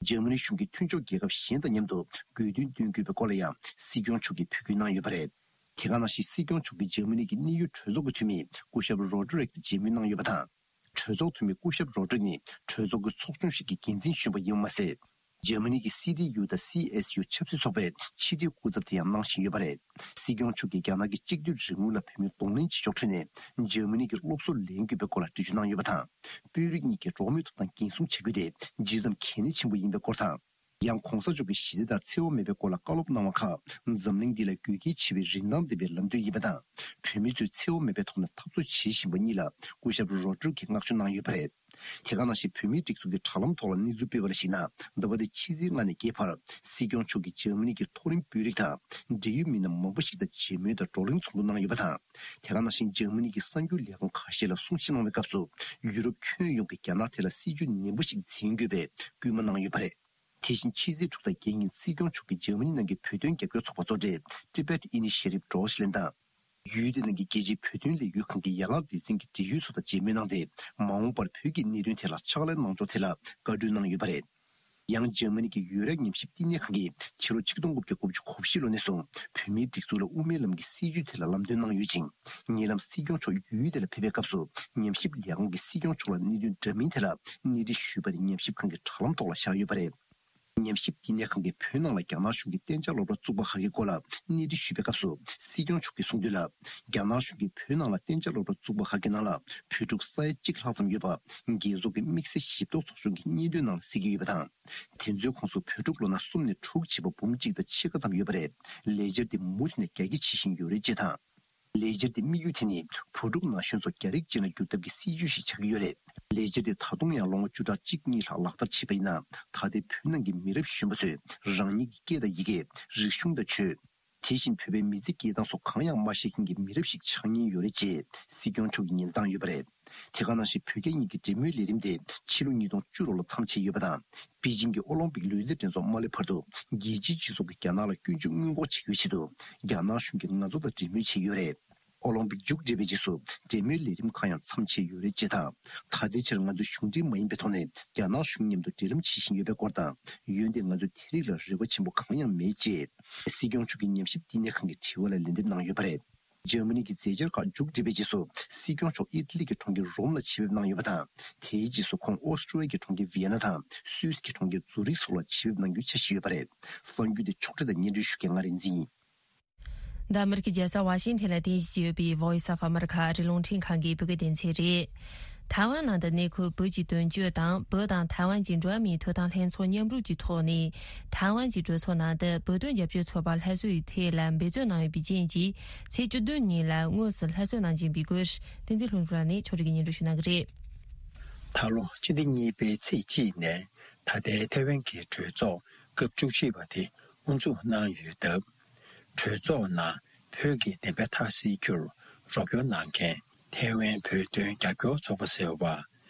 འཇར་མ་ནི་གཞུང་གིས་མཐུན་ཕྱོགས་རྒྱལ་ཁབ་གཞན་དང་མཉམ་དུ་དགོས་འདུན་འདོན་དགོས་པའི་སྐོར་ལ་ཡང་སྲིད་སྐྱོང་མཆོག་གིས་འབོད་སྐུལ་གནང་ཡོད་པ་རེད། དེ་ག་ནང་བཞིན་སྲིད་སྐྱོང་མཆོག་གིས་འཇར་མ་ནི་གི་གནད་ཡོད་གྲོས་ཚོགས་ཀྱི་འཐུས་མི་སྐུ་ཞབས་རོ་ཌི་རིག་དང་མཇལ་མོལ་གནང་ཡོད་པ་དང་། གྲོས་ཚོགས་འཐུས་མི་སྐུ་ཞབས་རོ་ཌི་རིག་ནི་གྲོས་ཚོགས་ཀྱི་ཚོགས་ཆུང་ཞིག་གི་འགན་འཛིན་གཞོན་པ་ཡིན་པ་མ་ཟད། འཇར་མ་ནི་གི་སི་ཌི་ཡུ་དང་སི་ཨེས་ཡུ་ཆབ་སྲིད་ཚོགས་པའི་ཕྱི་དྲིལ་སྐུ་ཚབ་དེ་ཡང་གནང་བཞིན་ཡོད་པ་རེད། སྲིད་སྐྱོང་མཆོག་གིས་རྒྱ་ནག་གི་གཅིག་སྡུད་རིང་ལུགས་ལ་བོད་མིས་གདོང་ལེན་བྱེད་ཕྱོགས་ཁྲོད་ནས་འཇར་མ་ནི་གི་སློབ་གསོ་ལེན་དགོས་པའི་སྐོར་ལ་འགྲེལ་བརྗོད་གནང་ཡོད་པ་དང་། དཔོན་རིགས་གཉིས་ཀྱི་འགྲོ་བ་མིའི་ཐོབ་ཐང་འགན་སྲུང་བྱེད་དགོས་དེ་ཇི་ཙམ་གལ་གནད་ཆེན་པོ་ཡིན་པའི་སྐོར་དང་། ཡང་གོང་ས་མཆོག་གིས་ཞི་བདེ་དང་འཚེ་བ་མེད་པའི་སྐོར་ལ་བཀའ་སློབ་གནང་བ་ཁག་འཛམ་གླིང་འདི་ལ་དགོས་གལ་ཆེ་བའི་རིན་ཐང་ལྡན་པའི་ལམ་སྟོན་ཡིན་པ་དང་། བོད་མི་ཚོས་འཚེ་བ་མེད་པའི་ཐོག་ནས་འཐབ་རྩོད་བྱེད་བཞིན་པ་གཉིས་ལ་སྐུ་ཞབས་རོ་ཌི་རིག་གིས་བསྔགས་བརྗོད་གནང་ཡོད་པ་རེད། དེ་ག་ནང་བཞིན་བོད་མིའི་སྒྲིག་འཛུགས་ཀྱི་དྲ་ལམ་ཐོག་ལ་གནས་ཚུལ་སྤེལ་བ་ལ་གཞིགས་ན། ཟླ་བ་འདིའི་ཕྱི་ཚེས་ལྔ་ནས་བརྒྱད་བར་སྲིད་སྐྱོང་མཆོག་གིས་འཇར་མ་ནི་གི་མཐོ་རིམ་དཔོན་རིགས་དང་འབྲེལ་ཡོད་མི་སྣ་མང་པོ་ཞིག་དང་མཇལ་མོལ་དང་བགྲོ་གླེང་ཚོགས་འདུ་གནང་ཡོད་པ་དང་། དེ་ག་ནང་བཞིན་འཇར་མ་ནི་གི་གསར་འགྱུར་ལས་ཁང་ཁ་ཤས་ལ་གསུང་བཤད་གནང་བའི་སྐབས་སུ། ཡུ་རོབ་ཁྱོན་ཡོངས་ཀྱིས་རྒྱ་ནག་ཐད་ལ་སྲིད་ཇུས་ནན་པོ་ཞིག་འཛིན་དགོས་པའི་སྐུལ་མ་གནང་ཡོད་པ་རེད། དེ་བཞིན་ཕྱི་ཚེས་དྲུག་དང་བརྒྱད་ཉིན་སྲིད་སྐྱོང་མཆོག་གིས་འཇར་མ་ནི་ནང་གི་བོད་དོན་རྒྱབ་སྐྱོར་ཚོགས་པ་གཙོ་གྲས་Tibet Initiative Deutschland དང་། ཡུལ་དེ་ནང་གི་རྒྱལ་སྤྱིའི་བོད་དོན་ལས་འགུལ་ཁང་གི་ཡན་ལག་སྡེ་ཚན་གྱི་འབྲེལ་ཡོད་ཚོ་དང་མཇལ་མོལ་གནང་སྟེ། མ་འོངས་པར་བོད་ཀྱི་གནད་དོན་ཐད་ལ་ཕྱག་ལས་གནང་ཕྱོགས་ཐད་ལ་བཀའ་འཁྲོལ་གནང་ཡོད་པ་རེད། ཡང་འཇར་མ་ནི་གི་ཡུ་རོབ་ཉམས་ཞིབ་བསྟི་གནས་ཁང་གིས་ཕྱི་ལོ་ཆིག་སྟོང་དགུ་བརྒྱ་གོ་བཞི་ལོ་ནས་བཟུང་བོད་མིའི་སྒྲིག་འཛུགས་ལ་དབུ་མའི་ལམ་གྱི་སྲིད་བྱུས་ཐད་ལ་ལམ་སྟོན་གནང་ཡོད་ཅིང་། ཉེ་ལམ་སྲིད་སྐྱོང་མཆོག་ཡུལ་དེ་ལ་ཕེབས་པའི་སྐབས་སུ་ཉམས་ཞིབ་ལས་ཁང་གིས་སྲིད་སྐྱོང་མཆོག་ལ་གནད་དོན་འདྲ་མིན་ཐད་ལ་གནས་འདྲི་ཞུས་པ་དེ་ཉམས་ཞིབ་ཁང་གི་དྲ་ལམ་ཐོག་ལ་བཞག་ཡོད་པ་རེད། ཉམས་ཞིབ་བསྟི་གནས་ཁང་གིས་བོད་ནང་ལ་རྒྱ་ནག་གཞུང་གིས་གཏན་འཇགས་སློབ་གྲྭ་བཙུགས་པ་ཁག་གི་སྐོར་ལ་གནས་འདྲི་ཞུས་པའི་སྐབས་སུ། སྲིད་སྐྱོང་མཆོག་གིས་གསུངས་དོན་ལ། རྒྱ་ནག་གཞུང་གིས་བོད་ནང་ལ་གཏན་འཇགས་སློབ་གྲྭ་བཙུགས་པ་ཁག་གི་ནང་ལ་བོད་ཕྲུག་ས་ཡ་གཅིག་ལྷག་ཙམ་ཡོད་པ། རྒྱལ་ཚོགས་ཀྱི་དམིགས་བསལ་ཞིབ་རྟོག་ཚོགས་ཆུང་གི་སྙན་ཐོའི་ནང་ལ་གསལ་གྱི་ཡོད་པ་དང་། དེ་ཚོའི་ཁོངས་སུ་བོད་ཕྲུག་ལོ་ན་གསུམ་ནས་དྲུག་བྱས་པ་འབུམ་གཅིག་དང་ཕྱེད་ཀ་ཙམ་ཡོད་པ་རེད། ལས་འཆར་དེ་མུ་མཐུད་ནས་རྒྱ་སྐྱེད་བྱེད་བཞིན་ཡོད་རེད་ཅེས་དང་། ལས་འཆར་དེའི་དམིགས་ཡུལ་དེ་ནི་བུ་ཕྲུག་ན་གཞོན་ཚོ་རྒྱ་རིགས་ཅན་ལ་བསྒྱུར་ཐབས་ཀྱི་སྲིད་ཇུས་ཤིག་ཆགས་ཀྱི་ཡོད་རེད། ལས་འཆར་དེ་ད་དུང་ཡང་ལོ་ངོ་བཅུ་ཕྲག་གཅིག་གཉིས་ལྷག་ལག་བསྟར་བྱས་པ་ཡིན་ན། ད་ལྟའི་བོད་ནང་གི་མི་རབས་གཞོན་པ་ཚོས་རང་ཉིད་ཀྱི་སྐད་དང་ཡི་གེ། རིག་གཞུང་དང་ཆོས། དེ་བཞིན་བོད་པའི་མི་ཚེ་སྐྱེལ་སྟངས་སོགས་གང་ཡང་མ་ཤེས་མཁན་གྱི་མི་རབས་ཤིག་ཆགས་ཉེན་ཡོད་རེད་ཅེས་སྲིད་སྐྱོང་མཆོག་གིས་ཉེན་བརྡ་བཏང་ཡོད་པ་རེད། དེ་ག་ནང་བཞིན་བོད་རྒྱ་གཉིས་ཀྱི་འབྲེལ་མོལ་ལས་རིམ་དེ་ཕྱི་ལོ་ཉིས་སྟོང་བཅུ་དྲུག་ལ་མཚམས་ཆད་ཡོད་པ་དང་། པེ་ཅིང་གི་ཨོ་ལིམ་པིག་ལུས་རྩལ་འགྲན་ཚོགས་མ་སླེབས་བར་དུ་རྒྱལ་སྤྱིའི་སྤྱི་ཚོགས་ཀྱིས་རྒྱ་ནག་ལ་སྐྱོན་བརྗོད་སྔོན་འགོག་བྱེད་རྒྱུའི་ཆེད་དུ། རྒྱ་ནག་གཞུང་གིས་ང་ཚོ་དང་འབྲེལ་མོལ་བྱས་ཡོད་རེད། ཨོ་ལིམ་པིག་མཇུག་བསྒྲིལ་བའི་རྗེས་སུ་འབྲེལ་མོལ་ལས་རིམ་ཁག་ཡང་མཚམས་ཆད་ཡོད་རེད་ཅེས་དང་། ད་ལྟའི་ཆར་ང་ཚོ་གཞུང་འབྲེལ་མ་ཡིན་པའི་ཐོག་ནས་རྒྱ་ནག་གཞུང་མཉམ་དུ་འབྲེལ་ལམ་བྱེད་བཞིན་ཡོད་པའི་སྐོར་དང་། འོན་ཏེ་ང་ཚོས་དེ་རིགས་ལ་རེ་བ་ཆེན་པོ་གང་ཡང་མེད་ཅེས། སྲིད་སྐྱོང་མཆོག་གིས་ཉམས་ཞིབ་བསྟི་གནས་ཁང་གི་དྲི་བ་ལ་ལན་འདེབས་གནང་ཡོད་པ་རེད། འཇར་མ་ནི་གི་མཛད་འཆར་ཁག་མཇུག་བསྒྲིལ་བའི་རྗེས་སུ། སྲིད་སྐྱོང་མཆོག་ཨི་ཊ་ལི་གི་གྲོང་ཁྱེར་རོམ་ལ་ཆེད་ཕེབས་གནང་ཡོད་པ་དང་། དེའི་རྗེས་སུ་ཁོང་ཨོ་སི་ཀྲོ་ལི་ཡའི་གྲོང་ཁྱེར་ཝི་ཡེ་ན་དང་སུད་སི་གི་གྲོང་ཁྱེར་ཛུ་རིག་སོགས་ལ་ཆེད་ཕེབས་གནང་རྒྱུའི་འཆར་གཞི་ཡོད་པ་རེད། གསར་འགྱུར་དེ་ཕྱོགས་སྒྲིག་དང་སྙན་སྒྲོན་ཞུ་མཁན་ང་རིག་འཛིན་ཡིན། འདི་ཨ་མེ་རི་ཁའི་རྒྱལ་ས་ཝ་ཤིང་ཐན་ལ་རྟེན་གཞི་བྱས་ཡོད་པའི་Voice of America ཨ་རིའི་རླུང་འཕྲིན་ཁང་གི་བོད་སྐད་སྡེ་ཚན་རེད། ཐའེ་ཝན་ནང་དུ་གནས་འཁོད་བོད་ཀྱི་དོན་གཅོད་དང་བོད་དང་ཐའེ་ཝན་གྱི་འགྲོ་བ་མིའི་ཐོབ་ཐང་ལྷན་ཚོགས་མཉམ་རུབ་ཀྱི་ཐོག་ནས། ཐའེ་ཝན་གྱི་གྲོས་ཚོགས་ནང་དུ་བོད་དོན་རྒྱབ་སྐྱོར་ཚོགས་པ་སླར་གསོའི་ཐད་ལ་འབད་བརྩོན་གནང་ཡོད་པའི་རྐྱེན་གྱིས། ཚེས་བཅུ་བདུན་ཉིན་ལ་དངོས་སུ་སླར་གསོ་གནང་བཞིན་པའི་སྐོར། བསྟན་འཛིན་ལྷུན་གྲུབ་ལགས་ནས་ཕྱོགས་སྒྲིག་གིས་སྙན་སྒྲོན་ཞུ་གནང་གི་རེད། ད་ལོ་སྤྱི་ཟླ་གཉིས་པའི་ཚེས་གཅིག་ནས་ད་ལྟའི་ཐའེ་ཝན་གྱི་གྲོས་ཚོགས་སྐབས་བཅུ་གཅིག་པ་དེ་དབུ་འཛུགས་གནང་ཡོད་སྟབས། གྲོས་ཚོགས་ནང་བོད་ཀྱི་བདེན་པ་མཐའ་གསལ་རྒྱུར་རོགས་སྐྱོར་གནང་མཁན་ཐའེ་ཝན་བོད་དོན་རྒྱབ་སྐྱོར་ཚོགས་པ་ཟེར་བ།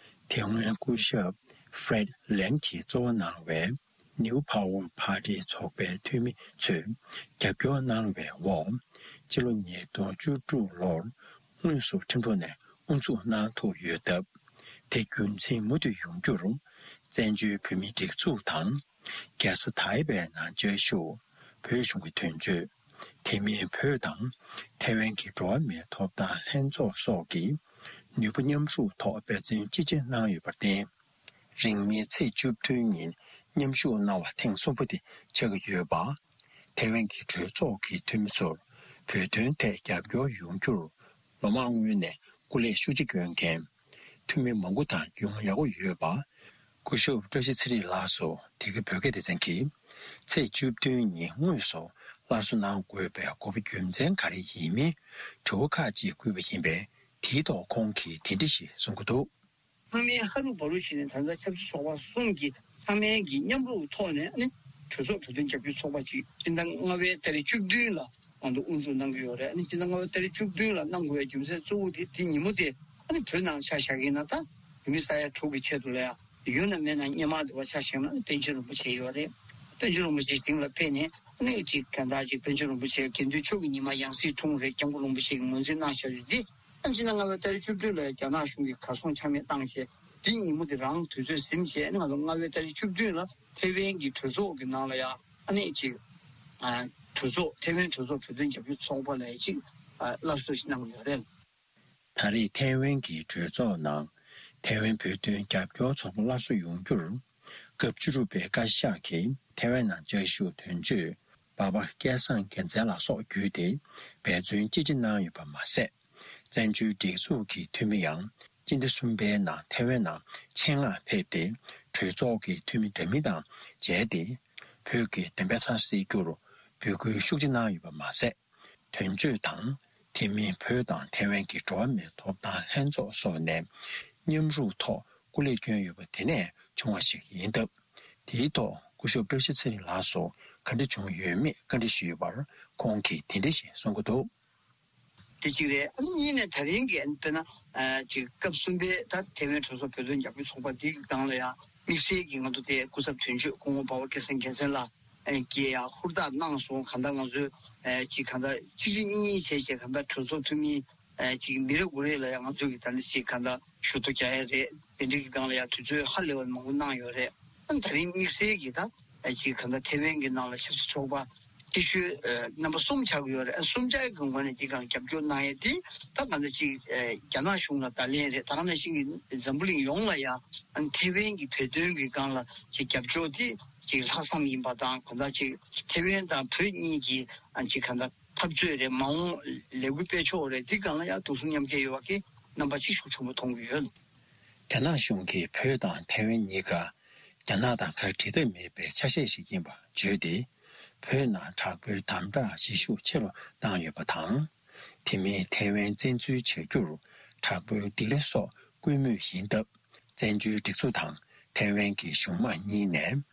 ཐའེ་ཝན་སྐུ་ཞབས་Fred Lam གྱིས་གཙོ་བོ་གནང་བའི་New Power Party ཚོགས་པའི་འཐུས་མི་ཚོས་རྒྱབ་སྐྱོར་གནང་བའི་འོག་སྤྱི་ལོ་ཉིས་སྟོང་བཅུ་དྲུག་ལོར་དངོས་སུ་ཁྲིམས་ལུགས་ནས་དབུ་འཛུགས་གནང་ཐུབ་ཡོད་སྟབས། དེ་རྒྱུན་འཛིན་མུ་མཐུད་ཡོང་རྒྱུར། བཙན་བྱོལ་བོད་མིའི་སྒྲིག་འཛུགས་དང་། རྒྱལ་ས་ཐའེ་པེ་ནང་བཅའ་བཞུགས་བོད་གཞུང་གི་དོན་གཅོད། དེ་མིན་བོད་དང་ཐའེ་ཝན་གྱི་འགྲོ་བ་མིའི་ཐོབ་ཐང་ལྷན་ཚོགས་སོགས་ཀྱིས་ནུས་པ་མཉམ་རུབ་ཐོག་འབད་བརྩོན་ཅི་ཆེ་གནང་ཡོད་པར་བརྟེན། རིང་མིན་ཚེས་བཅུ་བདུན་ཉིན་མཉམ་ཞུགས་གནང་བ་ཐེངས་གསུམ་པ་དེ་ཆགས་ཀྱི་ཡོད་པ། ཐའེ་ཝན་གྱི་གྲོས་ཚོགས་ཀྱི་འཐུས་མི་ཚོར་བོད་དོན་ཐད་རྒྱབ་སྐྱོར་ཡོང་རྒྱུར་ལོ་མང་སྔོན་ནས་སྐུ་ལས་ཤུགས་ཆེ་བསྐྱོན་མཁན་འཐུས་མི་མང་པོ་དང་རྒྱུས་མངའ་ཡག་པོ་ཡོད་པ། སྐུ་ཞབས་བཀྲ་ཤིས་ཚེ་རིང་ལགས་སུ་དེ་གའི་བོད་སྐད་སྡེ་ཚན་གྱིས་ཚེས་བཅུ་བདུན་ཉིན་དངོས་སུ་སླར་གསོ་གནང་དགོས་པའི་དགོས་པ་རྒྱུ་མཚན་ག་རེ་ཡིན་མིན་དྲི་བ་ཁག་ཅིག་བསྐུལ་བ་ཡིན་པས། དེའི་ཐོག་ཁོང་གིས་དེ་འདྲ་ཞིག་གསུང་གི་འདུག། ཚང་མས་ཧ་རུ་བ་རུ་བྱས་ནས་ད་ལྟ་ཆབ་སྲིད་ཚོགས་པ་གསུམ་གྱི་ཚང་མས་ཀྱི་མཉམ་རུབ་ཐོག་ནས་ནི་གྲོས་ཚོགས་བོད་དོན་རྒྱབ་སྐྱོར་ཚོགས་པ་ཅིག་སྤྱི་ཟླ་ལྔ་པའི་ཏ་རིག་བཅུ་བདུན་ལ་ང་ཚོ་དབུ་འཛུགས་གནང་གི་ཡོད་རེད། ཨ་ནི་སྤྱི་ཟླ་ལྔ་པའི་ཏ་རིག་བཅུ་བདུན་ལ་གནང་དགོས་པའི་རྒྱུ་མཚན་གཙོ་བོ་དེ་དེ་ཉིན་མོ་དེ་ ཨ་ནི་བོད་ནང་ཆ་བཞག་གིན་ན་ད་བོད་མི་ས་ཡ་དྲུག་གི་ཆེད་དུ་ལ་ཡ་ཡོད་ན་མེད་ན་སྔོན་མ་དེ་བ་ཆ་བཞག་ན་པཎ་ཆེན་རིན་པོ་ཆེ་ཡོད་རེད། པཎ་ཆེན་རིན་པོ་ཆེ་ཞིང་ལ་ཕེབས་ནས་ཨ་ནི་ཅིག་གང་ལྟར་ཅིག་པཎ་ཆེན་རིན་པོ་ཆེ་དགེ་འདུན་ཆོས་ཀྱི་ཉི་མ་ཡང་སྲིད་འཁྲུངས་རེད། སྐྱབས་མགོན་རིན་པོ་ཆེ་གིས་ངོས་འཛིན་གནང་བཞག་ཡོད་དེ། ཨ་ནི་སྤྱི་ཟླ་ལྔ་པའི་ཏ་རིག་བཅུ་བདུན་ལ་རྒྱ་ནག་གཞུང་གིས་གར་སོང་ཆ་མེད་བཏང་བྱས་དེ་ཉིན་མོ་དེ་རང་དུས་ཚོད་ཟིན་བྱས་ཨ་ནི་ང་ཚོ་ལྔ་པའི་ཏ་རིག་བཅུ་བདུན་ལ་ཐེ་ཝན་གྱི་གྲོས་ཚོགས་ཀྱི་ནང་ལ་ཡ་ཨ་ནི་ཅིག་གྲོས་ཚོགས་ཐེ་ཝན་གྲོས་ཚོགས་བོད་དོན་རྒྱབ་སྐྱོར་ཚོགས་པ་ལ་ཡ་ཅིག་སླར་གསོ་ཞིག་གནང་གི་ཡོད་རེད། ད་རེས་ཐེ་ཝན་གྱི་གྲོས་ཚོགས་ནང་ཐེ་ཝན་བོད་དོན་རྒྱབ་སྐྱོར་ཚོགས་པ་སླར་གསོ་ཡོང་རྒྱུར་སྐབས་བཅུ་དྲུག་པའི་བཀའ་ཤག་གིས་ཐེ་ཝན་ནང་བཅའ་བཞུགས་དོན་གཅོད་འབའ་པ་སྐལ་བཟང་རྒྱལ་མཚན་ལ་སོགས་བརྒྱུད་དེ་འབད་བརྩོན་ཅི་ཆེ་གནང་ཡོད་པ་མ་ཟད། བཙན་བྱོལ་སྒྲིག་འཛུགས་ཀྱི་འཐུས་མི་ཡང་སྤྱི་ཟླ་གསུམ་པའི་ནང་ཐེ་ཝན་ནང་ཆེད་མངགས་ཕེབས་ཏེ་གྲོས་ཚོགས་ཀྱི་འཐུས་མི་འདྲ་མིན་དང་མཇལ་ཏེ་བོད་ཀྱི་བདེན་པའི་ཚབ་བསལ་རྒྱུར་འབོད་སྐུལ་ཤུགས་ཆེ་གནང་ཡོད་པ་མ་ཟད། དོན་གཅོད་དང་དེ་མིན་བོད་དང་ཐེ་ཝན་གྱི་འགྲོ་བ་མིའི་ཐོབ་ཐང་ལྷན་ཚོགས་སོགས་ནས་མཉམ་རུབ་ཐོག་སྐུ་ལས་བསྐྱོན་ཡོད་པ་དེ་ནས་བྱུང་བ་ཞིག་ཡིན་སྟབས། དེའི་ཐོག་སྐུ་ཞབས་བཀྲ་ཤིས་ཚེ་རིང་ལགས་སུ་ག་འདྲ་བྱུང་ཡོད་མེད་བཀའ་འདྲི་ཞུས་པར་ཁོང་གིས་དེ་འདྲ་ཞིག་གསུང་གི་འདུག། དེ་གཅིག་རེད། ཨ་ནི་གཉིས་ནས་ད་རིང་གི་དཔེར་ན་ཅིག་སྐབས་གསུམ་པའི་ད་ཐེ་ཝན་གྲོས་ཚོགས་བོད་དོན་རྒྱབ་སྐྱོར་ཚོགས་པ་འདིའི་སྒང་ལ་ཡང་དམིགས་བསལ་གྱི་ང་ཚོ་དེ་སྐུ་ཚབ་དོན་གཅོད་སྐུ་ངོ་འབའ་པ་སྐལ་བཟང་རྒྱལ་མཚན་ལགས་ཀྱིས་ཡང་ཧུར་ཐག་གནང་སོང་། གང་ལྟར་ང་ཚོས་ཅིག་གང་ལྟར་གཅིག་གཅིག་གཉིས་གཉིས་བྱས་བྱས་གང་ལྟར་གྲོས་ཚོགས་འཐུས་མི་ཅིག་མི་རེ་ངོ་རེ་ལ་ཡང་ང་ཚོས་ཀྱི་ད་ནི་ཅིག་གང་ལྟར་ཞུ་གཏུག་རྒྱག་ཡ་རེད། དེ་འདྲའི་གི་སྒང་ལ་ཡང་དུས་ཚོད་ཧ་ལས་པ་མང་པོ་གནང་ཡོད་རེད། ཨ་ནི་ད་རིང་དམིགས་བསལ་གྱི་ད་ཅིག་གང་ལྟར་ཐེ་ཝན་གྱི་ནང་ལ་ཆབ་སྲིད་ཚོགས་པ་ཆེ་ཤོས་རྣམ་པ་གསུམ་ཆགས་ཀྱི་ཡོད་རེད། ཨ་གསུམ་ཆ་གི་ངོས་ནས་འདི་གང་རྒྱབ་སྐྱོར་གནང་ཡས་དེ་ད་གང་ལྟར་ཅིག་རྒྱ་ནག་གཞུང་ལ་བརྡ་ལན་རེད། ད་ག་ནང་བཞིན་གྱི་འཛམ་བུ་གླིང་ཡོངས་ལ་ཡང་ཨ་ནི་ཐེ་ཝན་གྱི་བོད་དོན་གྱི་སྒང་ལ་ཅིག་རྒྱབ་སྐྱོར་དེ་ཅིག་ལྷག་བསམ་ཡིན་པ་དང་གང་ལྟར་ཅིག་ཐེ་ཝན་དང་བོད་གཉིས་ཀྱི་ཨ་ཅིག་གང་ལྟར་འཐབ་རྩོད་རེད། མ་འོངས་ལས་འགུལ་སྤེལ་ཕྱོགས་རེད། འདི་སྒང་ལ་ཡང་དུག་གསུམ་མཉམ་སྐྱེད་ཡོད་པ་གི་རྣམ་པ་ཅིག་ཤུགས་ཆེན་པོ་མཐོང་གི་ཡོད། རྒྱ་ནག་གཞུང་གིས་བོད་དང་ཐེ་ཝན་གཉིས་ཀ་རྒྱ་ནག་དང་ཁ་བྲལ་ཐབས་མེད་པའི་ཆ་ཤས་ཤིག་ཡིན་པ་བརྗོད་དེ། བོད་ནང་དྲག་པོའི་དམ་དྲག་བྱེད་ཤུགས་ཆེ་རུ་བཏང་ཡོད་པ་དང་། དེ་མིན་ཐེ་ཝན་བཙན་འཛུལ་བྱ་རྒྱུར་དྲག་པོའི་སྡིགས་ར་སོགས་བསྐུལ་མུས་ཡིན་སྟབས། བཙན་བྱོལ་སྒྲིག་འཛུགས་དང་ཐའེ་ཝན་གྱི་གཞུང་དམངས་གཉིས་ནས་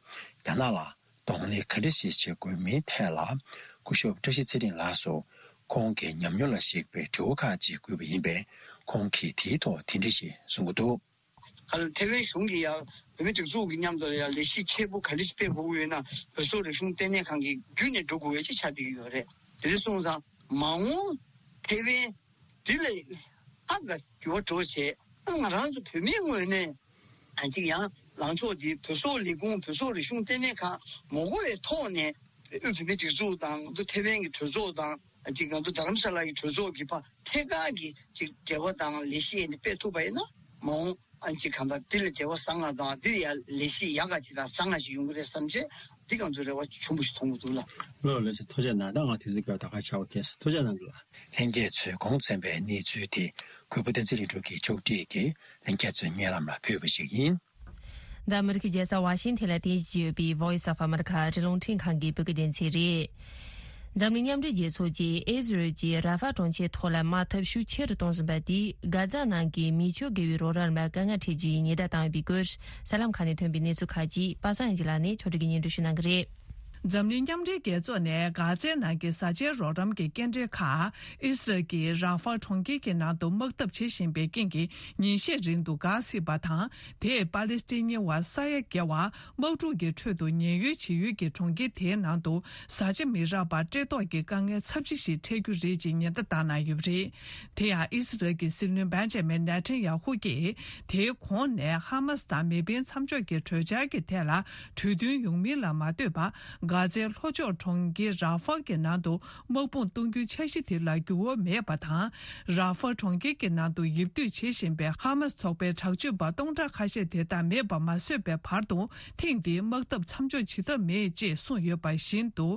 རྒྱ་ནག་ལ་གདོང་ལེན་ག་འདྲ་ཞིག་བྱེད་དགོས་མིན་ཐད་ལ། སྐུ་ཞབས་བཀྲ་ཤིས་ཚེ་རིང་ལགས་སུ་ཁོང་གི་ཉམས་མྱོང་ལ་གཞིགས་པའི་དྲི་བ་ཁག་ཅིག་བཀོད་པ་ཡིན་པས། ཁོང་གིས་དེའི་ཐོག་དེ་འདྲ་ཞིག་གསུང་གི་འདུག། ཨ་ལ་ཐའེ་ཝན་གཞུང་གིས་ཡང་བོད་མིའི་སྒྲིག་འཛུགས་ཀྱི་མཉམ་དུ་ལ་ཡང་ལས་གཞི་ཆེ་པོ་ག་འདྲ་ཞིག་སྤེལ་དགོས་ཀྱི་ཡོད་ན། བོད་སོག་རིག་གཞུང་ལྟེ་གནས་ཁང་གིས་བརྒྱུད་ནས་འགྲོ་དགོས་པའི་ཅིག་ཆགས་བསྡད་ཀྱི་ཡོད་རེད། དེ་འདྲ་སོང་ཙང་མ་འོངས་ཐའེ་ཝན་འདི་ལ་ཧ་ག་འགྱུར་བ་འགྲོ་བྱས། ང་རང་ཚོ་བོད་མིའི་ངོས་ནས་ཨ་ཅིག་ཡང་ལངས་ཕྱོགས་འདི་བོད་སོག་ལས་ཁུངས་བོད་སོག་རིག་གཞུང་ལྟེ་གནས་ཁང་མ་དགོས་པའི་ཐོག་ནས་དབུས་བོད་མིའི་སྒྲིག་འཛུགས་དང་ཐའེ་ཝན་གྱི་གྲོས་ཚོགས་དང་ཨ་ཅིག་ང་ཚོ་རྡ་རམ་ས་ལ་གི་གྲོས་ཚོགས་ཀྱི་བར་ཐད་ཀར་གྱི་ཅིག་འབྲེལ་བ་དང་ལས་གཞི་ཨེ་འདི་སྤེལ་ཐུབ་པ་ཡིན་ན་མ་འོངས་ཨ་ཅིག་གང་ལྟར་འདི་ལ་འབྲེལ་བ་བཟང་ང་དང་འདི་ལ་ཡང་ལས་གཞི་ཡག་ག་ཅིག་དང་བཟང་ང་ཞིག་ཡོང་གི་རེད་བསམ་བྱས་འདི་གང་ཚོད་རེ་བ་ཆེན་པོ་ཞིག་མཐོང་གི་འདུག་ལ། ལོ་ལོ་ཞིག་ཐུགས་རྗེ་གནང་། ད་ང་དུས་ཚོད་སྐབས་ད་ག་ཆགས་པ་ཁེལ་སོང་། ཐུགས་རྗེ་གནང་འདུག་ལ། ལྷན་རྒྱས་ཚོས་གོང་གསན་པའི་གནས་ཚུལ་དེ་གུས་པ་བསྟན་འཛིན་རིག་འབྱུང་གིས་ཕྱོགས་སྒྲིག་གིས་ལྷན་རྒྱས་ཚོའི་སྙན་ལམ་ལ་ཕུལ་བ་ཞིག་ཡིན། འདི་ཨ་མི་རི་ཀའི་རྒྱལ་ས་ཝ་ཤིང་ཐན་ལ་རྟེན་གཞི་བྱས་ཡོད་པའི་Voice of America ཨ་རིའི་རླུང་འཕྲིན་ཁང་གི་བོད་སྐད་སྡེ་ཚན་རེད། འཛམ་གླིང་མཉམ་འབྲེལ་རྒྱལ་ཚོགས་ཀྱིས་ཨི་ཟི་རལ་གྱིས་ར་ཧྥ་གྲོང་ཁྱེར་ཐོག་ལ་དམག་འཐབ་ཤུགས་ཆེ་རུ་གཏོང་བཞིན་པ་དེས་གྷ་ཛ་ནང་གི་མི་ཆོས་དགེ་བའི་རོགས་རམ་ལ་དཀའ་ངལ་འཕྲད་རྒྱུའི་ཉེན་བརྡ་བཏང་ཡོད་པའི་སྐོར་གསར་ལམ་ཁག་ནས་ཐོན་པའི་གནས་ཚུལ་ཁག་ཅིག་པ་སངས་ཡིན་ལགས་ནས་ཕྱོགས་སྒྲིག་གིས་སྙན་སྒྲོན་ཞུ་གནང་གི་རེད། འཛམ་གླིང་མཉམ་འབྲེལ་རྒྱལ་ཚོགས་ནས་གྷ་ཛའི་ནང་གི་བཟའ་བཅའི་རོགས་རམ་གྱི་སྐྱེལ་འདྲེན་ཁག་ཨི་སི་རལ་གྱིས་ར་ཧྥ་གྲོང་ཁྱེར་གྱི་ནང་དུ་དམག་འཐབ་བྱེད་བཞིན་པའི་རྐྱེན་གྱིས་ཉིན་ཤས་རིང་དུ་འགག་སྲིད་པ་དང་། དེས་པ་ལི་སི་ཐན་མི་བ་ས་ཡ་བརྒལ་བ་དམག་འཁྲུག་གི་ཁྲོད་དུ་ཉེན་གཡོལ་བྱེད་ཡུལ་གྱི་གྲོང་ཁྱེར་དེའི་ནང་དུ་བཟའ་བཅའ་མི་རག་པར་བཀྲེས་ལྟོགས་ཀྱི་དཀའ་ངལ་ཚབས་ཆེ་ཞིག་འཕྲད་རྒྱུ་རེད་ཅེས་ཉེན་བརྡ་བཏང་གནང་ཡོད་པ་རེད། དེ་ཡང་ཨི་སི་རལ་གྱི་སྲིད་བློན་བེན་ཇ་མིན་ནེ་ཐན་ཡ་ཧུ་གྱིས་དེའི་གོང་ནས་ཧ་མ་སི་དང་མེ་འཕེན་མཚམས་འཇོག་གི་གྲོས་འཆར་གྱི་ཐད་ལ་གྲོས་མཐུན་ཡོང་མིན་ལ་མ་ལྟོས་པར། གྷ་ཛའི་ལྷོ་ཕྱོགས་གྲོང་ཁྱེར་ར་ཧྥ་གྱི་ནང་དུ་དམག་དཔུང་གཏོང་རྒྱུའི་འཆར་གཞི་དེ་ལ་འགྱུར་བ་མེད་པ་དང་། ར་ཧྥ་གྲོང་ཁྱེར་གྱི་ནང་དུ་ཡིབ་སྡོད་བྱེད་བཞིན་པའི་ཧ་མ་སི་ཚོགས་པའི་དྲག་སྤྱོད་པ་སྟོང་ཕྲག་ཁ་ཤས་དེ་དག་མེད་པ་མ་བཟོས་པའི་བར་དུ། ཐེངས་འདིའི་དམག་འཐབ་མཚམས་འཇོག་བྱེད་ཐབས་མེད་ཅེས་གསུངས་ཡོད་པ་བཞིན་དུ།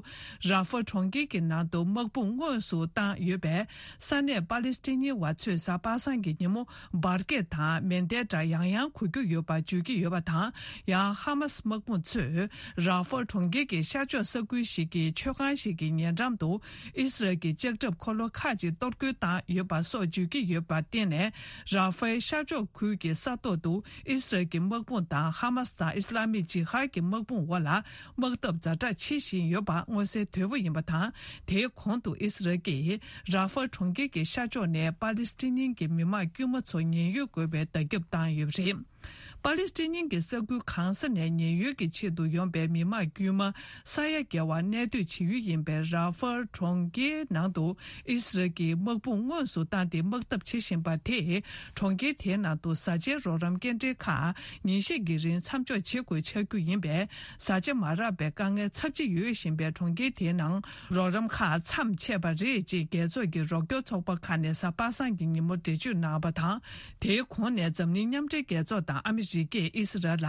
ར་ཧྥ་གྲོང་ཁྱེར་གྱི་ནང་དུ་དམག་དཔུང་དངོས་སུ་བཏང་ཡོད་པས། ས་གནས་པ་ལི་སི་ཐན་མི་བ་ཚོས་གཟའ་པ་སངས་ཀྱི་ཉིན་མོ་འབར་གས་དང་མེ་མདའི་སྒྲ་ཡང་ཡང་གོ་རྒྱུ་ཡོད་པ་བརྗོད་ཀྱི་ཡོད་པ་དང་། ཡང་ཧ་མ་སི་དམག་དཔུང་ཚོས་ར་ཧྥ་གྲོང་ཁྱེར་གྱི་ཤར་ ཤར་ཕྱོགས་ས་ཁུལ་ཞིག་གི་མཆོད་ཁང་ཞིག་གི་ཉེ་འགྲམ་དུ་ཨི་སི་རལ་གྱི་ལྕགས་ཁྲབ་འཁོར་ལོ་ཁག་ཅིག་གཏོར་རྒོལ་བཏང་ཡོད་པ་སོགས་བརྗོད་ཀྱི་ཡོད་པར་བརྟེན་ནས། ར་ཧྥེལ་ཤར་ཕྱོགས་ཁུལ་གྱི་ས་ཐོག་ཏུ་ཨི་སི་རལ་གྱི་དམག་དཔུང་དང་ཧ་མ་སི་དང་ཨི་སི་ལ་མིག་ཇི་ཧཱད་ཀྱི་དམག་དཔུང་འོག་ལ་དམག་འཐབ་ཛ་དྲག་བྱེད་བཞིན་ཡོད་པ་མངོན་གསལ་དོད་པོ་ཡིན་པ་དང་། དེའི་གོང་དུ་ཨི་སི་རལ་གྱིས་ར་ཧྥེལ་གྲོང་ཁྱེར་གྱི་ཤར་ཕྱོགས་ནས་པ་ལི་སི་ཐན་གྱི་མི་མང་དཀྱུས་མ་ཚོ་ཉེན་གཡོལ་དགོས་པའི་བརྡ་ཁྱབ་བཏང་ཡོད་པ་རེད། པ་ལི་སི་ཐན་གྱི་ས་ཁུལ་གང་ས་ནས་ཉེན་གཡོལ་གྱི་ཆེད་དུ་ཡོང་པའི་མི་མང་དཀྱུས་མ་ས་ཡ་བརྒལ་བ་གནས་སྡོད་བྱེད་ཡུལ་ཡིན་པའི་ར་ཧྥེལ་གྲོང་ཁྱེར་ནང་དུ་ཨི་སི་རལ་གྱི་དམག་དཔུང་དངོས་སུ་བཏང་སྟེ་དམག་འཐབ་བྱེད་བཞིན་པ་དེས། གྲོང་ཁྱེར་དེའི་ནང་དུ་བཟའ་བཅའི་རོགས་རམ་སྐྱེལ་འདྲེན་ཁག་ཉིན་ཤས་ཀྱི་རིང་མཚམས་འཇོག་བྱེད་དགོས་ཆགས་རྒྱུ་ཡིན་པས། བཟའ་བཅའ་མ་རག་པའི་དཀའ་ངལ་ཚབས་ཆེ་ཡོད་བཞིན་པའི་གྲོང་ཁྱེར་དེའི་ནང་རོགས་རམ་ཁག་མཚམས་ཆད་པ་རེད་ཅེས་རྒྱལ་ཚོགས་ཀྱི་རོགས་སྐྱོར་ཚོགས་པ་ཁག་ནས་གཟའ་པ་སངས་ཀྱི་ཉིན་མོ་འགྲེལ་བརྗོད་གནང་བ་དང་། དེའི་གོང་ནས་འཛམ་གླིང་མཉམ་འབྲེལ་རྒྱལ་ཚོགས་དང་ཨ་མི་རི་ཀས་ཨི་སི་རལ་ལ་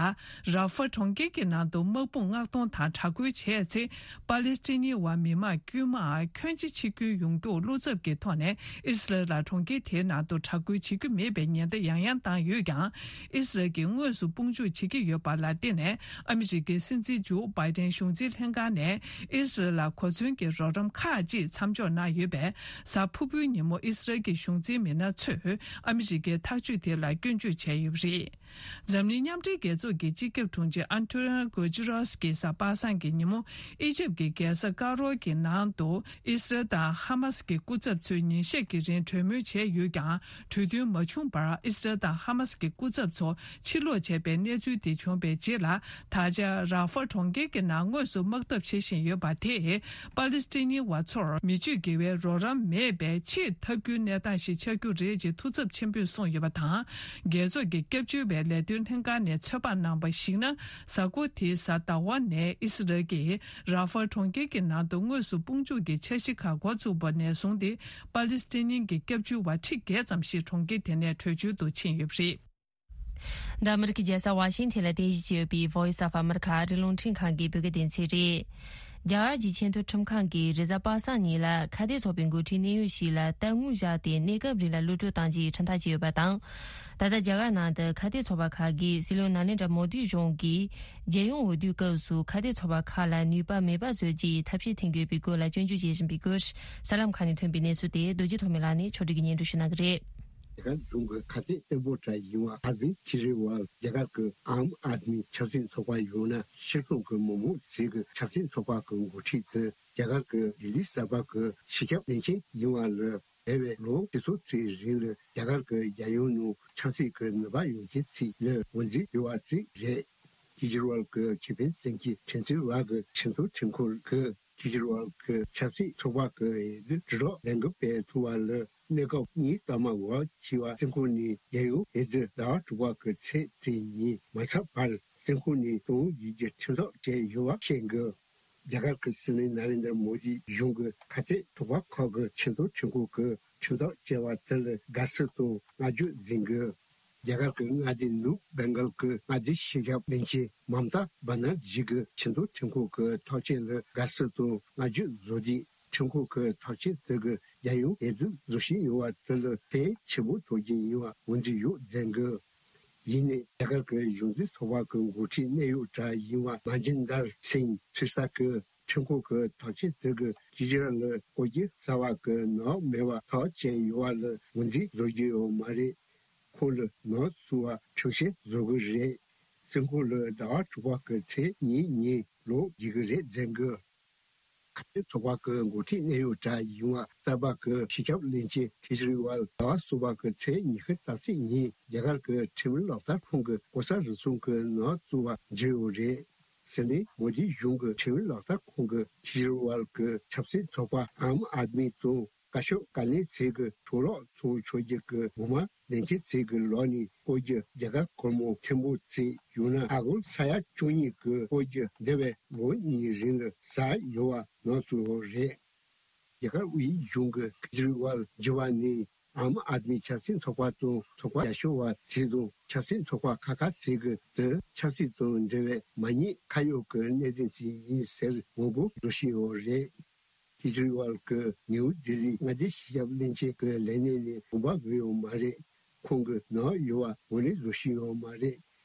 ར་ཧྥེལ་གྲོང་ཁྱེར་གྱི་ནང་དུ་དམག་དཔུང་མངགས་གཏོང་དང་དྲག་རྒོལ་བྱས་ཚེ། པ་ལི་སི་ཐན་བ་མི་མང་དཀྱུས་མ་ཁྱོན་ཆེ་ཕྱིར་འབུད་ཡོང་རྒྱུར་བློ་འཚབ་ཀྱི་ཐོག་ནས་ཨི་སི་རལ་ལ་གྲོང་ཁྱེར་དེའི་ནང་དུ་དྲག་རྒོལ་བྱེད་རྒྱུ་མེད་པའི་ཉེན་བརྡ་ཡང་ཡང་བཏང་ཡོད་ཀྱང་། ཨི་སི་རལ་གྱིས་དངོས་སུ་དཔུང་འཇུག་བྱེད་ཀྱི་ཡོད་པ་ལ་བརྟེན་ནས། ཨ་མི་རི་ཀའི་སྲིད་འཛིན་ཇོ་བྷའི་ཏན་གཞུང་འཛིན་ལྷན་ཁང་ནས་ཨི་སི་རལ་ལ་གོ་མཚོན་གྱི་རོགས་རམ་ཁག་ཅིག་མཚམས་འཇོག་གནང་ཡོད་པས། གཟའ་ཕུར་བུའི་ཉིན་མོ་ཨི་སི་རལ་གྱི་གཞུང་འཛིན་མི་སྣ་ཚོས་ཨ་མི་རི་ཀའི་ཐག་གཅོད་དེ་ལ་སྐྱོན་བརྗོད་བྱས་ཡོད་པ་རེད། འཛམ་གླིང་མཉམ་འབྲེལ་རྒྱལ་ཚོགས་ཀྱི་སྤྱི་ཁྱབ་དྲུང་ཆེ་ཨན་ཏོ་ནིའོ་གུ་ཇི་རོས་ཀྱིས་གཟའ་པ་སངས་ཀྱི་ཉིན་མོ་ཨི་ཇིབ་ཀྱི་རྒྱལ་ས་ཀ་རོ་གི་ནང་དུ་ཨི་སི་རལ་དང་ཧ་མ་སི་གི་སྐུ་ཚབ་ཚོས་ཉིན་ཤས་ཀྱི་རིང་གྲོས་མོལ་བྱས་ཡོད་ཀྱང་། གྲོས་མཐུན་མ་བྱུང་བར་ཨི་སི་རལ་དང་ཧ་མ་སི་གི་སྐུ་ཚབ་ཚོ་ཕྱིར་ལོག་བྱས་པའི་གནས་ཚུལ་དེ་བྱུང་བའི་རྗེས་ལ། ད་ཆ་ར་ཧྥེལ་གྲོང་ཁྱེར་གྱི་ནང་དངོས་སུ་དམག་འཐབ་བྱེད་བཞིན་ཡོད་པ་དེས། པ་ལི་སི་ཐན་བ་ཚོར་མི་སྤྱོད་དགེ་བའི་རོགས་རམ་མེད་པའི་ཆེས་ཐབས་སྐྱོའི་གནས་སྟངས་ཤིག་ཆགས་རྒྱུ་རེད་ཅེས་ཐུགས་འཚབ་ཆེན་པོས་གསུངས་ཡོད་པ་དང་། རྒྱལ་ཚོགས་ཀྱི་སྐྱབས་བཅོལ་བའི་ལས་དོན་ལྷན་ཁང་ནས་ཚོད་དཔག་གནང་བར་གཞིགས་ན། གཟའ་འཁོར་དེའི་གཟའ་ཟླ་བ་ནས་ཨི་སི་རལ་གྱིས་ར་ཧྥེལ་གྲོང་ཁྱེར་གྱི་ནང་དུ་དངོས་སུ་དཔུང་འཇུག་གི་འཆར་གཞི་ཁག་འགོ་ཚུགས་པ་ནས་བཟུང་སྟེ། པ་ལི་སི་ཐན་གྱི་སྐྱབས་བཅོལ་བ་ཁྲི་བརྒྱད་ཙམ་ཞིག་གྲོང་ཁྱེར་དེ་ནས་བྲོས་བྱོལ་དུ་ཕྱིན་ཡོད་པ་རེད། འདི་ཨ་མི་རི་ཀའི་རྒྱལ་ས་ཝ་ཤིང་ཐན་ལ་རྟེན་གཞི་བྱས་ཡོད་པའི་Voice of America ཨ་རིའི་རླུང་འཕྲིན་ཁང་གི་བོད་སྐད་སྡེ་ཚན་རེད། རྒྱ་གར་གྱི་ཆེས་མཐོའི་ཁྲིམས་ཁང་གིས་རེས་གཟའ་པ་སངས་ཉིན་ལ་ཁ་གཏད་ཚོགས་པའི་འགོ་ཁྲིད་གནད་ཡོད་ཞིག་ལ་ལྟ་དངོས་བཞག་སྟེ་གནས་སྐབས་རིང་ལ་གློད་གྲོལ་གཏང་རྒྱུའི་ཁྲིམས་ཐག་བཅད་ཡོད་པ་དང་། ད་ལྟ་རྒྱ་གར་ནང་དུ་ཁ་གཏད་ཚོགས་པ་ཁག་གིས་སྲིད་བློན་ནཱ་ལེནྡྲ་མོ་དི་གཞུང་གིས་རྒྱལ་ཡོངས་འོས་བསྡུའི་སྐབས་སུ་ཁ་གཏད་ཚོགས་པ་ཁག་ལ་ནུས་པ་མེད་པ་བཟོ་རྒྱུའི་ཐབས་ཤེས་འཐེན་དགོས་པའི་སྐོར་ལ་སྐྱོན་བརྗོད་བྱེད་བཞིན་པའི་སྐོར། གསར་ལམ་ཁག་ནས་ཐོན་པའི་གནས་ཚུལ་དེ་རྡོ་རྗེ་ཐོགས་མེད་ལགས་ནས་ཕྱོགས་སྒྲིག་གིས་སྙན་སྒྲོན་ཞུ་གནང་གི་རེད། རྒྱ་གར་གཞུང་གི་ཁ་གཏད་གཏན་འབེབས་གྲལ་ཡིན་པ་ཨ་ར་བིན་ཁེ་ཇི་རི་ཝལ་རྒྱ་གར་གྱི་ཨམ་ཨཱད་མི་ཆབ་སྲིད་ཚོགས་པ་ཡང་ན་སྤྱི་ཚོགས་ཀྱི་མི་མང་ཚོས་ཀྱི་ཆབ་སྲིད་ཚོགས་པ་གྱི་འགོ་ཁྲིད་དེ་རྒྱ་གར་གྱི་ལྡི་ལི་གསར་པ་གྱི་སྤྱི་ཁྱབ་བློན་ཆེན་ཡིན་པ་ལ་འདས་པའི་ལོ་ཁྲི་ཚོ་ཚོའི་རིང་ལ་རྒྱ་གར་གྱི་རྒྱལ་ཡོངས་ནང་ཆབ་སྲིད་ཀྱི་ནུས་པ་ཡོད་མཁན་ཚོ་ལ་ངོས་འཛིན་ཡོད་པ་ཞིག་རེད། ཁེ་ཇི་རི་ཝལ་གྱི་ཁེ་ཕན་བཙན་གྱིས་ཁྲིམས་རྩོད་པ་གི་ཁྲིམས་རྩོད་ཁྲིམས་ཁང་གིས་ཁེ་ཇི་རི་ཝལ་གྱི་ཆབ་སྲིད་ཚོགས་པ་གི་འོས་བསྡུ་དྲིལ་སྒྲོག་ལས་འགུལ་སྤེལ་ཐུབ་པ་ལ་གནས་སྐབས་གཉིས་ལྟར་མ་འགོར་བ་བྱས་པ་བཙོན་ཁང་ནས་རྒྱལ་ཡོངས་འོས་བསྡུ་ཟླ་བ་དྲུག་པ་གི་ཚེས་བཅུ་ཉིན་མ་ཚར་བར་བཙོན་ཁང་ནས་གཏོང་རྒྱུའི་ཁྲིམས་ཐག་བཅད་ཡོད་པ་བཤད་འདུག་རྒྱ་གར་གྱི་སྲིད་བློན་ནཱ་ལེནྡྲ་མོ་དི་གཞུང་གི་ཁ་གཏད་ཚོགས་པ་ཁག་གི་ཆེས་མཐོའི་ཁྲིམས་ཁང་གི་ཁྲིམས་ཐག་བཅད་པ་དེ་ལ་དགའ་བསུ་དང་བསྔགས་བརྗོད་མཛད་འདུག་རྒྱ་གར་གྱི་མངའ་སྡེ་ནུབ་བེང་གལ་གྱི་མངའ་སྡེའི་སྤྱི་ཁྱབ་བློན་ཆེན་མམ་ཏཱ་བྷ་ན་ཇི་གིས་ཆེས་མཐོའི་ཁྲིམས་ཁང་གི་ཐག་བཅད་ལ་དགའ་བསུ་དང་བསྔགས་བརྗོད་བཟོ་དུས། ཁྲིམས་ཁང་གི་ཐག་བཅད་དེ་གིས་རྒྱལ་ཡོངས་འོས་བསྡུ་བཟོ་བཞིན་ཡོད་པ་དེ་ལ་ཕན་ཆེན་པོ་ཐོགས་ཀྱི་ཡིན་པ་ངོས་འཛིན་ཡོད་མཛད་འདུག་ཡིན་ནའི་རྒྱ་གར་གྱི་གཞུང་འཛིན་ཚོགས་པ་གི་འགོ་ཁྲིད་གནད་ཡོད་གྲས་ཡིན་པ་མ་ཇིན་དར་སིང་ཚེ་ས་གིས་ཁྲིམས་ཁང་གི་ཐག་བཅད་དེ་གིས་ཁེ་ཇི་རི་ཝལ་ལ་བཀོད་རྒྱུ་གསར་པ་གི་ནག་མེད་པ་ཐག་བཅད་ཡོད་པ་ལ་ངོས་འཛིན་བཟོ་རྒྱུ་ཡོད་མ་རེད། ཁོང་ལ་ནག་བཙུགས་པ་ཁྲིམས་བཤེར་བཟོ་གི་རེད། བཙོན་ཁང་ལ་ཟླ་བ་དྲུག་པ་གི་ཚེས་གཉིས་ཉིན་ལོག་རྒྱུག་གི་རེད་མཛད་འདུག་ཁ་གཏད་ཚོགས་པ་གི་འགོ་ཁྲིད་གནད་ཡོད་གྲས་ཡིན་པ་གསར་པ་གི་སྤྱི་ཁྱབ་བློན་ཆེན་ཁེ་ཇི་རི་ཝལ་ཟླ་བ་གསུམ་པ་གི་ཚེས་ཉི་ཤུ་རྩ་གཅིག་ཉིན་རྒྱ་གར་གྱི་ཁྲིམས་ལག་བསྟར་ཁང་གི་ལྐོག་ཟ་རུལ་སུངས་ཀྱི་ནག་བཙུགས་པ་བརྗོད་ཡོད་རེད། སྲིད་བློན་མོ་དི་གཞུང་གི་ཁྲིམས་ལག་བསྟར་ཁང་གིས་ཁེ་ཇི་རི་ཝལ་གྱི་ཆབ་སྲིད་ཚོགས་པ་ཨམ་ཨཱད་མི་དང་བཀའ་ཤག་བཀའ་བློན་ཚོས་ཀྱི་འཕྲོ་བརླག་ཚོར་ཆོག་རྒྱུ་གི་འོ་མ་བློན་ཆེན་ཚོས་ཀྱི་ལག་ནས་བཀོལ་རྒྱུ། རྒྱ་གར་སྒོར་མོ་ཐེར་འབུམ་གཅིག་ཡང་ན་ཨ་སྒོར་ས་ཡ་བཅུ་གཉིས་ཀྱི་བཀོལ་རྒྱུ་འདས་པའི་ལོ་གཉིས་རིང་ལ་ཟ་ཡོད་པ་ནག་བཙུགས་ཡོད་རེད། རྒྱ་གར་དབུས་གཞུང་གིས་ཁེ་ཇི་རི་ཝལ་འགྱུར་བ་ནི་ཨམ་ཨཱད་མི་ཆབ་སྲིད་ཚོགས་པ་དང་ཚོགས་པ་རྒྱ་ཤོར་བ་ཚོ་དང་ཆབ་སྲིད་ཚོགས་པ་ཁག་ཁག་ཚོས་ཀྱི་དེ་ཆབ་སྲིད་དང་འབྲེལ་བའི་མ་ཉེས་ཁ་གཡོགས་ཀྱི་གནད་དོན་ཞིག་ཡིན་ཟེར་ངོ་རྒོལ་འགྲོ་བཞིན་ཡོད་རེད། ཁེ་ཇི་རི་ཝལ་གྱིས་ནིའུ་ལྡི་ལིའི་མངའ་སྡེའི་སྤྱི་ཁྱབ་བློན་ཆེན་གྱི་ལས་གནས་ནས་དགོངས་པ་འོས་ཡོད་མ་རེད། ཁོང་གིས་ནག་ཡོད་པ་ངོས་ལེན་བཟོ་བཞིན་ཡོད་མ་རེད།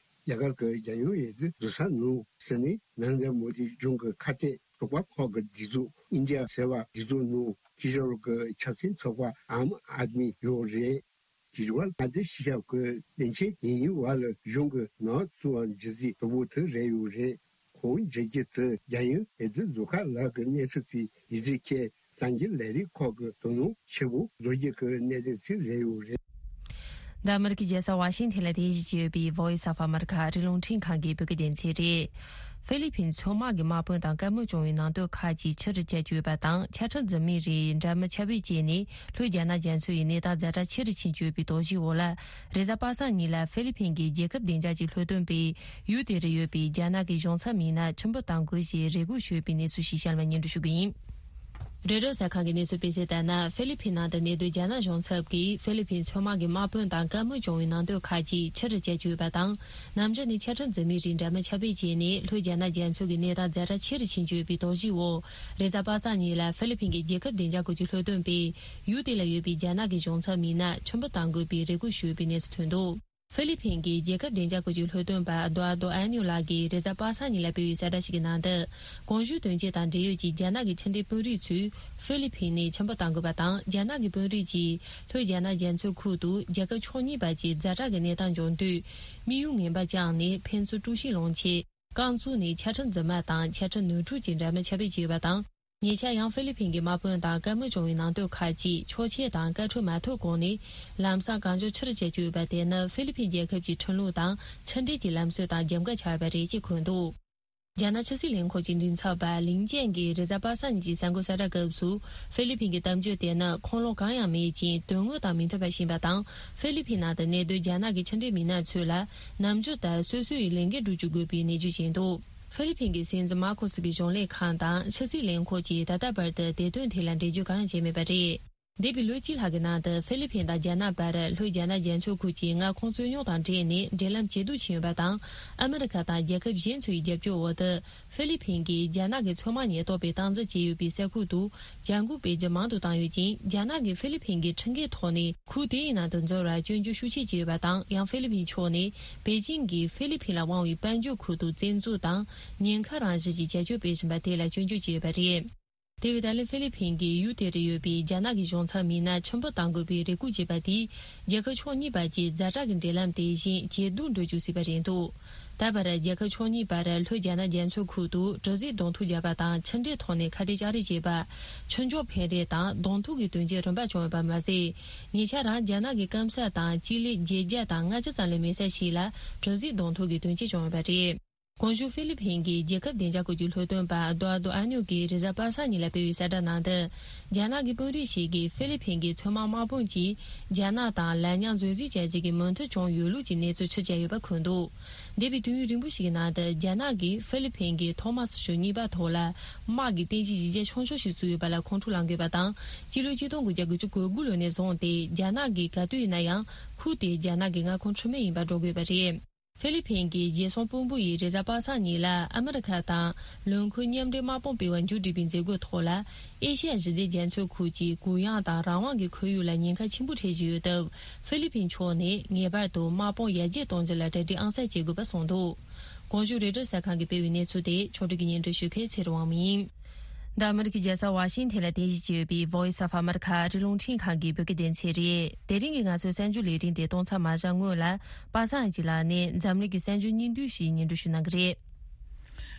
རྒྱ་གར་གྱི་རྒྱལ་ཡོངས་འོས་བསྡུ་བཟོ་ས་ནང་ཟིན་ནས་ནན་རེ་མོ་དི་གཞུང་གི་ཁ་གཏད་ཚོགས་པ་ཁག་གི་སྒྲིག་འཛུགས་ཨིན་ཌི་ཡ་ཟེར་བ་སྒྲིག་འཛུགས་ནང་ཁི་ཤོར་གྱི་ཆབ་སྲིད་ཚོགས་པ་ཨམ་ཨད་མི་ཡོད་རེད། དེ་བར་མངའ་སྡེ་ཞི་ཞབས་ཀྱི་བློན་ཆེན་ཡིན་ཡིན་བ་ལ་གཞུང་གི་ནང་བཙུགས་པ་འཇུ་རྩིས་དོ་པོ་དེ་རེད་ཡོད་རེད། ཁོང་འཇུ་རྒྱུ་དེ་རྒྱལ་ཡོངས་འོས་བསྡུ་བཟོ་ཁག་ལག་གི་གནས་ཚུལ་ཚིག་ཡིག་ཚིག་ཁྱེད་གསར་འགྱུར་ལས་རིགས་ཁག་གི་དོ་སྣང་ཆེ་བོ་བཟོ་རྒྱུ་གི་གནད་དོན་ཚིག་རེད་ཡོད་རེད། འདི་ཨ་མི་རི་ཀའི་རྒྱལ་ས་ཝ་ཤིང་ཐན་ལ་རྟེན་གཞི་བྱས་ཡོད་པའི་Voice of America ཨ་རིའི་རླུང་འཕྲིན་ཁང་གི་བོད་སྐད་སྡེ་ཚན་རེད། ཧྥི་ལི་ཕིན་མཚོ་དམག་གི་དམག་དཔོན་དང་བཀའ་མོལ་བྱུང་བའི་ནང་དོན་ཁག་ཅིག་ཕྱིར་བསྐྱལ་བཅུག་ཡོད་པ་དང་། ཆ་འཕྲིན་འཛིན་མའི་རིགས་འདྲ་མིན་ཁྱབ་སྤེལ་བྱས་ནས་ལྷོ་རྒྱ་ནག་རྒྱ་མཚོ་ཡི་གནས་སྟངས་ཛ་དྲག་ཆེ་རུ་ཕྱིན་བཅུག་ཡོད་པའི་དོགས་གཞིའི་འོག་ལ། རེས་གཟའ་པ་སངས་ཉིན་ལ་ཧྥི་ལི་ཕིན་གྱི་རྒྱལ་ཁབ་བདེ་འཇགས་ཀྱི་ལྷོ་སྟོན་པས་ཡུལ་དེ་རུ་ཡོད་པའི་རྒྱ་ནག་གི་གཞུང་ཚབ་མི་སྣ་ཁྲིམས་དཔོན་གཏང་དགོས་ཞེས་རེ་སྐུལ་ཞུས་པའི་གནས་ཚུལ་ཞིག་གཤམ་ལ་སྙན་སྒྲོན་ཞུ་གི་ཡིན། རོའི་ཊར་གསར་ཁང་གི་གནས་ཚུལ་སྤེལ་གསལ་ལྟར་ན། ཧྥི་ལི་ཕིན་ནང་དུ་གནས་སྡོད་རྒྱ་ནག་གཞུང་ཚབ་ཀྱིས་ཧྥི་ལི་ཕིན་མཚོ་དམག་གི་དམག་དཔོན་དང་བཀའ་མོལ་བྱུང་བའི་ནང་དོན་ཁག་ཅིག་ཕྱིར་བསྐྱལ་བཅུག་ཡོད་པ་དང་། ནམ་རྒྱུན་ནས་ཆ་འཕྲིན་འཛིན་མའི་རིགས་འདྲ་མིན་ཁྱབ་སྤེལ་བྱས་ནས་ལྷོ་རྒྱ་ནག་རྒྱ་མཚོ་གི་གནས་སྟངས་ཛ་དྲག་ཆེ་རུ་ཕྱིན་བཅུག་ཡོད་པའི་དོགས་གཞིའི་འོག་རེས་གཟའ་པ་སངས་ཉིན་ལ་ཧྥི་ལི་ཕིན་གྱི་རྒྱལ་ཁབ་བདེ་འཇགས་སྐོར་གྱི་ལྷོ་སྟོན་པས་ཡུལ་དེ་ལ་ཡོད་པའི་རྒྱ་ནག་གི་གཞུང་ཚབ་མི་སྣ་ཁྲིམས་དཔོན་གཏང་དགོས་པའི་རེ་སྐུལ་ཞུས་ཡོད་པའི་གནས་ཚུལ་ཐོན་འདུག་ཧྥི་ལི་ཕིན་གྱི་རྒྱལ་ཁབ་བདེ་འཇགས་སྐོར་གྱི་ལྷོ་སྟོན་པ་ཨ་དོ་ཨ་དོ་ཨ་ནིའོ་ལགས་ཀྱིས་རེས་གཟའ་པ་སངས་ཉིན་ལ་སྤེལ་བའི་གསལ་བསྒྲགས་ཤིག་གི་ནང་དུ། གོང་ཞུས་དོན་རྐྱེན་དང་འབྲེལ་ཡོད་ཀྱི་རྒྱ་ནག་གི་ཕྱི་འབྲེལ་དཔོན་རིགས་ཚོས་ཧྥི་ལི་ཕིན་ནས་ཁྲིམས་དཔོན་གཏང་དགོས་པ་དང་། རྒྱ་ནག་གི་དཔོན་རིགས་ཀྱིས་ལྷོ་རྒྱ་ནག་རྒྱ་མཚོའི་ཁུལ་དུ་རྒྱལ་ཁབ་ཕྱོགས་གཉིས་བར་གྱི་ཛ་དྲག་གི་གནས་སྟངས་འབྱུང་དུས་དམིགས་ཡུལ་ངན་པ་བཅངས་ནས་ཕན་ཚུན་དཀྲུག་ཤིང་སློང་ཆེད། རྐང་བཙུགས་ནས་ཆ་འཕྲིན་རྫུན་མ་དང་ཆ་འཕྲིན་ནོར་འཁྲུལ་གྱི་འདྲ་མིན་ཁྱབ་སྤེལ་བྱས་ཡོད་པ་དང་། ཉེ་ཆར་ཡང་ཧྥི་ལི་ཕིན་གྱི་དམག་དཔོན་དང་བཀའ་མོལ་བྱུང་བའི་ནང་དོན་ཁག་ཅིག་ཆོག་མཆན་དང་བཀའ་འཁྲོལ་མ་ཐོབ་གོང་ནས་ལམ་སང་གང་མགྱོགས་ཕྱིར་བསྐྱལ་བཅུག་ཡོད་པ་དེ་ནི་ཧྥི་ལི་ཕིན་རྒྱལ་ཁབ་ཀྱི་ཁྲིམས་ལུགས་དང་ཕྱི་འབྲེལ་གྱི་ལམ་སྲོལ་དང་རྒྱབ་འགལ་ཆགས་ཡོད་པ་རེད་ཅེས་འཁོད་འདུག་རྒྱ་ནག་ཕྱི་སྲིད་ལས་ཁུངས་ཀྱི་མགྲིན་ཚབ་པ་ལིང་ཅན་གྱིས་རེས་གཟའ་པ་སངས་ཉིན་གྱི་གསར་འགོད་གསལ་བསྒྲགས་སྐབས་སུ། ཧྥི་ལི་ཕིན་གྱི་གཏམ་བརྗོད་དེ་ནི་ཁུངས་ལུང་གང་ཡང་མེད་ཅིང་དོན་དངོས་དང་མི་མཐུན་པ་ཞིག་ཡིན་པ་དང་། ཧྥི་ལི་ཕིན་ནང་དུ་གནས་སྡོད་རྒྱ་ནག་གི་ཕྱི་འབྲེལ་མི་སྣ་ཚོས་ལ་ནམ་རྒྱུན་ལྟར་སོ་སོ་ཡི་ལས་འགན་སྒྲུབ་བཅུག་དགོས་པའི་ནན་བརྗོད་བྱས་འདུག་ཧྥི་ལི་ཕིན་གྱི་སྲིད་འཛིན་མར་ཁོ་སི་གི་གཞུང་ལས་ཁང་དང་ཕྱི་སྲིད་ལས་ཁུངས་ཀྱིས་ད་ལྟ་བར་དུ་དེ་དོན་ཐད་ལ་འགྲེལ་བརྗོད་གང་ཡང་བྱས་མེད་པ་རེད། འདས་པའི་ལོ་གཅིག་ལྷག་གི་ནང་དུ་ཧྥི་ལི་ཕིན་དང་རྒྱ་ནག་བར་ལྷོ་རྒྱ་ནག་རྒྱ་མཚོའི་ཁུལ་གྱི་མངའ་ཁོངས་རྩོད་རྙོག་དང་འབྲེལ་ནས་འབྲེལ་ལམ་ཇེ་སྡུག་ཕྱིན་ཡོད་པ་དང་། ཨ་མི་རི་ཁ་དང་རྒྱལ་ཁབ་གཞན་ཚོའི་རྒྱབ་སྐྱོར་འོག་ཏུ་ཧྥི་ལི་ཕིན་གྱིས་རྒྱ་ནག་གི་མཚོ་དམག་ཉེན་རྟོག་པའི་སྟངས་འཛིན་བྱས་ཡོད་པའི་ས་ཁུལ་དུ་འཇབ་རྒོལ་སྤེལ་རྒྱུ་མང་དུ་བཏང་ཡོད་ཅིང་། རྒྱ་ནག་གིས་ཧྥི་ལི་ཕིན་གྱི་ཁྲིམས་འགལ་ཐོག་ནས་ཁུལ་དེའི་ནང་དུ་འཛུལ་བར་སྐྱོན་བརྗོད་ཤུགས་ཆེ་བྱས་ཡོད་པ་དང་། ཡང་ཧྥི་ལི་ཕིན་ཕྱོགས་ནས་པེ་ཅིང་གིས་ཧྥི་ལི་ཕིན་ལ་དབང་བའི་དཔལ་འབྱོར་ཁུལ་དུ་བཙན་འཛུལ་དང་ཉེན་ཁ་རང་བཞིན་གྱི་བྱ་སྤྱོད་སྤེལ་བཞིན་པ་དེ་ལ་སྐྱོན་བརྗོད་བྱས་ཡོད་པ་རེད། དེ་བས་ད་ལན་ཧྥི་ལི་ཕིན་གྱིས་ཡུལ་དེ་རུ་ཡོད་པའི་རྒྱ་ནག་གི་གཞུང་ཚབ་མི་སྣ་ཁྲིམས་དཔོན་གཏང་དགོས་པའི་རེ་སྐུལ་བྱས་པ་དེས་རྒྱལ་ཁབ་ཕྱོགས་གཉིས་བར་གྱི་ཛ་དྲག་གི་འབྲེལ་ལམ་དེ་བཞིན་ཇེ་སྡུག་འགྲོ་བཅུག་སྲིད་པ་རེད་འདུག་ད་བར་རྒྱལ་ཁབ་ཕྱོགས་གཉིས་བར་ལྷོ་རྒྱ་ནག་རྒྱ་མཚོའི་ཁུལ་དུ་དྲུག་རྩེག་གདོང་ཐུག་བརྒྱབ་པ་དང་། ཕྱི་འབྲེལ་ཐོག་ནས་ཁ་གཏད་གཅོག་རེས་བྱས་པ། ཆོས་ཕྱོགས་འཕེན་རེས་དང་གདོང་ཐུག་གི་དོན་རྐྱེན་རིམ་པ་བྱུང་ཡོད་པ་མ་ཟད། ཉེ་ཆར་རང་རྒྱ་ནག་གི་སྐམ་ས་དང་སྤྱི་ལེ་བརྒྱད་བརྒྱ་དང་ལྔ་བཅུ་ཙམ་ལས་མེད་ས་ཞིག་ལ་དྲུག་རྩེག་གདོང་ཐུག་གི་དོན་རྐྱེན་བྱུང་ཡོད་པ་རེད། གོང་ཞུས་ཧྥི་ལི་ཕིན་གྱི་རྒྱལ་ཁབ་བདེ་འཇགས་སྐོར་གྱི་ལྷོ་སྟོན་པ་རྡོ་ཨ་རྡོ་ཨ་ཉོ་གིས་རེས་གཟའ་པ་སངས་ཉིན་ལ་སྤེལ་བའི་གསལ་བསྒྲགས་ནང་དུ། རྒྱ་ནག་གི་དཔོན་རིགས་ཤིག་གིས་ཧྥི་ལི་ཕིན་གྱི་མཚོ་དམག་དམག་དཔུང་གིས་རྒྱ་ནག་དང་ལན་ཉང་འཛུལ་རྩིས་བྱ་རྒྱུ་གི་མོས་མཐུན་བྱུང་ཡོད་ལུགས་ཀྱི་གནས་ཚུལ་ཕྱིར་བསྐྱལ་ཡོད་པ་འཁོད་འདུག་འདས་པའི་དུས་ཡུན་རིང་པོ་ཞིག་གི་ནང་དུ་རྒྱ་ནག་གིས་ཧྥི་ལི་ཕིན་གྱི་ཐོག་མ་སོ་སོ་གཉིས་པ་ཐོག་ལ་དམག་གི་རྟེན་གཞི་གཞི་རྒྱ་ཆུང་ཤོས་ཤིག་བཙུགས་ཡོད་པ་ལ་ཁོང་ཁྲོ་ལངས་དགོས་པ་དང་། སྤྱི་ལོ་ཆིག་སྟོང་དགུ་བརྒྱ་དགུ་བཅུ་གོ་དགུ་ལོ་ནས་བཟུང་སྟེ་རྒྱ་ནག་གིས་ག་དུས་ཡིན་ན་ཡང་ཁུལ་དེ་རྒྱ་ནག་གི་མངའ་ཁོངས་ཁྲིམས་མེད་ཡིན་པར་འགྲོ་དགོས་པ་རེད། ཧྥི་ལི་ཕིན་གྱི་རྒྱལ་སྲུང་དཔོན་པོ་ཡིས་རེས་གཟའ་པ་སངས་ཉིན་ལ་ཨ་མི་རི་ཁ་དང་ལོ་འཁོར་མཉམ་འབྲེལ་དམག་དཔུང་སྤེལ་བ་མཇུག་བསྒྲིལ་བའི་མཛད་སྒོའི་ཐོག་ལ། ཨེ་ཤི་ཡ་ཞི་བདེ་རྒྱ་མཚོའི་ཁུལ་གྱི་གུ་ཡངས་དང་རང་དབང་གི་ཁོར་ཡུག་ལ་ཉེན་ཁ་ཆེན་པོ་འཕྲད་བཞིན་ཡོད་སྟབས། ཧྥི་ལི་ཕིན་ཕྱོགས་ནས་ངེས་པར་དུ་དམག་དཔུང་ཡར་རྒྱས་གཏོང་རྒྱུ་ལ་གྲ་སྒྲིག་ཨང་གསར་བྱེད་དགོས་པ་གསུངས་འདུག་གོང་ཞུས་རོའི་ཊར་གསར་ཁང་གིས་སྤེལ་བའི་གནས་ཚུལ་དེ་ཕྱོགས་སྒྲིག་གིས་སྙན་སྒྲོན་ཞུ་མཁན་ཚེ་རིང་དབང་མོ་ཡིན། འདི་ཨ་མི་རི་ཀའི་རྒྱལ་ས་ཝ་ཤིང་ཐན་ལ་རྟེན་གཞི་བྱས་ཡོད་པའི་Voice of America ཨ་རིའི་རླུང་འཕྲིན་ཁང་གི་བོད་སྐད་སྡེ་ཚན་རེད། དེ་རིང་གི་ང་ཚོའི་གསར་འགྱུར་ལས་རིམ་དེ་གཏོང་མཚམས་མ་བཞག་སྔོན་ལ། པ་སངས་ཀྱི་ལག་ནས་འཛམ་གླིང་གི་གསར་འགྱུར་སྙིང་བསྡུས་ཤིག་སྙན་སྒྲོན་ཞུ་གནང་གི་རེད།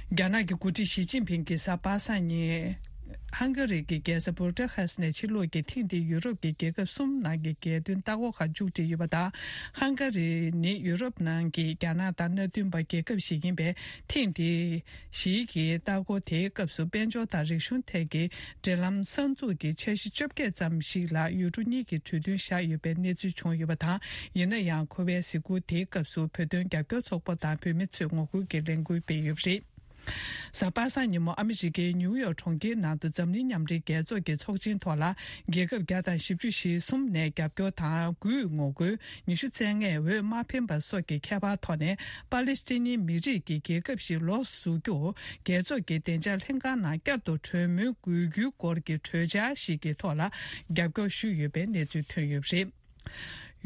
རྒྱ་ནག་གི་འགོ་ཁྲིད་ཞི་ཅིན་ཕིང་གིས་གཟའ་པ་སངས་ཉིན། ཧང་ག་རི་གི་རྒྱལ་ས་བུ་ཌ་ཧ་སི་ནས་ཕྱིར་ལོག་གིས་ཐེངས་འདིའི་ཡུ་རོབ་ཀྱི་རྒྱལ་ཁབ་གསུམ་ནང་གི་རྒྱལ་སྟོན་ལྟ་སྐོར་ཁག་མཇུག་སྒྲིལ་ཡོད་པ་དང་། ཧང་ག་རི་ནི་ཡུ་རོབ་ནང་གི་རྒྱ་ནག་དང་མནའ་མཐུན་པ་རྒྱལ་ཁབ་ཞིག་ཡིན་པས། ཐེངས་འདིའི་ཞི་ཡི་གི་ལྟ་སྐོར་དེའི་སྐབས་སུ་དཔལ་འབྱོར་དང་རིག་གཞུང་ཐད་ཀྱི་འབྲེལ་ལམ་གསར་འཛུགས་ཀྱི་འཆར་གཞི་བཅོ་བརྒྱད་ཙམ་ཞིག་ལ་ཡུལ་གྲུ་གཉིས་ཀྱི་གྲོས་མཐུན་བཞག་ཡོད་པའི་གནས་ཚུལ་བྱུང་ཡོད་པ་དང་། ཡིན་ན་ཡང་ཁོ་པའི་གཟིགས་སྐོར་དེའི་སྐབས་སུ་བོད་དོན་རྒྱབ་སྐྱོར་ཚོགས་པ་དང་བོད་མི་ཚོས་ངོ་རྒོལ་གྱི་ལས་འགུལ་སྤེལ་ཡོད་པ་རེད། གཟའ་པ་སངས་ཉིན་མོ་ཨ་མི་རི་ཀའི་ནིའུ་ཡོག་གྲོང་ཁྱེར་ནང་དུ་འཛམ་གླིང་མཉམ་འབྲེལ་རྒྱལ་ཚོགས་ཀྱི་ཚོགས་ཆེན་ཐོག་ལ། རྒྱལ་ཁབ་བརྒྱ་དང་བཞི་བཅུ་ཞེ་གསུམ་ནས་རྒྱབ་སྐྱོར་དང་དགུས་ངོ་རྒོལ། ཉི་ཤུ་རྩ་ལྔས་འོས་མ་འཕེན་པ་སོགས་ཀྱི་ཁྱད་པར་ཐོག་ནས། པ་ལི་སི་ཐན་ནི་མི་རིགས་ཀྱི་རྒྱལ་ཁབ་ཞིག་ལོགས་སུ་བཟོ་རྒྱུར། རྒྱལ་ཚོགས་ཀྱི་བདེ་འཇགས་ལྷན་ཁང་ནང་བསྐྱར་དུ་གྲོས་མོལ་དགོས་རྒྱུའི་སྐོར་གྱི་གྲོས་འཆར་ཞིག་གི་ཐོག་ལ། རྒྱབ་སྐྱོར་ཞུས་ཡོད་པའི་གནས་ཚུལ་ཐོན་ཡོད་པ་རེད།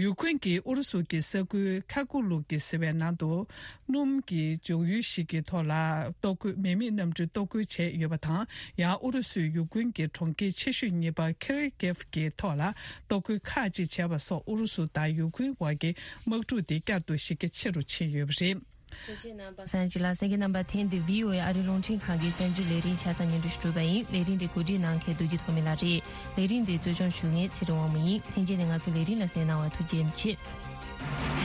ཡུ་ཁུན་གྱིས་ཨུ་རུ་སུ་གྱི་ས་ཁུལ་ཁ་ཀུ་ལུ་གྱི་ཟེར་བའི་ནང་དུ་སྣུམ་གྱི་འཇོག་ཡུལ་ཞིག་གི་ཐོག་ལ་གཏོར་རྒོལ་མེ་མེད་གནམ་གྲུས་གཏོར་རྒོལ་བྱས་ཡོད་པ་དང་། ཡང་ཨུ་རུ་སུས་ཡུ་ཁུན་གྱི་གྲོང་ཁྱེར་ཆེ་ཤོས་གཉིས་པ་ཁེར་ཀེབ་ཀྱི་ཐོག་ལ་གཏོར་རྒོལ་ཁག་ཅིག་བྱས་པ་སོགས་ཨུ་རུ་སུ་དང་ཡུ་ཁུན་བར་གྱི་དམག་འཁྲུག་དེ་བསྐྱར་དུ་ཞི་རྒྱ་ཆེ་རུ་ཕྱིན་ཡོད་པ་རེད། ལོ་ཅིག་ལ་གསན་མཁན་རྣམ་པ། ཐེངས་འདི་བྷི་ཨོ་ཨེ་ཨ་རི་རླུང་འཕྲིན་ཁང་གི་གསར་འགྱུར་ལས་རིམ་ཆ་ཚང་སྙན་སྒྲོན་ཞུ་གྲུབ་པ་ཡིན། ལས་རིམ་འདི་གོ་སྒྲིག་གནང་མཁན་རྡོ་རྗེ་ཐོགས་མེད་ལགས་རེད། ལས་རིམ་འདི་གཙོ་སྐྱོང་ཞུ་མཁན་ཚེ་རིང་དབང་མོ་ཡིན། ལྷན་རྒྱས་ནས་ང་ཚོ་ལས་རིམ་ལ་གསན་གནང་བར་ཐུགས་རྗེ་ཆེ།